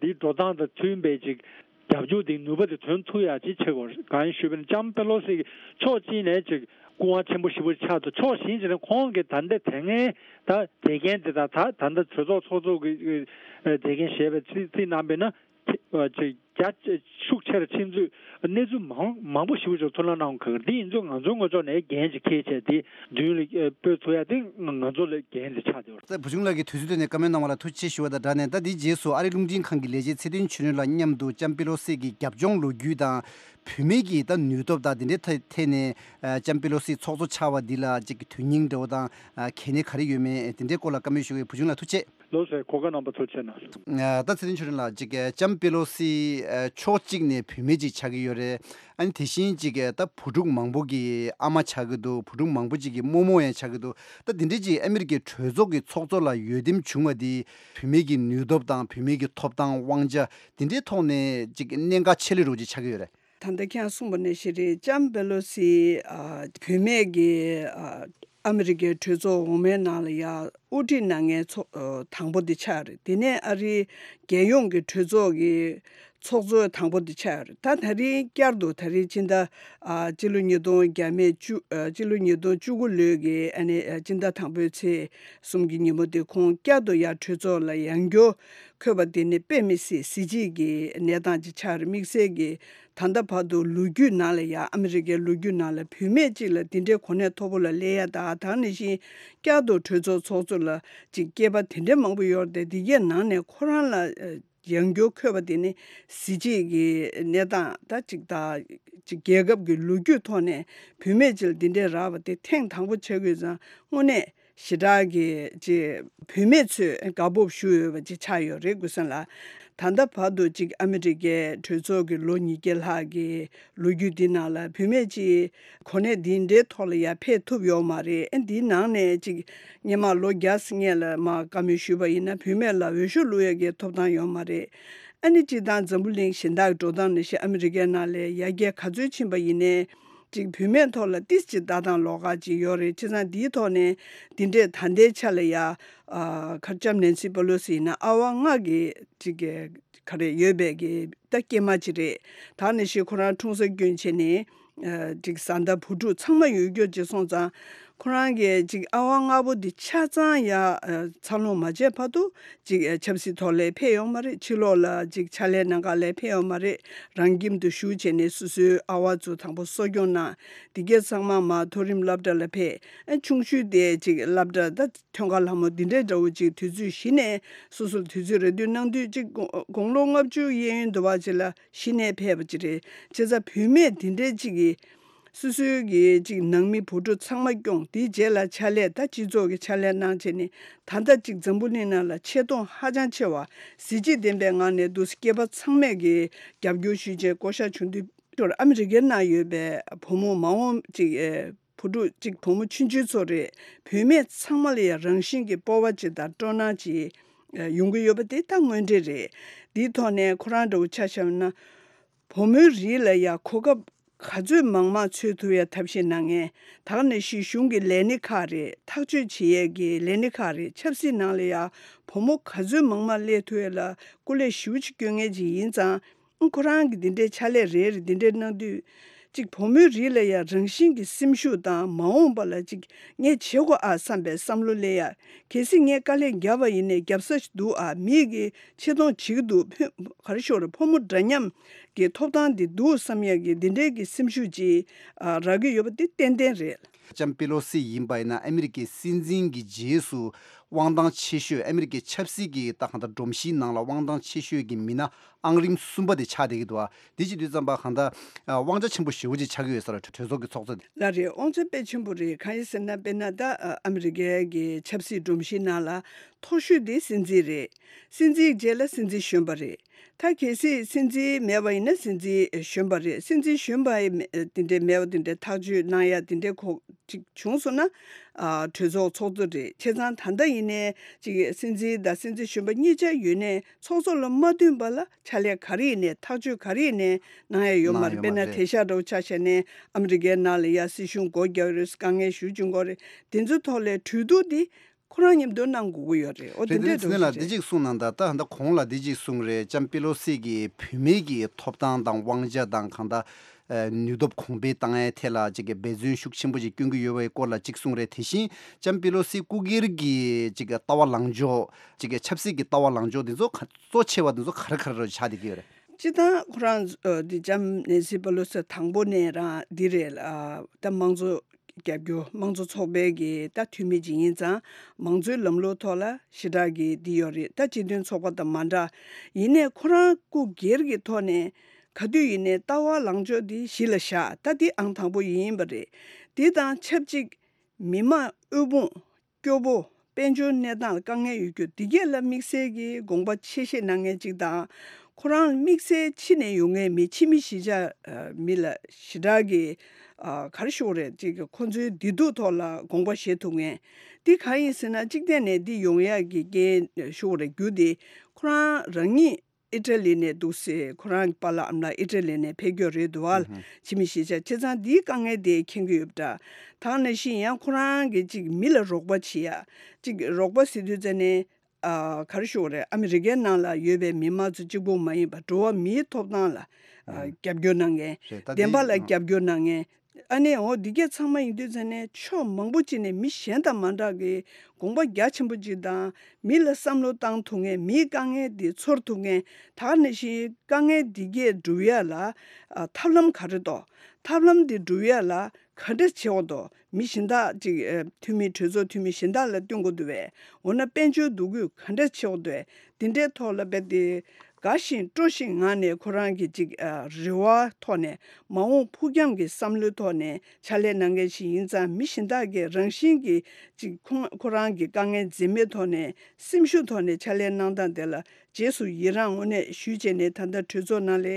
དེའི་འགྲོ་སྟངས་དང་མཐུན་པའི་ཅིག་རྒྱབ་སྐྱོར་དེ་ནུས་པ་དེ་ཐོན་ཐུབ་ཡག་ཅིག་བྱེད་དགོས། གང་ཡིན་ཞུས་པ་ཡིན་ན་ལྕམ་པེ་ལོ་སི་ཕྱོགས་གཅིག་ནས་ཅིག་སྐུ་དབང་ཆེན་པོ་ཞེ་པོ་ཆགས་འདུག་ཕྱོགས་གཞན་ཞིག་ནས་ཁོང་གིས་ད་ལྟ་དེ་སྔའི་ད་དེ་འགན་དེ་དང་ད་ད་ལྟ་གྲོས་ཚོགས་ཚོགས་གཙོ་གི་དེ་འགན་བཞེས་པའི་ཚིག་ཚིག་གནང་པས་ན་ཅིག་རྒྱ་ཤུགས་ཆེ་རུ་ཕྱིན་ཚུལ་གནས་ཚུལ་མང་མང་པོ་ཞེ་པོ་ཅིག་ཐོན་ལ་གནང་གི་འདི་ཡིན་ཚུལ་ང་ཚོའི་ངོས་ཕྱོགས་ནས་འགན་ཅིག་འཁྱེར་བྱས་དེ་མདུན་ལ་སྤོས་ཐུབ་ཡ་དེ་ང་ཚོ་ལ་འགན་དེ་ཆགས་བསྡད་ཡོད། ད་བུ་ཆུང་ལགས་ཀྱིས་དུས་ཚོད་བཏོན་ནས་བཀའ་མོལ་གནང་བ་ལ་ཐུགས་རྗེ་ཆེ་ཞུ་བ་དང་སྦྲགས་ནས། ད་འདིའི་རྗེས་སུ་ཨ་རིའི་རླུང་འཕྲིན་ཁང་གི་ལས་བྱེད་ཚེ་བརྟན་ཆོས་སྒྲོན་ལགས་མཉམ་དུ་ལྕམ་པེ་ལོ་སི་གི་རྒྱབ་ལྗོངས་ལོ་རྒྱུས་དང་། བུད་མེད་ཀྱི་ད་ནུས་སྟོབས་དང་དེ་འདྲའི་ཐད་ཐད་ནས་ཨ་ལྕམ་པེ་ལོ་སི་ཚོགས་གཙོ་ཆགས་པ་འདི་ལ་ཅིག་དོན་སྙིང་འདྲ་བོ་དང་ཨ་གལ་གནད་ག་རེ་ཡོད་མེད་དེ་འདྲའི་སྐོར་ལ་བཀའ་མོལ་ཞུ་གི་ཡོད། བུ་ཆུང་ལགས་ཐུགས་རྗེ་ཆེ། ལགས་སོ། གོ་སྐབས་གནང་བར་ཐུགས་རྗེ་གནང་། ཨ་ད་ཚེ་བརྟན་ཆོས་སྒྲོན་ལགས་ཅིག་ཨ་ལྕམ་པེ་ལོ་སི་ཨ་ཕྱོགས་གཅིག་ནས་བུད་མེད་ཅིག་ཆགས་ཀྱི་ཡོད་རེད། ཨ་ནི་དེ་བཞིན་ཅིག་ཨ་ད་བུ་ཕྲུག་མང་པོ་གི་ཨ་མ་ཆགས་ཀྱི་འདུག་བུ་ཕྲུག་མང་པོ་ཅིག་གི་རྨོ་མོ་ཡང་ཆགས་ཀྱི་འདུག་ད་དེ་འདྲའི་ཅིག་ཨ་མི་རི་ཀའི་གྲོས་ཚོགས་ཀྱི་ཚོགས་གཙོ་ལ་འོས་འདེམས་བྱུང་བ་འདི་བུད་མེད་ཀྱི་ནུས་སྟོབས་དང་བུད་མེད་ཀྱི་ཐོབ་ཐང་དབང་ཆ་དེ་འདྲའི་ཐོག་ནས་ཅིག་གནད་འགག་ཆེ་ལོས་རོགས་ཅིག་ཆགས་ཀྱི་ཡོད་རེད། ད་ལྟ་ཁྱེད་རང་གསུངས་པ་ནང་བཞིན་རེད། ལྕམ་པེ་ལོ་སི་ཨ་བུད་མེད་ཀྱི་ཨ་ཨ་མི་རི་ཀའི་གྲོས་ཚོགས་འོག་མའི་ནང་ལ་ཡ་དབུ་ཁྲིད་གནང་མཁན་ཚོགས་ཨ་དང་པོ་དེ་ཆགས་རེད། དེ་ནས་ཨ་རིའི་རྒྱལ་ཡོངས་ཀྱི་གྲོས་ཚོགས་ཀྱི་ཚོགས་གཙོ་དང་པོ་དེ་ཆགས་རེད། ད་ད་རིང་བསྐྱར་དུ་ད་རིང་སྤྱི་ཟླ་ཨ་སྤྱི་ལོ་ཉིས་སྟོང་བརྒྱ་མེད་བཅུ་ཨ་སྤྱི་ལོ་ཉིས་སྟོང་བཅུ་དགུ་ལོའི་གི་ཨ་ནི་ཨ་སྤྱི་ཟླ་དང་པོའི་ཚེས་གསུམ་གྱི་ཉིན་མོ་དེ་ཁོང་བསྐྱར་དུ་ཡ་གྲོས་ཚོགས་ལ་ཡང་བསྐྱར་འཁོད་པ་དེ་ནི་དཔེ་མི་སྲིད་གཟི་བརྗིད་ཀྱི་གནས་སྟངས་ཅིག་ཆགས་རེད། དམིགས་བསལ་གྱི་ད་ལྟ་བར་དུ་ལོ་རྒྱུས་ནང་ལ་ཡ་ཨ་མི་རི་ཀའི་ལོ་རྒྱུས་ནང་ལ་བུད་མེད་ཅིག་ལ་འདི་འདྲའི་གོ་གནས་མཐོ་པོ་ལ་སླེབས་ཡ་དང་། ད་ག་ནང་བཞིན་བསྐྱར་དུ་གྲོས་ཚོགས་ཚོགས་གཙོ་ལ་ཅིག་སྐྱེས་པ་དེ་འདྲའི་མང་པོ་ཡོད་རེད་དེ། འདི་གའི་ནང་ནས་ཁོ་རང་ལ་ཡང་བསྐྱར་འཁོད་པ་དེ་ནི་གཟི་བརྗིད་ཀྱི་གནས་སྟངས་ད་ཅིག་ད་ཅིག་རྒྱལ་ཁབ་ཀྱི་ལོ་རྒྱུས་ཐོག་ནས་བུད་མེད་ཅིག་ལ་འདི་འདྲའི་རག་པ་དེ་ཐེངས་དང་པོ་ཆགས་ཀྱི་ཡོད་ཙང་དངོས་གནས་ཞེ་དྲག་གི་ཅིག་བུད་མེད་ཚོས་དགའ་སྤོབས་ཞུ་འོས་པ་ཅིག་ཆགས་ཡོད་རེད་དགོས་སེམས་ལ། ད་ལྟ་བར་དུ་ཅིག་ཨ་མི་རི་ཀའི་གྲོས་ཚོགས་ཀྱི་ལོ་ཉིས་བརྒྱ་ལྷག་གི་ལོ་རྒྱུས་འདི་ནང་ལ་བུད་མེད་ཅིག་གོ་གནས་འདི་འདྲའི་ཐོག་ལ་ཡར་ཕེབས་ཐུབ་ཡོད་མ་རེད། ཨ་འདིའི་ནང་ནས་ཅིག་སྔོན་མ་ལོ་བརྒྱ་སྔོན་ལ་མར་བཀའ་མོལ་ཞུས་པ་ཡིན་ན་བུད་མེད་ལ་འོས་ཤོག་བླུག་ཡག་གི་ཐོབ་ཐང་ཡོད་མ་རེད། ཨ་ནི་སྤྱིར་བཏང་འཛམ་བུ་གླིང་གཞན་དག་གི་འགྲོ་སྟངས་ནང་བཞིན་ཨ་མི་རི་ཀའི་ནང་ལ་ཡར་རྒྱས་ག་ཚོད་ཕྱིན་པ་ཡིན་ནའི་ཅིག་བུད་མེད་ཐོག་ལ་ཏིས་ཅིག་ལྟ་སྟངས་ལོགས་ཀ་ཅིག་ཡོད་རེད། བྱས་ཙང་འདིའི་ཐོག་ནས་འདི་འདྲས་ད་ལྟའི་ཆ་ལ་ཡ་ཨ་ཁ་ལྕམ་ནན་སི་པེ་ལོ་སི་ཡིན་ན་ཨ་ཝ་ལྔ་གི་ཅིག་ག་རེ་ཡོད་པའི་གི་ད་སྐྱེས་མ་ཅིག་རེད། ད་ནི་ཞིག་ཁོ་རང་འཁྲུངས་ས་སྐྱོན་བྱས་ནས་ཨ་ཅིག་བཟའ་ཟླ་བུ་ཕྲུག་ཚང་མ་ཡོད་རྒྱུ་ཅིག་སོང་ཙང་ཁོ་རང་གི་ཅིག་ཨ་ཝ་ལྔ་པོ་འདི་ཆ་ཚང་ཡ་ཨ་འཚར་ལོངས་མ་བྱས་བར་དུ་ཅིག་ཨ་ཆབ་སྲིད་ཐོག་ལ་ཕེབས་ཡོང་མ་རེད། ཕྱི་ལོགས་ལ་ཅིག་ཕྱག་ལས་གནང་ག་ལ་ཕེབས་ཡོང་མ་རེད། རང་ཁྱིམ་དུ་བཞུགས་བྱས་ནས་སོ་སོའི་ཨ་ཝ་ཚོ་དང་པོ་གསོ་སྐྱོང་གནང་། འདི་གས་ཚང་མ་མར་མཐོ་རིམ་སློབ་གྲྭ་ལ་ཕེབས། ཨ་ཆུང་ཤོས་དེ་ཅིག་སློབ་གྲྭ་ད་ཐོན་ཁ་ལྷ་མོ་འདི་འདྲའི་འདྲ་བོ་ཅིག་དུས་ཚོད་གཞི་ནས་སོ་སོར་དུས་ཚོད་རེ་སྟོན་གནང་དུས་ཅིག་དགུང་དགུང་ལོ་ལྔ་བཅུ་གཡས་གཡོན་དུ་བ་ཅིག་ལ་གཞི་ནས་ཕེབས་པ་ཅིག་རེད། བྱས་ཙང་བུད་མེད་འདི་འདྲའི་ཅིག་གིས་སོ་སོའི་གི་ཅིག་ནང་མི་བུ་ཕྲུག་ཚང་མ་སྐྱོང་། དེའི་རྗེས་ལ་ཕྱག་ལས་ད་སྤྱི་ཚོགས་ཀྱི་ཕྱག་ལས་གནང་བྱས་ནས་ད་ལྟ་ཅིག་འཛམ་བུ་གླིང་ནང་ལ་ཆེ་མཐོང་ཧ་ཅང་ཆེ་བ་གཟི་བརྗིད་ལྡན་པའི་ངང་ནས་འདུག་སེ་སྐྱེས་པ་ཚང་མས་གི་རྒྱབ་སྐྱོར་ཞུས་བྱས་བསྐོ་བཞག་བྱུང་དུས། ཨ་མི་རི་ཀའི་ནང་ཡོད་པའི་བུ་མོ་མ་འོངས་ཅིག་ཨེ་བུ་ཕྲུག་ཅིག་བུ་མོ་ཆུང་ཆུང་ཚོ་རེད། བུད་མེད་ཚང་མ་ལ་ཡང་རང་བཞིན་གྱི་སྤོབས་པ་ཅིག་དང་སྤྲོ་སྣང་ཅིག་ ཡོང་གི་ཡོད་པ་དེ་ད་དངོས་འབྲེལ་རེད། འདིའི་ཐོག་ནས་ཁོ་རང་འདྲ་བོ་ཆ་བཞག་ན། བུ་མོའི་རིགས་ལ་ཡང་གོ་སྐབས་ག་ཚོད་མང་མང་འཚོལ་ཐུབ་ཡ་ཐབས་ཤེས་གནང་མཁན། ད་ག་ནང་བཞིན་གཞུང་གི་ལས་སྣེ་ཁག་རེད། ཐག་གཅོད་བྱེད་ཡས་ཀྱི་ལས་སྣེ་ཁག་རེད། ཆབ་སྲིད་ནང་ལ་ཡང་བུ་མོ་ག་ཚོད་མང་མང་སླེབས་ཐུབ་ཡ་ལ་སྐུ་ལས་ཞེ་པོ་ཅིག་སྐྱོན་མཁན་ཅིག་ཡིན་ཙང་། ཁོ་རང་གི་འདི་འདྲའི་ཕྱག་ལས་རེ་རེ་འདི་འདྲའི་གནང་དུས། གཅིག་བུ་མོའི་རིགས་ལ་ཡང་རང་བཞིན་གྱི་སེམས་ཤུགས་དང་མ་འོངས་པ་ལ་གཅིག་ངས་བྱེད་དགོས་ཨ་བསམ་པའི་བསམ་བློ་སླེབས་ཡ། གལ་སྲིད་ངས་དཀའ་ལས་བརྒྱབ་པ་ཡིན་ནའི་བརྒྱབ་ས་ཞིག་འདུག་ཨ། མིག་གིས་ཆེ་མཐོང་བྱེད་ཀྱི་འདུག་ཕོ་ག་རེ་ཞུ་དགོས་རེད། ཕོ་མོ་འདྲ་མཉམ་གྱི་ཐོབ་ཐང་འདི་འདུག་བསམ་ཡ་གི་འདི་འདྲའི་གི་སེམས་ཤུགས་ཅིག་ཨ་རག་གི་ཡོད་པ་འདི་ཏན་ཏན་རེད། ལྕམ་པེ་ལོ་སི་ཡིན་པ་ཡིན་ན་ཨ་མི་རི་ཀའི་སྲིད་འཛིན་གྱི་རྗེས་སུ་དབང་ཐང་ཆེ་ཤོས། ཨ་མི་རི་ཀའི་ཆབ་སྲིད་ཀྱི་ད་གང་ལྟར་སྒྲོམ་གཞིའི་ནང་ལ་དབང་ཐང་ཆེ་ཤོས་ཀྱི་མི་སྣ་ཨང་རིམ་གསུམ་པ་དེ་ཆགས་བསྡད་ཀྱི་འདུག་ཨ། དེ་བྱེད་དུས་ཙམ་པ་གང་ལྟར་ཨ་དབང་ཆ་ཆེན་པོ་ཞེ་པོ་ཅིག་ཆགས་ཀྱི་ཡོད་ས་རེད། གྲོས་ཚོགས་ཀྱི་ཚོགས་གཙོ་དེ། ལགས་རེད། དབང་ཆ་དཔེ་ཆེན་པོ་རེད། གང་ཡིན་ཟེར་ན་དཔེར་ན་ད་ཨ་མི་རི་ཀའི་གི་ཆབ་སྲིད་སྒྲོམ་གཞིའི་ནང་ལ་མཐོ་ཤོས་དེ་སྲིད་འཛིན་རེད། སྲིད་འཛིན་རྗེས་ལ་སྲིད་འཛིན་གཞོན་པ་རེད། ད་གལ་སྲིད་སྲིད་འཛིན་མེད་པ་ཡིན་ན་སྲིད་འཛིན་གཞོན་པ་རེད། སྲིད་འཛིན་གཞོན་པ་དེ་འདྲའི་མེད་པ་དེ་འདྲའི་ཐག་གཅོད་གནང་ཡ་དེ་འདྲའི་ཁོ་ཅིག་བྱུང་སོང་ན་ཨ་གྲོས་ཚོགས་ཚོགས་གཙོ་རེད། བྱས་ཙང་ད་ལྟ་ཡིན་ནའི་ཅིག་སྲིད་འཛིན་དང་སྲིད་འཛིན་གཞོན་པ་གཉིས་ཆ་ཡོད་ནའི་ཚོགས་གཙོ་ལ་མ་བསྟུན་པ་ལ་ཕྱག་ལས་ག་རེ་ཡིན་ནའི་ཐག་གཅོད་ག་རེ་ཡིན་ནའི་གནང་ཡ་ཡོད་མ་རེད། དཔེར་ན་དེང་སང་འདྲ་བོ་ཆ་བཞག་ནའི་ཨ་མི་རི་ཀའི་ནང་ལ་ཡ་སྲིད་གཞུང་སྒོ་རྒྱག་ཡོད་རེད། དཀའ་ངལ་ཞེ་པོ་ཅིག་འགོ་རེད། དེ་ཚོའི་ཐོག་ལ་གྲོས་བསྡུར་དེ་ཁོ་རང་མཉམ་དུ་གནང་དགོས་ཀྱི་ཡོད་རེད། འོ་དེ་རེད། དེ་འདྲའི་འདྲ་བོ་ཞིག་རེད། ད་གཅིག་གསུངས་གནང་དང་། ད་ད་གོང་ལ་འདི་གཅིག་གསུངས་རེད། ལྕམ་པེ་ལོ་སི་གིས་བུད་མེད་ཀྱི་ཐོབ་ཐང་དང་དབང་ཆ་དང་གང་ལྟར་ཨ་ནུས་སྟོབས་གོང་འཕེལ་བཏང་ཡའི་ཐད་ལ་ཅིག་གི་འབད་བརྩོན་ཤུགས་ཆེན་པོ་ཅིག་བསྐྱོན་གྱི་ཡོད་པའི་སྐོར་ལ་གཅིག་གསུངས་རེད། དེ་བཞིན་ལྕམ་པེ་ལོ་སི་སྐུ་སྒེར་གྱི་ཅིག་གི་ལྟ་བ་ལངས་ཕྱོགས། ཅིག་གི་ཆབ་སྲིད་ཀྱི་ལྟ་བ་ལངས་ཕྱོགས་འདི་ཚོ་ག་གཙོ་ཆེ་བ་འདི་ཚོ་ག་རེ་ག་རེ་རུ་ཆགས་བསྡད་ཀྱི་ཡོད་རེད། སྤྱིར་བཏང་ཁོ་རང་ཨ་འདི་ལྕམ་ནེན་སི་པེ་ལོ་སི་དང་པོ་ནས་རང་འདི་རེད། ཨ་ད་དམངས་གཙོ་རྒྱབ་སྐྱོར། དམངས་གཙོ་ཚོགས་པའི་གི་ད་འཐུས་མི་ཅིག་ཡིན་ཙང་། མང་གཙོའི་ལམ་ལུགས་ཐོག་ལ་ཞེ་དྲག་གི་འདི་ཡོད་རེད། ད་སྤྱི་མཐུན་ཚོགས་པ་དང་མ་འདྲ། ཡིན་ནའི་ཁོ་རང་སྐུ་སྒེར་གྱི་ཐོག་ནས་ག་དུས་ཡིན་ནའི་ལྟ་བ་ལངས་ཕྱོགས་འདི་གཞི་ལ་བཞག་ད་འདི་ཨང་དང་པོ་ཡིན་པ་རེད། འདི་དང་ཆབས་ཅིག་མི་མང་དབུལ་ཕོངས། སྐྱོ་པོ། དཔལ་འབྱོར་གནས་སྟངས་ལ་དཀའ་ངལ་ཡོད་རྒྱུ་འདི་གས་ལ་དམིགས་བསལ་གྱི་དགོངས་པ་ཆེ་བཞེས་གནང་མཁན་ཅིག་དང་། ཁོ་རང་དམིགས་བསལ་ཕྱི་ནས་ཡོང་མཁན་མི་ཕྱི་མི་གཞིས་ཆགས་ཨ་མི་ལ་ཞེ་དྲག་གི་ཨ་ག་རེ་ཞུ་དགོས་རེད། ཅིག་ཁོ་ཚོའི་བདེ་སྡུག་ཐོག་ལ་དགོངས་པ་བཞེས་ཐུབ་མཁན་འདི་གང་ཡིན་ཟེར་ན། གཅིག་བལྟས་ནས་འདི་ཡོང་ཡག་གི་རྐྱེན་ཞུ་དགོས་རེད། རྒྱུ་དེ་ཁོ་རང་རང་ཉིད་ཨི་ཊ་ལི་ནས་འདུག་སེ་ཁོ་རང་གི་པཱ་ལགས་ཨ་མ་ལགས་ཨི་ཊ་ལི་ནས་ཕེབས་ཀྱི་རེད་འདུག་བ། ཕྱི་མི་གཞིས་ཆགས། བྱས་ཙང་འདིའི་དཀའ་ངལ་དེ་མཁྱེན་གྱི་ཡོད་པ་འདྲ། ད་ག་ནང་བཞིན་ཡང་ཁོ་རང་གིས་ཅིག་མི་ལ་རོགས་པ་བྱེད་ཡ། ཅིག་རོགས་པ་ཟེར་དུས་ཙ་ནས་ཨ་ག་རེ་ཞུ་དགོས་རེད། ཨ་མི་རི་ཀའི་ནང་ལ་ཡོད་པའི་མི་མང་ཚོ་གཅིག་པོ་མ་ཡིན་པ་འགྲོ་བ་མིའི་ཐོབ་ཐང་ལ་ཨ་རྒྱབ་སྐྱོར་གནང་མཁན། རེད། ད་བདེན་པ་ལ་རྒྱབ་སྐྱོར་གནང་མཁན། ཨ་ནི་འོ་འདི་གས་ཚང་མ་ཡིན་དུས་ཙ་ནས་ཕྱོགས་མང་པོ་ཅིག་ནས་མི་གཞན་དང་མ་འདྲ་གི་དགོངས་པ་རྒྱ་ཆེན་པོ་ཅིག་དང་། མི་ལ་བསམ་བློ་བཏང་ཐུབ་མཁན། མིའི་དཀའ་ངལ་འདི་ཚོར་ཐུབ་མཁན། ད་ག་ནང་བཞིན་དཀའ་ངལ་འདི་གས་སྒྲུབ་ཡ་ལ་ཨ་ཐབས་ལམ་ག་རེ་འདུག་ཐབས་ལམ་འདི་སྒྲུབ་ཡ་ལ་ག་འདྲ་བྱེད་དགོས་འདུག་མི་གཞན་དག་ཅིག་ཨ་འཐུས་མི། གྲོས་ཚོགས་འཐུས་མི་གཞན་དག་ལ་བསྟུན་དགོས་འདུག་བས། འོ་ན་དཔལ་འབྱོར་འདུ་འགོད་ག་འདྲ་བྱེད་དགོས་འདུག་དེ་འདྲའི་ཐོག་ལ་རྦད་དེ་དགའ་ཞིང་སྤྲོ་ཞིང་ངང་ནས་ཁོ་རང་གི་ཅིག་ཨ་རེ་བ་ཐོག་ནས། མ་འོངས་ཕུགས་རྒྱང་གི་བསམ་བློའི་ཐོག་ནས་ཕྱག་ལས་གནང་མཁན་ཞིག་ཡིན་ཙང་། མི་གཞན་དག་གིས་རང་བཞིན་གྱིས་ཅིག་ཁོང་ཁོ་རང་གི་དཀའ་ངལ་འཛེམས་མེད་ཐོག་ནས། སེམས་ཤུགས་ཐོག་ནས་ཕྱག་ལས་གནང་སྟངས་དེ་ལ་རྗེས་སུ་ཡི་རངས་དངོས་གནས་ཞུས་བྱས་ནས། ད་ལྟ་གྲོས་ཚོགས་ནང་ལ་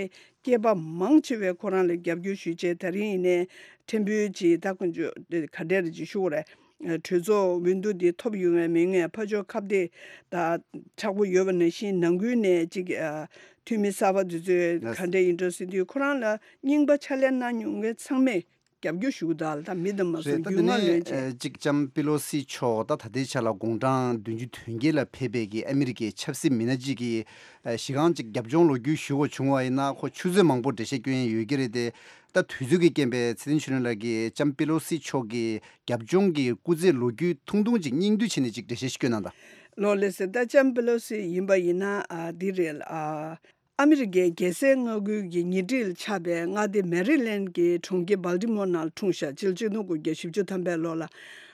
སྐྱེས་པ་མང་ཆེ་བས་ཁོ་རང་ལ་རྒྱབ་སྐྱོར་ཞུས་བྱས། ད་རིང་ཡིན་ནའི་ཕྲན་བུ་ཅིག་ད་དཀོན་མཆོག་ག་འདྲ་རེ་ཅིག་ཞུ་དགོས་རེད། གྲོས་ཚོགས་འོས་བསྡུ་འདི་ཐོབ་ཡོང་བའི་མི་ངན་ཕར་ཕྱོགས་ཁ་གཏད་ད་དྲག་པོ་ཡོད་པ་ནང་བཞིན། ནང་ཁུལ་ནས་ཅིག་ཨ་འཐུས་མི་གསར་པ་འདི་ཚོས་ག་འདྲ་ཡིན་འགྲོ་ཟེར་དུས། ཁོ་རང་ལ་རྙིང་པ་ཕྱག་ལས་གནང་མྱོང་མཁན་ཚང་མས་རྒྱབ་སྐྱོར་ཞུ་གི་འདུག་ད་མི་དང་མ་སོང་། རེད། ད་རྒྱུས་དེ་མངའ་ནས་ལོན་བྱས། ཨ་ཅིག་ལྕམ་པེ་ལོ་སི་མཆོག་ད་ད་ལྟའི་ཆ་ལ་དགུང་གྲངས་བདུན་ཅུ་དོན་བརྒྱད་ལ་ཕེབས་པའི་གི་ཨ་མི་རི་ཀའི་ཆབ་སྲིད་མི་སྣ་ཅིག་གིས་ཨ་གཞི་རྐང་ཅིག་རྒྱབ་ལྗོངས་ལོ་རྒྱུས་ཞུ་དགོས་བྱུང་བ་ཡིན་ན། ཁོ་ཆུ་ཚོད་མང་པོ་འགྲེལ་བཤད་སྐྱོན་ཡས་ཡོད་ཀྱི་རེད་དེ། ད་དུས་ཚོད་ཀྱི་རྐྱེན་པས་ཚེ་བརྟན་ཆོས་སྒྲོན་ལགས་ཀྱིས་ལྕམ་པེ་ལོ་སི་མཆོག་གི་རྒྱབ་ལྗོངས་ཀྱི་སྐུ་ཚེ་ལོ་རྒྱུས་ཐུང་ཐུང་ཅིག་སྙིང་བསྡུས་བྱས་ནས་ཅིག་འགྲེལ་བཤད་ཞིག་སྐྱོན་གནང་དང་། ལགས་ལགས་སེ། ད་ལྕམ་པེ་ལོ་སི་ཡིན་པ་ཡིན་ན་ཨ་འདི་རེད། ཨ་ཨ་མི་རི་ཀའི་རྒྱལ་སའི་མངའ་ཁུལ་གྱི་ཉེ་འཁྲིས་ལ་ཆགས་པའི་མངའ་སྡེ་མེ་རི་ལེན་གྱི་གྲོང་ཁྱེར་སྦལ་ཏི་མོར་ནང་ལ་འཁྲུངས་ཤག་སྤྱི་ལོ་ཆིག་སྟོང་དགུ་བརྒྱ་བཞི་བཅུ་ཐམ་པའི་ལོ་ལ།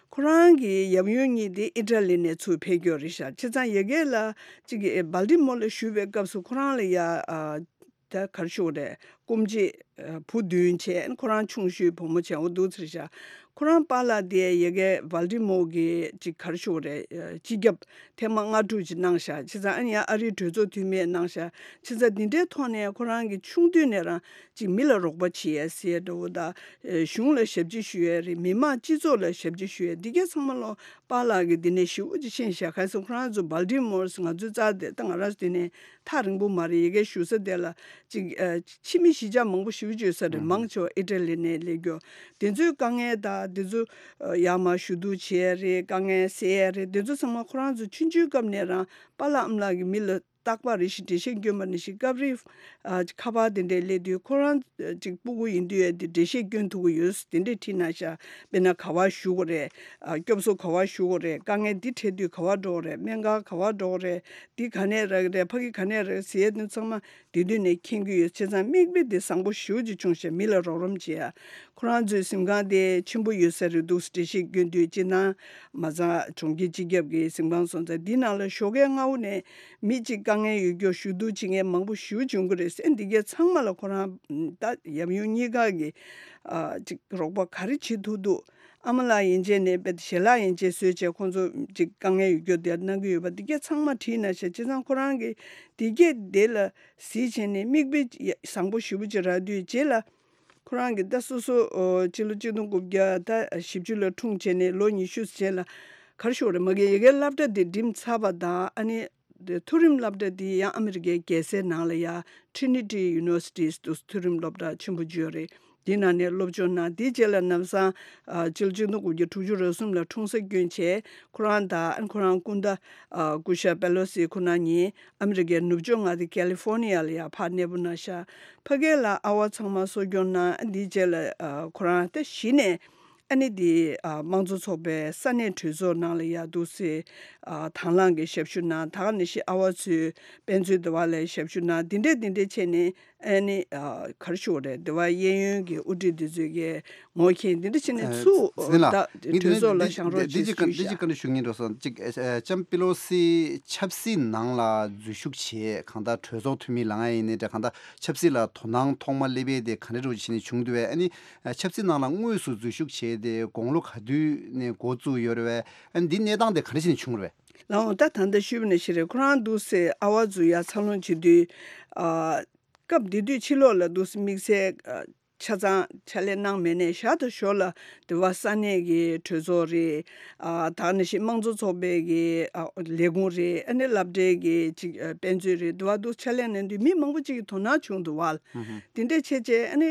ཁོ་རང་གི་ཡབ་ཡུམ་གཉིས་དེ་ཨི་ཊ་ལི་ནས་ཚུར་ཕེབས་ཀྱི་ཡོད་རེད་ཤག་བྱས་ཙང་ཡ་གི་ལ་ཅིག་སྦལ་ཏི་མོར་ལ་བཞུགས་པའི་སྐབས་སུ་ཁོ་རང་ལ་ཡ་ཨ་ད་ག་རེ་ཞུ་དགོས་རེད། སྐུ་མཆེད་ ཨ་བུ་བདུན་བྱས། ཁོ་རང་ཆུང་ཤོས་བུ་མོ་བྱས། འོ་འདུག་ཟེར་ཤག་ཁོ་རང་པཱ་ལགས་དེ་ཡ་གི་བལ་ཏི་མོར་གི་ཅིག་ག་རེ་ཞུ་དགོས་རེད། ཨ་སྤྱི་ཁྱབ་ཐེངས་མ་ལྔ་དྲུག་ཅིག་གནང་ཤག་བྱས་ཙང་ཨ་ནི་ཡང་ཨ་རིའི་གྲོས་ཚོགས་འཐུས་མི་གནང་ཤག་བྱས་ཙང་འདི་འདྲའི་ཐོག་ནས་ཁོ་རང་གི་ཆུང་དུས་ནས་རང་ཅིག་མི་ལ་རོགས་པ་བྱེད་ཡ་ཟེར་ཡ་འདྲ་བོ་དང་། ཨ་གཞུང་ལ་ཞབས་ཕྱི་ཞུ་ཡ་རེད། མི་མང་སྤྱི་ཚོགས་ལ་ཞབས་ཕྱི་ཞུ་ཡ་འདི་གས་ཚང་མ་ལོ་པཱ་ལགས་ཀྱིས་འདི་ནས་ཞེ་པོ་ཅིག་ཤེས་ཤག་ག་རེ་ཟེར་ཁོ་རང་ཚོ་བལ་ཏི་མོར་ང་ཚོའི་རྩ་དེ་ད་ང་རང་ཚོ་འདི་ནས་ཐག་རིང་པོ་མ་རེད། ཡ་གི་བཞུགས་ས་དེ་ལ་ཅིག་ཨ་ཕྱི་མི་གཞིས་ཆགས་མང་པོ་ཞེ་པོ་ཅིག་ཡོད་ས་རེད། ཨུ་ཧུམ། མང་ཆེ་བ་ཨི་ཊ་ལི་ནས་སླེབས་རྒྱུ། དེ་ཚོའི་དཀའ་ངལ་དང་དེ་ཚོ་ཨ་ཡར་མར་ཞུ་གཏུག་བྱེད་ཡ་རེད། དཀའ་ངལ་སེལ་ཡ་རེད། དེ་ཚོ་ཚང་མ་ཁོ་རང་ཚོ་ཆུང་ཆུང་སྐབས་ནས་རང་པཱ་ལགས་ཨ་མ་ལགས་ཀྱིས་མི་ལ་རྟག་པར་རེ་ཞིག་འགྲེལ་བཤད་སྐྱོན་པ་ནང་བཞིན་སྐབས་རེ་ཨ་ཁ་པར་དེ་འདྲས་སླེབས་དུས་ཁོ་རང་ཅིག་སྤུ་གུ་ཡིན་དུས་ཡ་དེ་འགྲེལ་བཤད་སྐྱོན་ཐུབ་ཀྱི་ཡོད། དེ་འདྲས་བྲིས་གནང་ཤག་དཔེར་ན་ག་པར་བཞུགས་དགོས་རེད། ཨ་སྐྱོབ་གསོ་ག་པར་ཞུ་དགོས་རེད། དཀའ་ངལ་འདི་འཕྲད་དུས་ག་པར་འགྲོ་དགོས་རེད། སྨན་ཁང་ག་པར་འགྲོ་དགོས་རེད། འདི་ག་ནས་རག་གི་རེད། ཕ་གི་ག་ནས་རག་ཟེར་ཡ་དེ་ཚང་མ་དེ་དུས་ནས་མཁྱེན་གྱི་ཡོད། བྱས་ཙང་མིག་དཔེ་དེ་བཟང་པོ་ཞེ་པོ་ཅིག་བྱུང་ཤག་མི་ལ་རོགས་རམ་བྱེད་ཡ། ཁོ་རང་ཚོའི་གཟིམ་ཁང་དེ་ཆེན་པོ་ཡོད་ས་རེད་འདུག་འགྲེལ་བཤད་སྐྱོན་དུས་སྤྱིར་བཏང་མ་རྩ་གྲོང་ཁྱེར་སྤྱི་ཁྱབ་ཀྱི་གཟིམ་ཁང་སོང་ཙང་འདི་ནང་ལ་ཞོགས་ཀས་སྔ་པོ་ནས་མི་གཅིག་དཀའ་ངལ་ཡོད་རྒྱུ་ཞུ་གཏུག་བྱེད་མཁན་མང་པོ་ཞེ་པོ་བྱུང་གི་རེད་ཟེར། འདི་གས་ཚང་མ་ལ་ཁོ་རང་ད་ཡབ་ཡུམ་གཉིས་ཀ་གིས་ཨ་ཅིག་རོགས་པ་ག་རེ་བྱེད་ཐུབ་འདུག་ཨ་མ་ལགས་ཡན་ཆད་ནས་དཔེ་ཞལ་ལག་ཡན་ཆད་བཟོས་བྱས་ཁོང་ཚོ་ཅིག་དཀའ་ངལ་ཡོད་རྒྱུ་དེ་གནང་གི་ཡོད་པ་འདི་གས་ཚང་མ་བྲིས་གནང་ཤག་བྱས་ཙང་ཁོ་རང་གིས་འདི་གས་དེ་ལ་གཟིགས་བྱས་ནས་མིག་དཔེ་བཟང་པོ་ཞེ་པོ་ཅིག་རག་དུས་རྗེས་ལ་ཁོ་རང་གིས་ད་སོ་སོ་ཨོ་སྤྱི་ལོ་གཅིག་སྟོང་དགུ་བརྒྱ་ད་བཞི་བཅུ་ལ་འཁྲུངས་བྱས་ནས་ལོ་ཉི་ཤུ་རྗེས་ལ་ག་རེ་ཞུ་དགོས་རེད། མ་གི་ཡ་གི་སློབ་གྲྭ་དེ་འགྲིམས་ཚར་བ་དང་ཨ་ནི་མཐོ་རིམ་སློབ་གྲྭ་དེ་ཡང་ཨ་མི་རི་ཀའི་རྒྱལ་སའི་ནང་ལ་ཡ་Trinity University་འདུག་མཐོ་རིམ་སློབ་གྲྭ་ཆེན་པོ་བརྗོད་རེད། དེའི་ནང་ནས་སློབ་སྦྱོང་གནང་། དེའི་རྗེས་ལ་ལམ་སང་ཨ་སྤྱི་ལོ་གཅིག་སྟོང་དགུ་བརྒྱ་དྲུག་ཅུ་རེ་གསུམ་ལ་འཁྲུངས་ས་སྐྱོན་བྱས། ཁོ་རང་དང་ཁོ་རང་སྐུ་ཟླ་ཨ་སྐུ་ཞབས་པེ་ལོ་སི་ཁོ་རང་གཉིས་ཨ་མི་རི་ཀའི་ནུབ་ཕྱོགས་མངའ་སྡེ་ཀེ་ལི་ཧྥོ་ནི་ཡ་ལ་ཡ་ཕར་གནས་སྤོ་གནང་ཤག་ཕ་གི་ལ་ཨ་ཝ་ཚང་མ་གསོ་སྐྱོང་གནང་། འདིའི་རྗེས་ལ་ཨ་ཁོ་རང་ད་གཞི་ནས་ཨ་ནི་འདི་ཨ་དམངས་གཙོ་ཚོགས་པའི་ས་གནས་གྲོས་ཚོགས་ནང་ལ་ཡ་འདུག་སེ་ཨ་དང་བླངས་ཀྱི་ཞབས་ཞུ་གནང་། ད་ག་ནང་བཞིན་ཨ་ཝ་ཚོའི་དཔེ་མཛོད་དེ་བ་ལ་ཞབས་ཞུ་གནང་། འདི་འདྲས་འདི་འདྲས་བྱས་ནས་ཨ་ནི་ཨ་ག་རེ་ཞུ་དགོས་རེད། དེ་བ་གཡས་གཡོན་གྱི་དབུ་ཁྲིད་འདི་ཚོས་ཀྱི་ངོ་མཁྱེན་འདི་འདྲ་བྱས་ནས་ཚུར་ཟིན་ལ་ད་མི་གྲོས་ཚོགས་ལ་བཞེངས་རོགས་བྱེད་ཞུས་ཤག་འདི་ཅི་ག་འདི་ཞུ་ཞུ་ཡ། ཅམ་པི་ལོ་སི་ཆབ་སྲིད་ནང་ལ་འཛུལ་ཞུགས་བྱས། གང་ལྟར་གྲོས་ཚོགས་འཐུས་མི་ལངས་ཡ་ཡིན་ནའི་འདྲ། གང་ལྟར་ཆབ་སྲིད་ལ་དོ་སྣང་ཐོག་མ་སླེབས་པའི་དེ་ག་འདྲ་འདྲ་བོ་བྱས་ནས་བྱུང་འདུག་བས། ཨ་ནི་ཆབ་སྲིད་ནང་ལ་དངོས་སུ་འཛུལ་ཞུགས་བྱས་ཏེ་དགུང་ལོ་ག་དུས་ནས་འགོ་བཙུགས་ཡོད་རེད་བས། ཨ་ནི་འདི་གནས་སྟངས་དེ་ག་འདྲ་བྱས་ནས་བྱུང་རེད་བས། ལགས་འོང་། ད་ད་ལྟ་ཞུས་པ་ནང་བཞིན་རེད། ཁོ་རང་འདུག་སེ་ཨ་ཝ་འཛུལ་ཡ་འཚར་ལོངས་བྱེད་དུས་ཨ། སྐབས་དེ་དུས་ཕྱི་ལོགས་ལ་འདུག་སེ་དམིགས་བསལ་ཨ་ཆ་ཚང་ཕྱག་ལས་གནང་མེད་ནའི་ཞར་དང་ཞོར་ལ་དེ་བ་ས་གནས་ཀྱི་གྲོས་ཚོགས་རེད། ཨ་ད་ག་ནང་བཞིན་དམངས་གཙོ་ཚོགས་པའི་གི་ཨ་ལས་ཁུངས་རེད། ཨ་ནི་སློབ་གྲྭའི་གི་ཅིག་ཨ་དཔེ་མཛོད་རེད། དེ་བ་འདུག་ཕྱག་ལས་གནང་དུས་མི་མང་པོ་ཅིག་གི་དོ་སྣང་བྱུང་འདུག་བ། ཧུམ་ཧུམ། དེ་འདྲས་བྱས་བྱས་ཨ་ནི་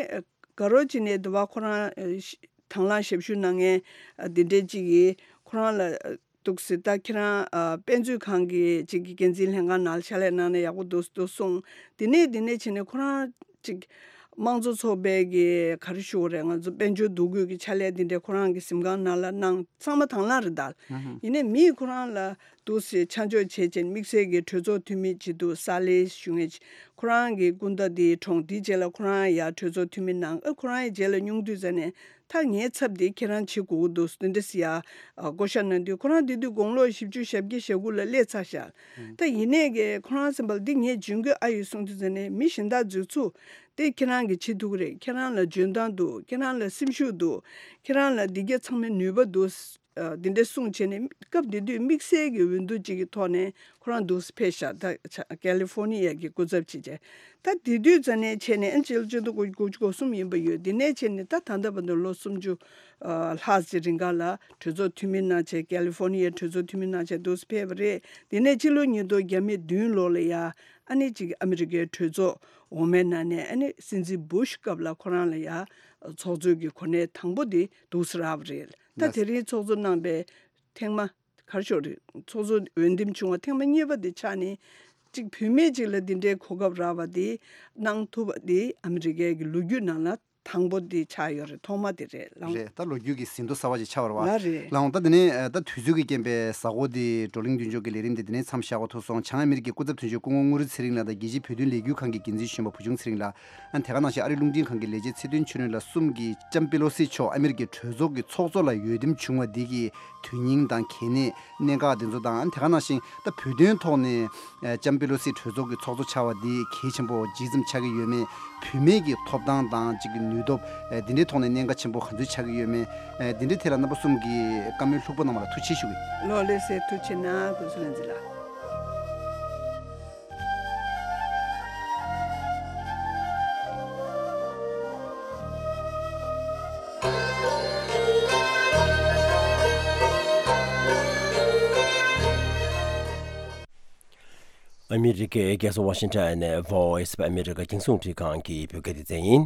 དགའ་རོགས་བྱས་ནས་དེ་བ་ཁོ་རང་ཨ་ཞི་དང་བླངས་ཞབས་ཞུ་གནང་མཁན་ཨ་དེ་འདྲས་ཅིག་གིས་ཁོ་རང་ལ་ཨ་འདུག་སེ་ད་ཁྱེད་རང་ཨ་དཔེ་མཛོད་ཁང་གི་ཅིག་གི་འགན་འཛིན་ལྷན་ཁང་ནང་ལ་ཕྱག་ལས་གནང་ན་ཡག་པོ་འདུག་འདུག་གསུངས། དེ་ནས་དེ་ནས་བྱས་ནས་ཁོ་རང་ཅིག་དམངས་གཙོ་ཚོགས་པའི་གི་ག་རེ་ཞུ་དགོས་རེད། ང་ཚོ་དཔལ་འབྱོར་འདུ་འགོད་ཀྱི་ཕྱག་ལས་དེ་འདྲས་ཁོ་རང་གི་གཟིམ་ཁང་ནང་ལ་གནང་། ཚང་མ་དང་བླངས་རེད་ད། ཧུམ་ཧུམ། ཡིན་ནའི་མིས་ཁོ་རང་ལ་འདུག་སེ་ཆ་འཇོག་བྱས་བྱས་དམིགས་བསལ་གྱི་གྲོས་ཚོགས་འཐུས་མི་ཅིག་འདུག་ས་ལེ་ཞུ་མཁན་ཅིག་ཁོ་རང་གི་སྐུ་ཟླ་དེའི་གྲོངས། དེའི་རྗེས་ལ་ཁོ་རང་ཡར་གྲོས་ཚོགས་འཐུས་མི་གནང་། ཨ་ཁོ་རང་ཡི་རྗེས་ལ་སྙུང་བསྡུས་མཛད་ནས་ད་ངའི་ཚབ་དེ་ཁྱེད་རང་བྱེད་དགོས་ཀྱི་འདུག་འདི་འདྲ་ཟེར་ཡ་ཨ་བསྐོ་བཞག་གནང་དུས་ཁོ་རང་དེ་དུས་དགུང་ལོ་བཞི་བཅུ་ཞེ་བརྒྱད་ཞེ་དགུ་ལ་སླེབས་ཚར་ཤག་ཧུམ། ད་ཡིན་ནའི་གི་ཁོ་རང་སེམས་པ་ལ་འདི་ངས་འཇོན་གི་ཨ་ཡོད་གསུངས་དུས་ཙམ་ནས་མི་གཞན་དག་འཛུལ་ཚུགས། དེ་ཁྱེད་རང་གིས་བྱེད་ཐུབ་ཀྱི་རེད། ཁྱེད་རང་ལ་འཇོན་ཐང་འདུག་ཁྱེད་རང་ལ་སེམས་ཤུགས་འདུག་ཁྱེད་རང་ལ་འདི་གས་ཚང་མའི་ནུས་པ་འདུག་ཨ་འདི་འདྲ་གསུངས་བྱས་ནས་སྐབས་དེ་དུས་དམིགས་བསལ་གྱི་འོས་བསྡུ་ཅིག་གི་ཐོག་ནས་ཁོ་རང་འདུག་སེ་ཕེབས་ཤག་ད་ཆ་ཀེ་ལི་ཧྥོ་ནི་ཡ་གི་སྐུ་ཚབ་བྱས་བྱས། ད་དེ་དུས་ཙམ་ནས་བྱས་ནས་ཨ་ནི་སྤྱི་ལོ་གཅིག་སྟོང་དགུ་བརྒྱ་དགུ་བཅུ་གོ་གསུམ་ཡིན་པ་ཡོད། དེ་ནས་བྱས་ནས་ད་ད་ལྟ་བར་དུ་ལོ་སུམ་ཅུ་ཨ་ལྷག་ཙམ་རིང་ག་ལ་གྲོས་ཚོགས་འཐུས་མི་གནང་བྱས། ཀེ་ལི་ཧྥོ་ནི་ཡའི་གྲོས་ཚོགས་འཐུས་མི་གནང་བྱས་འདུག་སེ་ཕེབས་པ་རེད། དེ་ནས་ཕྱི་ལོ་ཉིས་སྟོང་བརྒྱ་མེད་བདུན་ལོ་ལ་ཡ་ཨ་ནི་ཅིག་ཨ་མི་རི་ཀའི་གྲོས་ཚོགས་འོག་མའི་ནང་ནས་ཨ་ནི་སྲིད་འཛིན་བུ་ཤ་སྐབས་ལ་ཁོ་རང་ལ་ཡ་ཚོགས་གཙོའི་གི་གོ་གནས་དང་པོ་དེ་འདུག་སེ་རག་པ་རེད། ད་ལགས། དེ་རིང་ཚོགས་གཙོ་གནང་པའི་ཐེངས་མ་ག་རེ་ཞུ་དགོས་རེད། ཚོགས་གཙོ་འོས་འདེམས་བྱུང་བ་ཐེངས་མ་གཉིས་པ་དེ་ཆགས་ནས་གཅིག་བུད་མེད་ཅིག་ལ་འདི་འདྲའི་གོ་སྐབས་རག་པ་དེ་གནང་ཐུབ་པ་དེ་ཨ་མི་རི་ཀའི་གི་ལོ་རྒྱུས་ནང་ལ་ དང་པོ་འདི་ཆགས་ཡོད་རེད། ཐོག་མ་འདི་རེད་ལགས། རེད། ད་ལོ་རྒྱུས་ཀྱི་ཟིན་ཐོ་གསར་བ་ཞིག་ཆགས་པ་རེད་བ། ལགས་རེད། ལགས་འོང་། ད་འདི་ནས་ད་དུས་ཚོད་ཀྱི་རྐྱེན་པས་གཟའ་འཁོར་འདི་བགྲོ་གླེང་མདུན་ལྕོག་གི་ལས་རིམ་འདི་འདི་ནས་མཚམས་བཞག་དགོས་ཐུག་སོང་། བྱང་ཨ་མི་རི་ཀའི་སྐུ་ཚབ་དོན་གཅོད་སྐུ་ངོ་དངོས་གྲུབ་ཚེ་རིང་ལགས་དང་རྒྱལ་སྤྱིའི་བོད་དོན་ལས་འགུལ་ཁང་གི་འགན་འཛིན་གཞོན་པ་བུ་ཆུང་ཚེ་རིང་ལགས། ཨ་ནི་དེ་ག་ནང་བཞིན་ཨ་རིའི་རླུང་འཕྲིན་ཁང་གི་ལས་བྱེད་ཚེ་བརྟན་ཆོས་སྒྲོན་ལགས་གསུམ་གྱིས་ལྕམ་པེ་ལོ་སི་མཆོག་ཨ་མི་རི་ཀའི་གྲོས་ཚོགས་ཀྱི་ཚོགས་གཙོ་ལ་འོས་འདེམས་བྱུང་བ་འདི་གི་དོན་སྙིང་དང་གལ་གནད། གནད་འགག་དེ་ཚོ་དང་། དེ་ག་ནང་བཞིན་ད་བོད་དོན་ཐོག་ནས་ཨ་ལྕམ་པེ་ལོ་སི་གྲོས་ཚོགས་ཀྱི་ཚོགས་གཙོ་ཆགས་པ་འདི་གལ་ཆེན་པོ་ཇི་ཙམ་ཆགས་ཀྱི་ཡོད་མེད། བུད་མེད་ཀྱི་ཐོབ་ཐང་དང་གཅིག་གི་ནུས་སྟོབས། ཨ་འདི་འདྲའི་ཐོག་ནས་གནད་འགག་ཆེན་པོ་ག་ཚོད་ཆགས་ཀྱི་ཡོད་མེད། ཨ་འདི་འདྲའི་ཐད་ལ་རྣམ་པ་གསུམ་གྱིས་བཀའ་མོལ་ལྷུག་པོ་གནང་བ་ལ་ཐུགས་རྗེ་ཆེ་ཞུ་གི་ཡིན། ལགས་ལགས་སེ། ཐུགས་རྗེ་གནང་། ཀུན་བཟང་ལྷ་འཛིན་ལགས། ཨ་མི་རི་ཀའི་རྒྱལ་ས་ཝ་ཤིང་ཊོན་ནས་Voice of America རྒྱང་སྲིང་རླུང་འཕྲིན་ཁང་གི་བོད་སྐད་སྡེ་ཚན་ཡིན།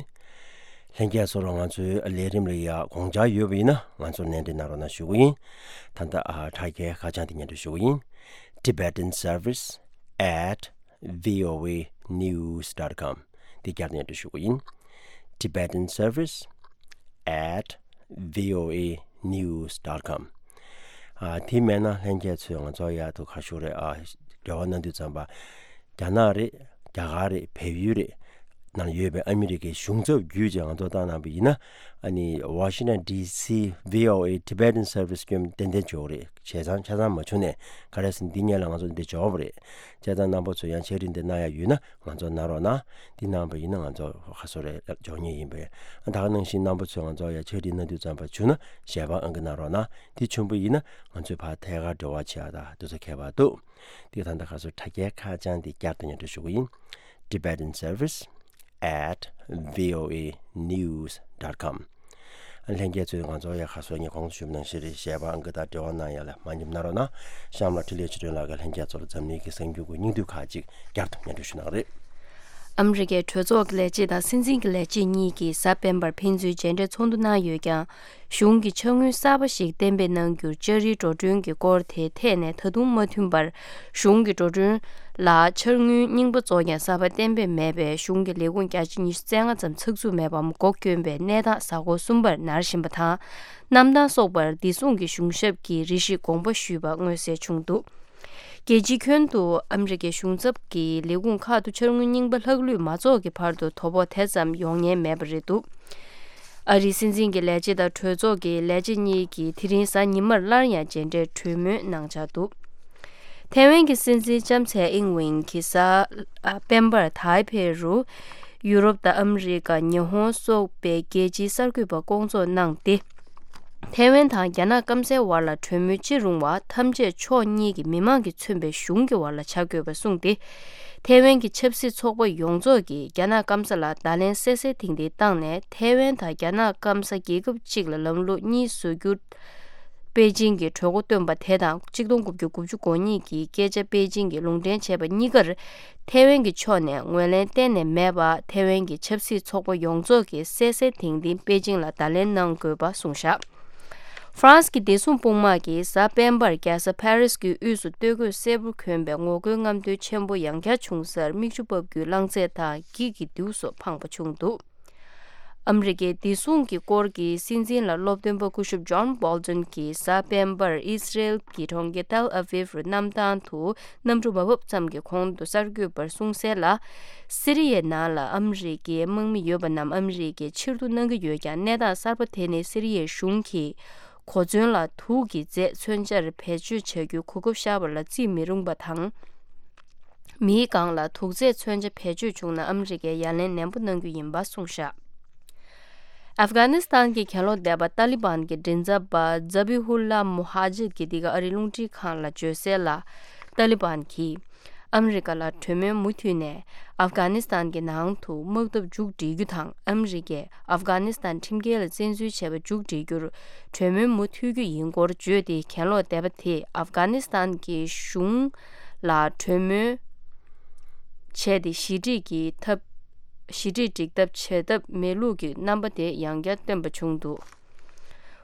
ལྷན་རྒྱས་ཚོར་ང་ཚོའི་ལས་རིམ་ལ་ཡ་དགོངས་འཆར་ཡོད་པ་ཡིན་ན་ང་ཚོར་གནད་འདྲི་གནང་རོགས་གནང་ཞུ་གི་ཡིན། ད་ལྟ་ཨ་དྲ་རྒྱའི་ཁ་བྱང་དེ་སྙན་སྒྲོན་ཞུ་གི་ཡིན། Tibetan Service at voanews dot com དེ་བསྐྱར་སྙན་སྒྲོན་ཞུ་གི་ཡིན། Tibetan Service at voanews dot com ཨ་དེ་མེད་ན་ལྷན་རྒྱས་ཚོས་ང་ཚོ་ཡག་ཏུ་ག་ཞུ་རེད། ཨ་འབྲེལ་བ་གནང་དུས་ཙམ་པ་རྒྱ་ནག་རེད། རྒྱ་གར་རེད། བལ་ཡུལ་རེད། ནང་ཡོད་པའི་ཨ་མི་རི་ཀའི་གཞུང་ཚབ་བརྒྱུད་ཅིག་ང་ཚོ་བཏང་གནང་པ་ཡིན་ན། ཨ་ནི་Washington D C V O A Tibetan Service སྐྱོན་Tibetan Service སྐྱོན་ཏན་ཏན་འབྱོར་རེད། བྱས་ཙང་ཆ་ཚང་མ་བྱུང་ནས་ག་རེ་ཟེར་ན་འདི་སྔོན་ལ་ང་ཚོ་འདི་འབྱོར་བ་རེད། བྱས་ཙང་རྣམ་པ་ཚོས་ཡང་ཕྱག་བྲིས་འདི་གནང་ཡ་ཡོད་ན་ང་ཚོ་གནང་རོགས་གནང་། འདི་གནང་པ་ཡིན་ན་ང་ཚོ་ཁ་སོ་རེ་འབྱོར་ངེས་ཡིན་པས། ད་ག་ནང་བཞིན་རྣམ་པ་ཚོས་ང་ཚོ་ཡ་ཕྱག་བྲིས་གནང་དུས་ཙམ་པ་བྱུང་ན་ཞལ་པར་ཨང་ཀི་གནང་རོགས་གནང་། འདི་བྱུང་པ་ཡིན་ན་ང་ཚོས་ཕར་ཐད་ཀར་འབྲེལ་བ་བྱེད་ཡ་ད་དུས་ཚོད་ཁྱད་པར་འདུག་འདི་ད་ལྟ་ཁ་སོ་དྲ་རྒྱའི་ཁ་བྱང་འདི་བསྐྱར་དུ་སྙན་སྒྲོན་ཞུ་གི་ཡིན། Tibetan Service at V O A news dot com ལྷན་རྒྱས་ཚོས་ང་ཚོ་ཡ་ཁ་སོ་ངས་གོང་དུ་ཞུས་པ་ནང་བཞིན་རེད། ཞལ་པར་ཨང་ཀི་དང་འབྲེལ་བ་གནང་ཡ་ལ་མ་ཉམས་གནང་རོགས་གནང་། གཤམ་ལ་འཕྲིན་ལས་ཆོས་སྒྲོན་ལགས་ཀྱིས་ལྷན་རྒྱས་ཚོར་འཛམ་གླིང་གི་གསར་འགྱུར་གྱི་སྙིང་བསྡུས་ཁག་ཅིག་བསྐྱར་དུ་སྙན་སྒྲོན་ཞུ་གནང་རེད། ཨ་མི་རི་ཀའི་གྲོས་ཚོགས་ཀྱི་ལས་བྱེད་དང་སྲིད་འཛིན་གྱི་ལས་བྱེད་གཉིས་ཀྱིས་གཟའ་སྤེན་པར་ཕན་ཚུན་མཇལ་འཕྲད་ཚོགས་འདུ་གནང་ཡོད་ཀྱང་། གཞུང་གིས་འཆར་དངུལ་གསར་པ་ཞིག་གཏན་འབེབས་གནང་རྒྱུར་ལྕགས་རིའི་འགྲོ་གྲོན་གྱི་སྐོར་དེའི་ཐད་ནས་ད་དུང་མ་མཐུན་པར། གཞུང་གི་འགྲོ་གྲོན་ལ་འཆར་དངུལ་རྙིང་པ་བཙུགས་ཀྱང་གསར་པ་གཏན་འབེབས་མེད་པས་གཞུང་གི་ལས་ཁུངས་བརྒྱ་ཆ་ཉི་ཤུ་རྩ་ལྔ་ཙམ་ཚགས་ཚུད་མེད་པའམ་སྒོ་བསྐྱོན་པའི་གནས་སྟངས་གཟའ་འཁོར་གསུམ་པར་ནར་བཞིན་པ་དང་། གནམ་ཐང་སོགས་པར་བདེ་སྲུང་གི་གཞུང་ཞབས་ཀྱིས་རེ་ཞིག་དགོངས་པ་ཞུས་པ་མངོན་གསལ་བྱུང་འདུག་རྒྱལ་སྤྱིའི་ཁྱོན་དུ་ཨ་མི་རི་ཀའི་གཞུང་ཚབ་ཀྱི་ལས་ཁུངས་ཁག་ཏུ་འཆར་དངུལ་རྙིང་པ་ལྷག་ལུས་མ་རྫོགས་ཀྱི་བར་དུ་དོ་ཕོག་དེ་ཙམ་ཡོང་ཉེན་མེད་པ་རེད་འདུག་ཨ་རིའི་སྲིད་འཛིན་གྱི་ལས་བྱེད་དང་གྲོས་ཚོགས་ཀྱི་ལས་བྱེད་གཉིས་ཀྱིས་དེ་རིང་གཟའ་ཉི་མར་སླར་ཡང་མཇལ་འཕྲད་གྲོས་མོལ་གནང་འཆར་འདུག་ཐའེ་ཝན་གྱི་སྲིད་འཛིན་ལྕམ་ཚའེ་ཨིང་ཝེང་གིས་གཟའ་ཨ་སྤེན་པར་ཐའེ་པེ་རུ་ཡུ་རོབ་དང་ཨ་མི་རི་ཀ། ཉི་ཧོང་སོགས་པའི་རྒྱལ་སྤྱིའི་གསར་འགོད་པ་སྐོང་ཚོགས་གནང་སྟེ། ཐའེ་ཝན་དང་རྒྱ་ནག་སྐམ་སའི་བར་ལ་གྲོས་མོལ་ཅི་རུང་བ་ཐམས་ཅད་ཕྱོགས་གཉིས་ཀྱི་མི་མང་གིས་མཚོན་པའི་གཞུང་གི་བར་ལ་བྱ་དགོས་པ་གསུངས་ཏེ། ཐའེ་ཝན་གྱི་ཆབ་སྲིད་ཚོགས་པ་ཡོངས་རྫོགས་ཀྱིས་རྒྱ་ནག་སྐམ་ས་ལ་བརྡ་ལན་གསལ་གསལ་ཐིང་ཐིང་བཏང་ནས་ཐའེ་ཝན་དང་རྒྱ་ནག་སྐམ་ས་རྒྱལ་ཁབ་གཅིག་ལ་ལམ་ལུགས་གཉིས་བཟོ་རྒྱུ། པེ་ཅིང་གིས་གྲོས་འགོ་བཏོན་པ་དེ་དང་གཅིག་སྟོང་དགུ་བརྒྱ་དགུ་བཅུ་གོ་གཉིས་ཀྱི་སྐད་ཆ་པེ་ཅིང་གིས་ལུང་འདྲེན་བྱས་པ་གཉིས་ཀར་ཐའེ་ཝན་གྱི་ཕྱོགས་ནས་ངོས་ལེན་གཏན་ནས་མེད་པ་ཐའེ་ཝན་གྱི་ཆབ་སྲིད་ཚོགས་པ་ཡོངས་རྫོགས་ཀྱིས་གསལ་གསལ་ཐིང་ཐིང་པེ་ཅིང་ལ་བརྡ་ལན་གནང་དགོས་པ་གསུངས་བཞག་ཧྥ་རན་སི་གི་བདེ་སྲུང་དཔུང་དམག་གིས་གཟའ་སྤེན་པར་རྒྱལ་ས་ཕ་རིས་ཀྱི་དབུས་སུ་སྟོད་གོས་སེར་པོ་གྱོན་པའི་ངོ་རྒོལ་རྔམ་སྟོན་ཆེན་པོ་ཡང་བསྐྱར་བྱུང་སར་མིག་ཆུ་འབབ་རྒྱུའི་རླངས་རྫས་དང་འགྱིག་གི་རྡེའུ་སོགས་འཕངས་པ་བྱུང་འདུག་ཨ་མི་རི་ཀའི་བདེ་སྲུང་གི་སྐོར་གྱི་སྲིད་འཛིན་ལ་སློབ་སྟོན་པ་སྐུ་ཞབས་ཇོན་བྷོལ་ཏོན་གྱིས་གཟའ་སྤེན་པར་ཨི་སི་རེལ་གྱི་གྲོང་ཁྱེར་ཏེལ་ཨ་བིབ་རུ་གནམ་ཐང་དུ་གནམ་གྲུ་མ་བབས་ཙམ་གྱི་གོང་དུ་གསར་འགོད་པར་གསུངས་གསལ་ལ། སི་རི་ཡའི་ནང་ལ་ཨ་མི་རི་ཀའི་དམག་མི་ཡོད་པ་རྣམས་ཨ་མི་རི་ཀས་ཕྱིར་བསྡུ་གནང་གི་ཡོད་ཀྱང་གནས་སྟངས་གསར་པ་དེ་ནི་སི་རི་ཡའི་གཞུང་གིས་གོ་མཚོན་ལ་དུག་གི་རྫས་མཚོན་ཆར་བེད་སྤྱོད་བྱ་རྒྱུའི་གོ་སྐབས་ཤར་བ་ལ་བརྩི་མི་རུང་བ་དང་། མིའི་སྒང་ལ་དུག་རྫས་མཚོན་ཆ་བེད་སྤྱོད་བྱུང་ན་ཨ་མི་རི་ཀས་ཡ་ལན་ནན་པོ་གནང་རྒྱུ་ཡིན་པ་གསུངས་བཞག་ཨབ་གྷ་ནི་སི་ཐན་གྱི་གྱེན་ལོག་སྡེ་པ་ཏཱ་ལི་བན་གྱི་མགྲིན་ཚབ་པ་ཛ་བི་ཧུ་ལ་མུ་ཧ་ཇིར་གྱིས་འདི་ག་ཨ་རིའི་རླུང་འཕྲིན་ཁང་ལ་བརྗོད་གསལ་ལ། ཏཱ་ལི་བན་གྱིས་ཨ་མི་རི་ཀ་ལ་གྲོས་མོལ་མུ་མཐུད་ནས་ཨབ་གྷ་ནི་སི་ཐན་གྱི་ནང་དུ་དམག་འཐབ་མཇུག་སྒྲིལ་རྒྱུ་དང་ཨ་མི་རི་ཀས་ཨབ་གྷ་ནི་སི་ཐན་ཁྲིམས་འགལ་ལ་བཙན་འཛུལ་བྱས་པ་མཇུག་སྒྲིལ་རྒྱུར་གྲོས་མོལ་མུ་མཐུད་རྒྱུ་ཡིན་སྐོར་བརྗོད་དེ། གྱེན་ལོག་སྡེ་པ་དེས་ཨབ་གྷ་ནི་སི་ཐན་གྱི་གཞུང་ལ་གྲོས་མོལ་བྱས་ཏེ་ཞི་འགྲིག་གི་ཐབས། ཞི་འགྲིག་སྒྲིག་ཐབས་བྱེད་ཐབས་མེད་ལུགས་ཀྱི་རྣམ་པ་དེ་ཡང་བསྐྱར་བཏོན་པ་བྱུང་འདུག་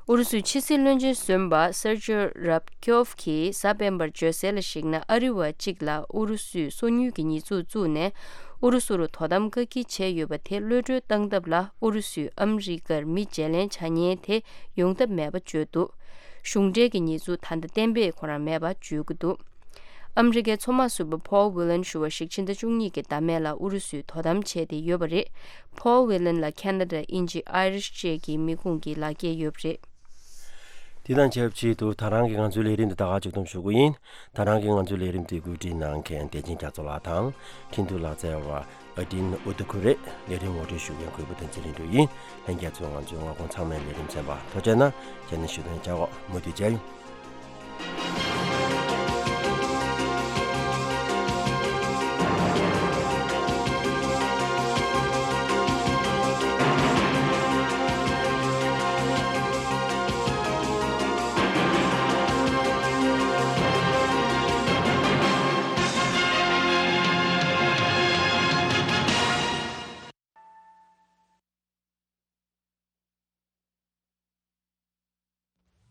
ཨུ་རུ་སུའི་ཕྱི་སྲིད་བློན་ཆེན་གཞོན་པ་སེར་ཇོ་རབ་ཀྱོབ་ཀྱིས་གཟའ་སྤེན་པར་བརྗོད་གསལ་ལ་གཞིགས་ན། ཨ་རི་བ་གཅིག་ལ་ཨུ་རུ་སུས་སོ་ཉུལ་གྱི་ཉེས་འཛུགས་བཙུགས་ནས། ཨུ་རུ་སུ་རུ་དོ་དམ་བཀག་སྐྱིལ་བྱས་ཡོད་པ་དེ་གློད་གྲོལ་བཏང་ཐབས་ལ། ཨུ་རུ་སུས་ཨ་མི་རི་ཀར་མི་བརྗེ་ལེན་བྱ་ཉེན་དེ་ཡོང་ཐབས་མེད་པ་བརྗོད་འདུག་གཞུང་འབྲེལ་གྱི་ཉེས་འཛུགས་ད་ལྟ་གཏན་འབེབས་ཁོ་རང་མེད་པ་བརྗོད་ཀྱི་འདུག་ཨ་མི་རི་ཀའི་མཚོ་དམག་ཟུར་པ་ཕོལ་ཝི་ལན་ཞུ་བ་ཞིག་ཕྱི་ཟླ་བཅུ་གཉིས་ཀྱི་ཟླ་སྨད་ལ་ཨུ་རུ་སུས་དོ་དམ་བྱས་ཏེ་ཡོད་པ་རེད། ཕོལ་ཝི་ལན་ལ་ཁེ་ན་ཌ། དབྱིན་ཇི། ཨའི་རིཤ་བཅས་ཀྱི་མི་ཁུངས་ཀྱི་ལག་འཁྱེར་ཡོད་པ་རེད། དེ་དང་ཆབས་ཅིག་ཏུ་ད་རང་གི་ང་ཚོའི་ལས་རིམ་འདི་ད་ག་མཇུག་བསྡོམས་ཞུ་གི་ཡིན། ད་རང་གི་ང་ཚོའི་ལས་རིམ་འདི་གོ་སྒྲིག་གནང་མཁན་བདེ་ཆེན་རྒྱ་མཚོ་ལགས་དང་། འཕྲིན་ཐུང་ལག་རྩལ་བ་ཨ་ཏིན་ཨུ་ཏུ་ཁུ་རེད། ལས་རིམ་ངོ་སྤྲོད་ཞུ་མཁན་གུས་པ་བསྟན་འཛིན་ལྷུན་གྲུབ་ཡིན། ལྷན་རྒྱས་ཚོས་ང་ཚོའི་སྔ་དགོང་ཚང་མའི་ལས་རིམ་གསན་པར་ཐུགས་རྗེ་གནང་། རྗེས་ནས་ཞུ་དོན་བྱ་འོ། མུ་མཐུད་མཇལ་ཡོང་།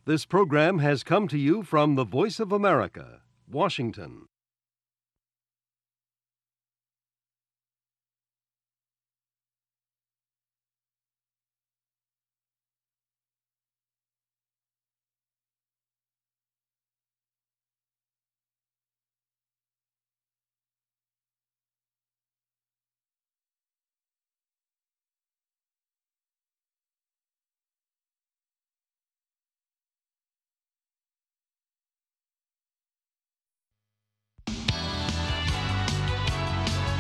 This program has come to you from the Voice of America, Washington.